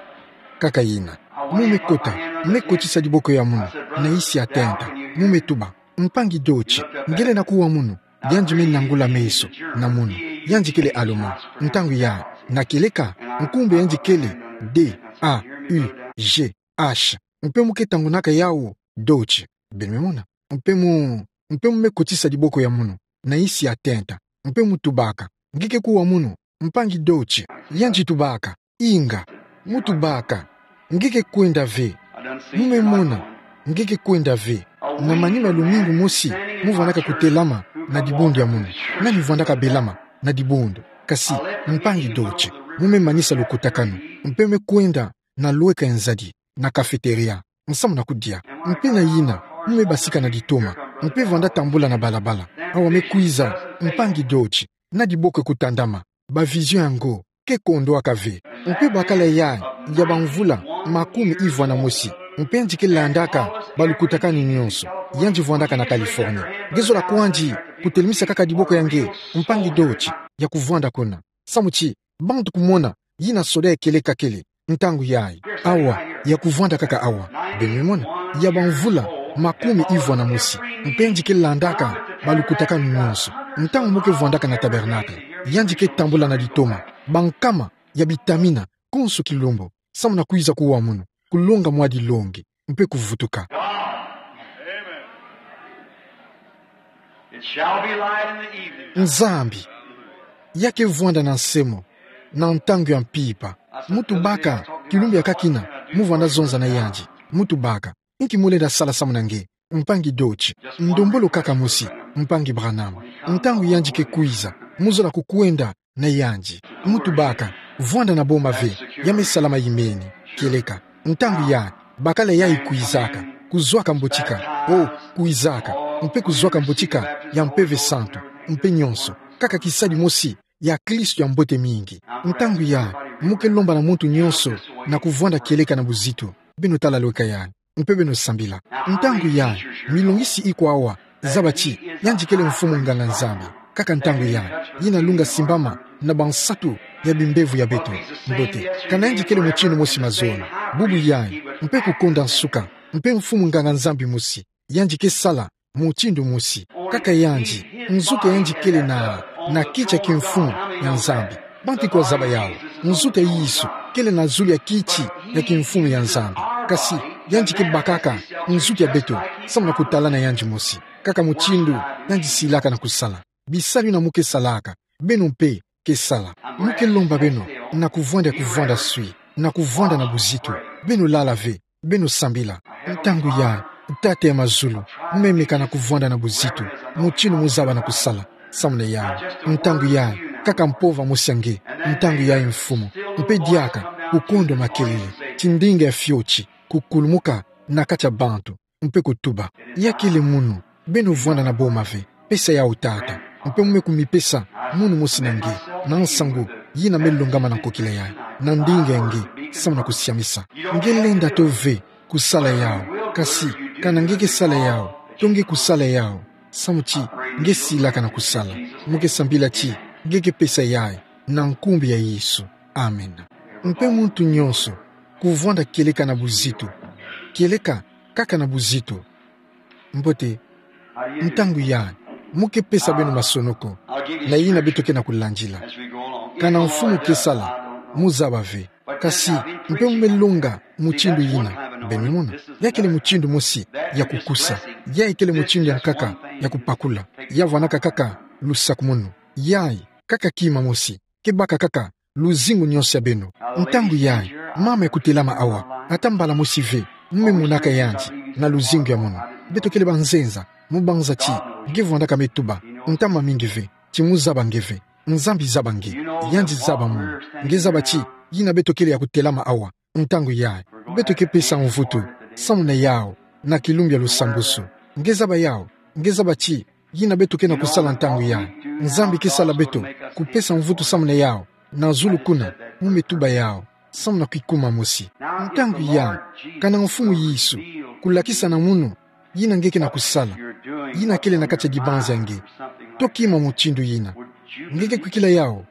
Kaka yina. Mu me kota, me kotisa diboko ya munu na isi ya tenta. Mu me tuba: Mpangi Dodge, nge lenda kuwa munu? Yandi me nangula meso na munu. Yandi kele Allemand. Ntangu yayi na kieleka nkumbu ya yandi kele D A U G H. Mpe mu ke tangunaka yawu Dodge. Beno me mona? Mpe mu, mpe mu me kotisa diboko ya munu na isi ya tenta. Mpe mu tubaka: Nge ke kuwa munu, mpangi Dodge? Yandi tubaka: Inga. Mu tubaka: Nge ke kwenda ve. Mu me mona, nge ke kwenda ve. Na manima ya lumingu mosi, mu vwandaka kutelama na dibundu ya munu. Nani vwandaka belama na dibundu? Kasi, mpangi Dodge. Mu me manisa lukutakanu. Mpe me kwenda na lweka ya nzadi, na cafétéria, samu na kudia. Mpe na yina, mu me basika na ditoma. Mpe vwanda tambula na balabala. Awa me kwiza mpangi Dodge na diboko kutandama. Ba vision yango ke kondwaka ve. Mpe bakala yayi ya bamvula makumi ivwa na mosi. Mpe yandi ke landaka balukutakanu nyonso. Yandi vwandaka na Californie. Nge zola kwandi kutelemisa kaka diboko ya nge, mpangi Dodge, ya kuvwanda kuna? Samu ti bantu kumona yina soda ya kieleka kele ntangu yayi. Awa, ya kuvwanda kaka awa. Beno me mona? Ya bamvula makumi ivwa na mosi. Mpe yandi ke landaka balukutakanu nyonso. Ntangu mu ke vwandaka na tabernacle, yandi ke tambula na ditoma. Bankama ya bitamina, konso kilumbu, samu na kwiza kuwa munu, kulonga mwa dilongi, mpe kuvutuka. It shall be light in the evening. Nzambi, ya ke vwanda na nsemo na ntangu ya mpimpa. Mu tubaka, kilumbu ya kaki yina, mu vwanda zonza na yandi. Mu tubaka: Inki mu lenda sala samu na nge, mpangi Dodge? Ndombolo kaka mosi, mpangi Branham. Ntangu yandi ke kwiza, mu zola kukwenda na yandi. Mu tubaka: Vwanda na boma ve, ya me salama imeni. Kieleka ntangu yayi, bakala yayi kwizaka, kuzwaka mbotika, o, kwizaka, mpe kuzwaka mbotika ya Mpeve Santu, mpe nyonso, kaka kisadi mosi ya Kristo ya mbote mingi. Ntangu yayi, mu ke lomba na muntu nyonso na kuvwanda kieleka na buzitu. Beno tala lweka yayi, mpe beno sambila. Ntangu yayi, milongisi ikwa awa zaba ti yandi kele Mfumu Nganga-Nzambi. Kaka ntangu yayi, yina lunga simbama na bansatu ya bimbevo ya beto. Mbote, kana yandi kele mutindu mosi mazono, bubu yayi, mpe kukonda nsuka, mpe Mfumu Nganga-Nzambi mosi, yandi ke sala mutindu mosi. Kaka yandi, nzuki yandi kele na, na kiti ya kimfumu ya Nzambi. Bantu ikwa zaba yawu, nzuki ya Yesu kele na zulu ya kiti ya kimfumu ya Nzambi. Kasi, yandi ke bakaka nzuki ya beto samu na kutalana yandi mosi. Kaka mutindu yandi silaka na kusala. Bisalu yina mu ke salaka, beno mpe ke sala. Mu ke lomba beno na kuvwanda ya kuvwanda swi, na kuvwanda na buzitu. Beno lala ve, beno sambila. Ntangu yayi, Tata ya mazulu, mu me meka na kuvwanda na buzitu mutindu mu zaba na kusala samu na yawu. Ntangu yayi, kaka mpova mosi ya nge. Ntangu yayi, Mfumu, mpe diaka kukondo makelele, ti ndinga ya fioti kukulumuka na kati ya bantu, mpe kutuba: Ya kele munu, beno vwanda na boma ve. Pesa yawu, Tata, mpe mu me kumipesa munu mosi na nge, na nsangu yina me longama na nkokila yayi. na ndinga nge, samu na kusiamisa. Nge lenda to ve kusala yau, kasi, kana nge ke sala yau, to nge kusala yau, samu ti, nge silaka na kusala. Mo ke sambila ti, nge ke pesa yayi, na nkumbu ya Yesu. Amen. Mpe muntu nyonso, kuvwanda kieleka na buzitu. Kieleka, kaka na buzitu. Mbote, ntangu yayi, mo ke pesa beno masonoko, na yina beto ke na kulandila. Kana mfumu ke sala, mo zaba ve. Kasi, mpe mo me longa, mutindu yina, beno me mona. Ya kele mutindu mosi, ya kukusa. Ya kele mutindu ya nkaka, ya kupakula. Ya vwanaka kaka, lusakumunu. Yayi, kaka kima mosi. Ke baka kaka, luzingu nyonso ya beno. Ntangu yayi, mama ya kutelama awa, ata mbala mosi ve, mo me monaka yandi, na luzingu ya mono. Beto kele banzenza, mo banza ti, nge vwandaka me tuba, ntama mingi ve, ti mo zaba nge ve, Nzambi zaba nge, yandi zaba mono, nge zaba ti, yina beto kele ya kutelama awa, ntangu yayi, beto ke pesa mvutu, samu na yau, na kilumbu ya lusambusu, nge zaba yau, nge zaba ti, yina beto ke na kusala ntangu yayi. Nzambi ke sala beto, kupesa mvutu samu na yau, na zulu kuna, mo me tuba yau, samu na kikuma mosi. Ntangu yayi, kana mfumu Yesu, kulakisa na mono, yina nge ke na kusala, yina kele na kati ya dibanza ya nge. To kima mutindu yina. Nge ke kwikila yau.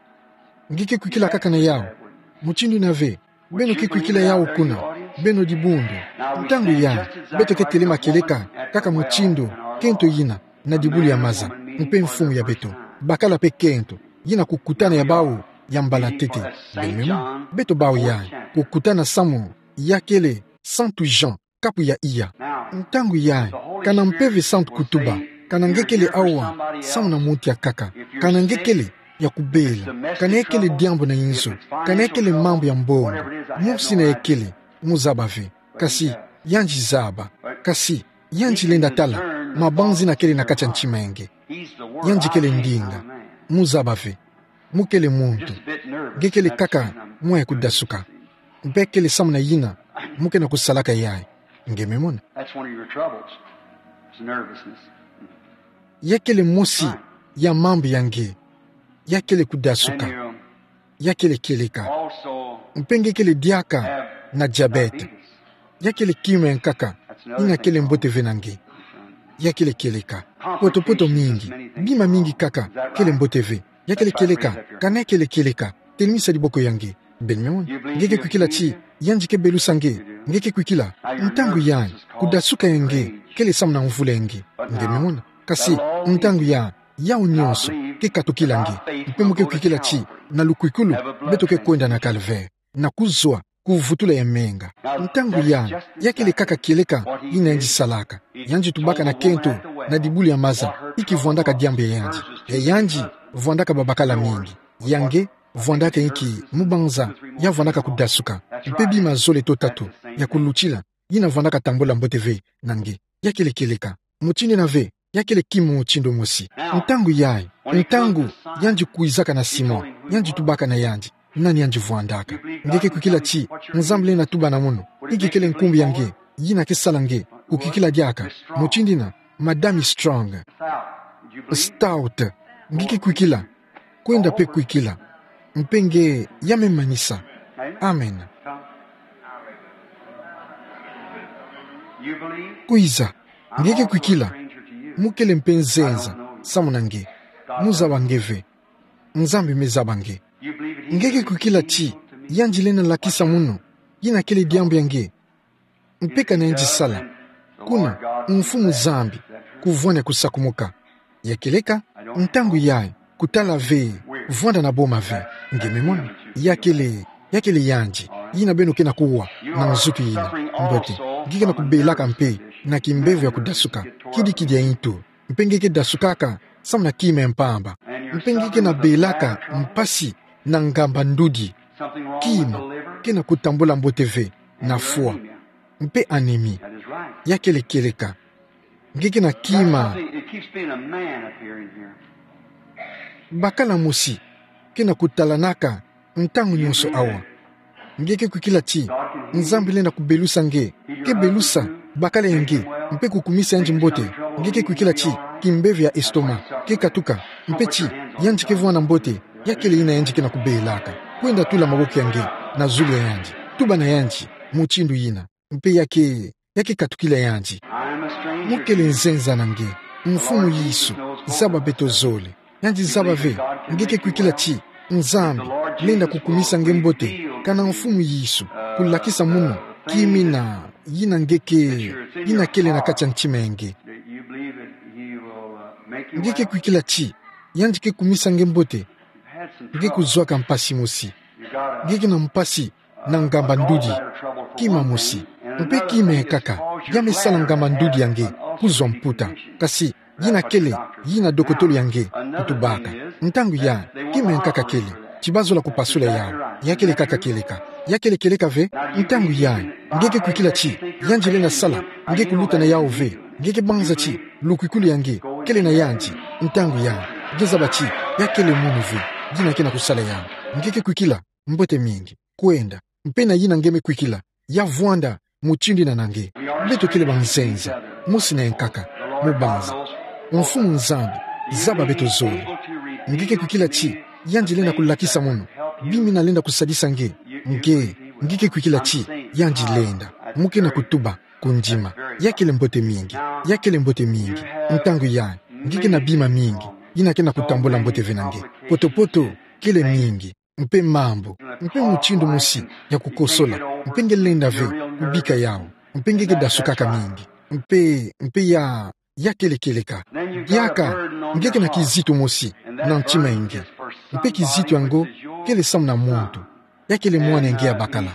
Nge ke kwikila kaka na yau. Mutindu yina ve, beno ke kwikila yau kuna, beno dibundu. Ntangu yayi, beto ke telema kieleka, kaka mutindu, kento yina, na dibulu ya maza, mpe mfumu ya beto. Bakala mpe kento, yina kukutana ya bau, ya mbala ntete, beno me mona. Beto bau yayi, kukutana samu, ya kele, Santu Jean, kapu ya iya. Ntangu yayi, kana Mpeve Santu kutuba, kana nge kele awa, samu na muntu ya nkaka, kana nge kele, ya kubela, kana ya kele diambu na inzo, kana ya kele mambu ya mbongo, mosi na ya kele, mo zaba ve, kasi, yandi zaba, kasi, yandi lenda tala, mabanzi yina kele na kati ya ntima ya nge. Yandi kele ndinga, mo zaba ve, mo kele muntu, nge kele kaka, mwa ya kudasuka. Mpe kele samu na yina, mo ke na kusalaka yayi. Nge me mona. That's one of your troubles. It's nervousness. Ya kele mosi, ya mambu ya nge. Ya kele kudasuka. And you Ya kele kieleka. Also Mpe nge kele diaka, have na diabète. Diabetes. Ya kele kima ya nkaka. That's another thing. Yina kele mbote ve na nge. Ya kele kieleka. Poto-poto mingi, bima mingi kaka, kele mbote ve. Ya kele kieleka, kana ya kele kieleka, telimisa diboko ya nge. Beno me mona. Nge ke kwikila ti, yandi ke belusa nge, nge ke kwikila, ntangu yayi, kudasuka ya nge, kele samu na mvula ya nge. Nge me mona. Kasi, ntangu yayi, yau nyonso, ke katukila nge, mpe mo ke kwikila ti, na lukwikulu, beto ke kwenda na calvaire. Na kuzwa, kuvutula ya menga. Ntangu yayi, ya kele kaka kieleka, yina yandi salaka. Yandi tubaka na kento, na dibulu ya maza, yi ki vwandaka diambu ya yandi. Ya yandi, vwandaka babakala mingi. Ya nge, vwandaka inki, mo banza, ya vwandaka kudasuka. Mpe bima zole to tatu, ya kulutila, yina vwandaka tambula mbote ve, na nge. Ya kele kieleka. Mutindu yina ve, ya kele kima mutindu mosi. Ntangu yayi, ntangu, yandi kwizaka na sima, yandi tubaka na yandi, nani yandi vwandaka. Nge ke kwikila ti, Nzambi lenda tuba na mono, inki kele nkumbu ya nge, yina ke sala nge, kukwikila diaka, mutindu yina, Madame Strong. Stout, nge ke kwikila, kwenda mpe kwikila. Mpe nge ya me manisa. Amen. Kwiza, nge ke kwikila, mo kele mpe nzenza, samu na nge. Mo zaba nge ve. Nzambi me zaba nge. Nge ke kwikila ti, yandi lenda lakisa mono, yina kele diambu ya nge. Mpe kana yandi sala. Kuna, Mfumu Nzambi, kuvwani ya kusakumuka. Ya kieleka, ntangu yayi, kutala ve, vwanda na boma ve, nge me mona. Ya kele, ya kele yandi, yina beno ke na kuwa, na nzutu yina, mbote, nge ke na kubelaka mpe, na kimbevo ya kudasuka, kidikidi ya intu, mpe nge ke dasukaka, samu na kima ya mpamba. Mpe nge ke na belaka, mpasi, na ngamba ndudi. Kima, ke na kutambula mbote ve, na fwa. Mpe anémie. Ya kele kieleka. Nge ke na kima. Bakala mosi, ke na kutalanaka, ntangu nyonso awa. Nge ke kwikila ti, Nzambi lenda kubelusa nge, ke belusa, bakala ya nge, mpe kukumisa yandi mbote, nge ke kwikila ti, kimbevo ya estomac, ke katuka, mpe ti, yandi ke vwanda mbote, ya kele yina yandi ke na kubelaka. kwenda tula maboko ya nge na zulu ya yandi. Tuba na yandi mutindu yina. Mpe ya ke, ya ke katukila yandi. Mo kele nzenza na nge, Mfumu Yesu, zaba beto zole. Yandi zaba ve, nge ke kwikila ti Nzambi lenda kukumisa nge mbote, kana Mfumu Yesu kulakisa munu, kimina, yina nge ke, yina kele na kati ya ntima ya nge. Nge ke kwikila ti yandi ke kumisa nge mbote. Nge kuzwaka mpasi mosi. Nge ke na mpasi na ngamba ndudi. Kima mosi. Mpe kima ya nkaka ya me sala ngamba ndudi ya nge kuzwa mputa. Kasi yina kele, yina dokotolo ya nge kutubaka. Ntangu ya, kima ya nkaka kele ti bazola kupasula yawu. Ya kele kaka kieleka. Ya kele kieleka ve. Ntangu ya, nge ke kwikila ti yandi lenda sala, nge kuluta na yawu ve. Nge ke banza ti lukwikulu ya nge kele na yandi. Ntangu ya, nge zaba ti ya kele munu ve, yina ke na kusala yawu. Nge ke kwikila, mbote mingi. Kwenda, mpe na yina nge me kwikila, ya vwanda mutindu yina na nge. Beto kele banzenza, mosi na ya nkaka, mu banza. Mfumu Nzambi, zaba beto zole. Nge ke kwikila ti yandi lenda kulakisa munu, bimina lenda kusadisa nge. Nge, nge ke kwikila ti yandi lenda. Mo ke na kutuba kundima. Ya kele mbote mingi. Ya kele mbote mingi. Ntangu ya, nge ke na bima mingi yina ke na kutambula mbote ve na nge. Poto-poto kele mingi. Mpe mambu, mpe mutindu mosi ya kukosola, mpe nge lenda ve kubika yawu, mpe nge ke dasukaka mingi. Mpe, mpe ya, ya kele kieleka. Diaka, nge ke na kizito mosi na ntima ya nge. Mpe kizito yango kele samu na muntu. Ya kele mwana ya nge ya bakala.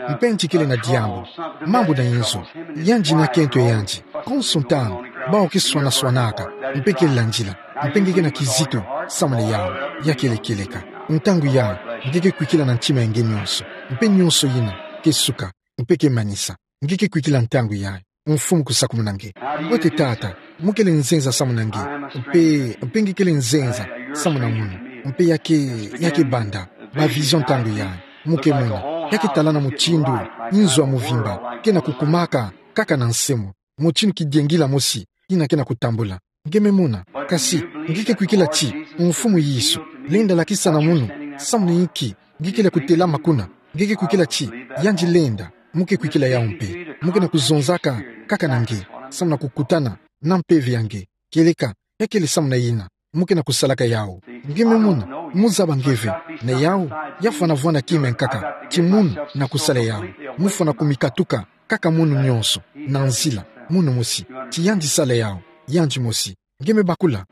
Mpe nti kele na diambu, mambu na inzo, yandi na kento ya yandi. Konso ntangu, bawu ke swana-swanaka, mpe ke landila. Mpe nge ke na kizito samu na yawu. Ya kele kieleka. Ntangu ya, nge ke kwikila na ntima ya nge nyonso. Mpe nyonso yina ke suka, mpe ke manisa. Nge ke kwikila ntangu ya, Mfumu kusakumuna nge. Mbote Tata, mo kele nzenza samu na nge. Mpe, mpe nge kele nzenza samu na munu. Mpe ya ke, ya ke banda ba vision ntangu ya, mo ke mona. Ya ke tala na mutindu inzo ya muvimba ke na kukumaka kaka na nse mo. Mutindu kidiengila mosi yina ke na kutambula. Nge me mona. Kasi, nge ke kwikila ti Mfumu Yesu lenda lakisa na munu samu na inki nge kele kutelama kuna. Nge ke kwikila ti yandi lenda. Mo ke kwikila yawu mpe. Mo ke na kuzonzaka kaka na nge, samu na kukutana na mpeve ya nge. Kieleka, ya kele samu na yina mo ke na kusalaka yawu. Nge me mona, mo zaba nge ve, na yawu, ya fwana vwanda kima ya nkaka ti munu na kusala yawu. Mo fwana kumikatuka kaka munu nyonso, na nzila, munu mosi, ti yandi sala yawu, yandi mosi. Nge me bakula.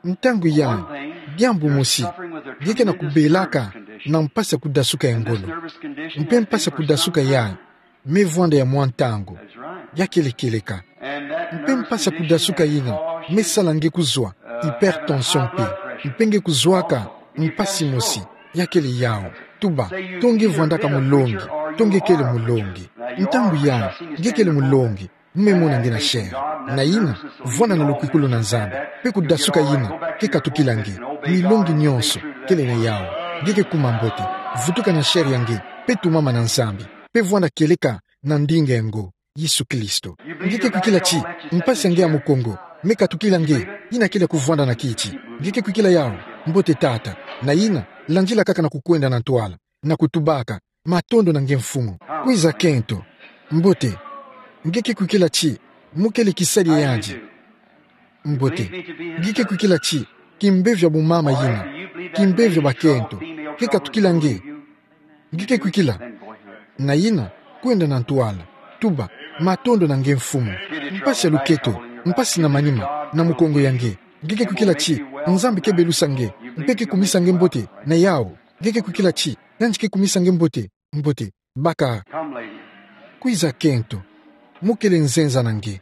Ntangu ya, diambu mosi, nge ke na kubelaka na mpasi ya kudasuka ya ngolo. Mpe mpasi ya kudasuka ya, me vwanda ya mwa ntangu. Ya kele kieleka. Mpe mpasi ya kudasuka yina me sala nge kuzwa hypertension mpe, mpe nge kuzwaka mpasi mosi. Ya kele yawu. Tuba, to nge vwandaka mulongi, to nge kele mulongi. Ntangu ya, nge kele mulongi, mo me mona nge na chair. Na yina, vwanda na lukwikulu na Nzambi, mpe kudasuka yina ke katukila nge. Milongi nyonso kele na yawu. Nge ke kuma mbote. Vutuka na chair ya nge, mpe tumama na Nzambi, mpe vwanda kieleka na ndinga ya ngo, Yesu Kristo. Nge ke kwikila ti mpasi ya nge ya mukongo me katukila nge, yina kele kuvwanda na kiti. Nge ke kwikila yawu, mbote Tata. Na yina, landila kaka na kukwenda na ntwala, na kutubaka: Matondo na nge Mfumu. Kwiza kento. Mbote. Nge ke kwikila ti mo kele kisadi ya yandi. Mbote. Nge ke kwikila ti kimbevio ya bumama yina, kimbevio ya bakento, ke katukila nge. Nge ke kwikila. Na yina, kwenda na ntwala. Tuba: Matondo na nge Mfumu. Mpasi ya luketo, mpasi na manima, na mukongo ya nge. Nge ke kwikila ti Nzambi ke belusa nge, mpe ke kumisa nge mbote na yawu. Nge ke kwikila ti yandi ke kumisa nge mbote. Mbote. Baka. Kwiza kento. Mo kele nzenza na nge.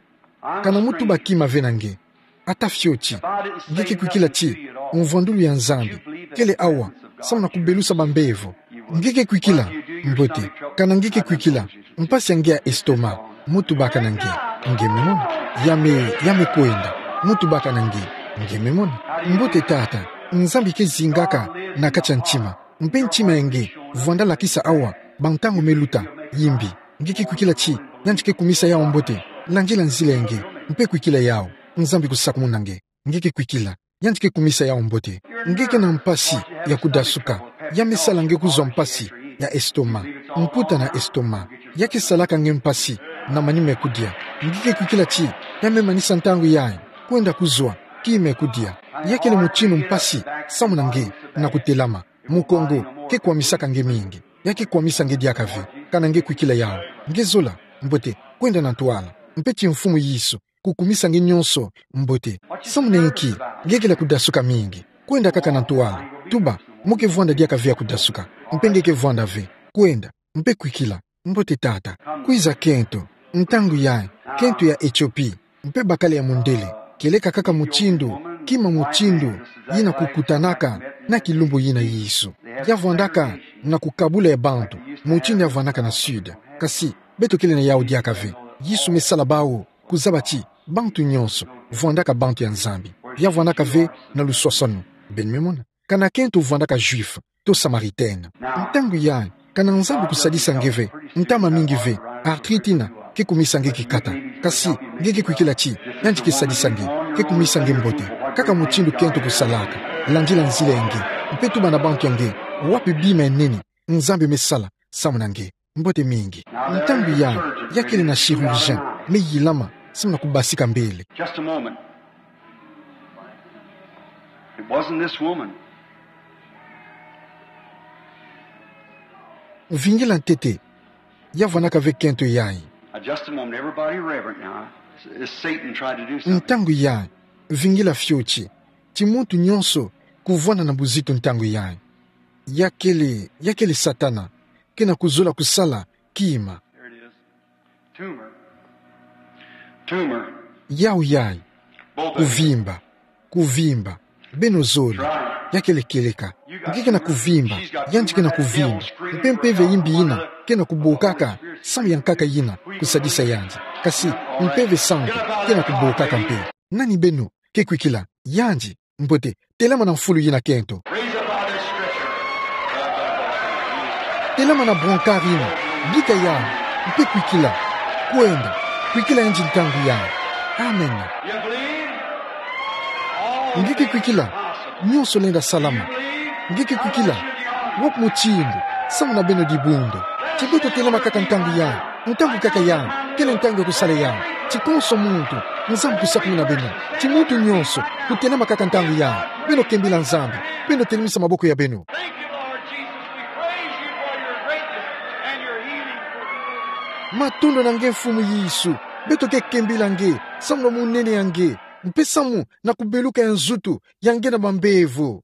Kana mo tuba kima ve na nge. Ata fioti. Nge ke kwikila ti mvwandulu ya Nzambi kele awa, samu na kubelusa bambevo. Nge ke kwikila. Mbote. Kana nge ke kwikila, mpasi ya nge ya estomac, mo tubaka na nge. Nge me mona. Ya me, ya me kwenda. Mo tubaka na nge. Nge me mona. Mbote Tata, Nzambi ke zingaka na kati ya ntima. Mpe ntima ya nge, vwanda lakisa awa bantangu me luta, yimbi. Nge ke kwikila ti yandi ke kumisa yawu mbote. Landila nzila ya nge, mpe kwikila yawu. Nzambi kusakumuna nge. Nge ke kwikila. Yandi ke kumisa yawu mbote. Nge ke na mpasi ya kudasuka. Ya me sala nge kuzwa mpasi ya estomac, mputa na estomac. Ya ke salaka nge mpasi na manima kudia. Nge ke kwikila ti, ya me manisa ntangu yayi kwenda kuzwa kima kudia. Ya kele mutinu mpasi, samu na nge na kutelama. Mukongo ke kwamisaka nge mingi. Ya ke kwamisa nge diaka ve. Kana nge kwikila yawu, nge zola mbote kwenda na ntwala. Mpe ti Mfumu Yesu kukumisa nge nyonso mbote. Samu na inki nge kele kudasuka mingi? Kwenda kaka na ntwala. Tuba, mo ke vwanda diaka ve ya kudasuka. Mpe nge ke vwanda ve. Kwenda, mpe kwikila. Mbote tata. Kwiza kento. Ntangu yayi, kento ya Ethiopie, mpe bakala ya mundele. Kieleka kaka mutindu, kima mutindu yina kukutanaka na kilumbu yina Yesu. Ya vwandaka na kukabula ya bantu, mutindu ya vwandaka na Sud. Kasi, beto kele na yawu diaka ve. Yesu me sala bawu kuzaba ti bantu nyonso vwandaka bantu ya Nzambi. Ya vwandaka ve na luswaswanu. Beno me mona. Kana kento vwandaka Juif to Samaritaine. Ntangu yayi, kana Nzambi kusadisa nge ve, ntama mingi ve, arthrite yina ke kumisa nge kikata. Kasi nge ke kwikila ti, yandi ke sadisa nge, ke kumisa nge mbote. Kaka mutindu kento kusalaka, landila nzila ya nge, mpe tuba na bantu ya nge, wapi bima ya nene Nzambi me sala samu na nge. Mbote mingi. Ntangu yayi, ya kele na chirurgien me yilama samu na kubasika mbele. Just a moment. It wasn't this woman. Vingila ntete. Ya vwandaka ve kento yayi. Now, just a moment. Everybody reverent now. Is Satan trying to do something? Ntangu yayi, vingila fioti. Ti muntu nyonso kuvwanda na buzitu ntangu yayi. Ya kele, ya kele Satana kena kuzola kusala kima. There it is. Tumor. Tumor. Yawu yayi. Both of you. Kuvimba. Kuvimba. Beno zole. Ya kele kieleka. Nge kena kuvimba. Yandi kena kuvimba. Mpe mpeve ya imbi yina kena kubokaka samu ya nkaka yina kusadisa yandi. Kasi mpeve santu kena kubokaka mpe. Nani beno ke kwikila? Yandi. Mbote, telama na mfulu yina kento. Raise up out of this stretcher. Telama na brancard yina. Bika yawu, mpe kwikila. Kwenda, kwikila yandi ntangu yayi. Amen. You believe? Nge ke kwikila? Nyonso lenda salama. Nge ke kwikila? Wapi mutindu samu na beno dibundu? Ti beto telama kaka ntangu yayi. Ntangu kaka yayi, kele ntangu ya kusala yayi. Ti konso muntu, Nzambi kusakumuna beno. Ti muntu nyonso kutelama kaka ntangu yayi. Beno kembila Nzambi. Beno telemisa maboko ya beno. Thank you, Lord Jesus. We praise you for your greatness and your healing for the world. Matondo na nge Mfumu Yesu. Beto ke kembila nge samu na munene ya nge, mpe samu na kubeluka ya nzutu ya nge na bambevo.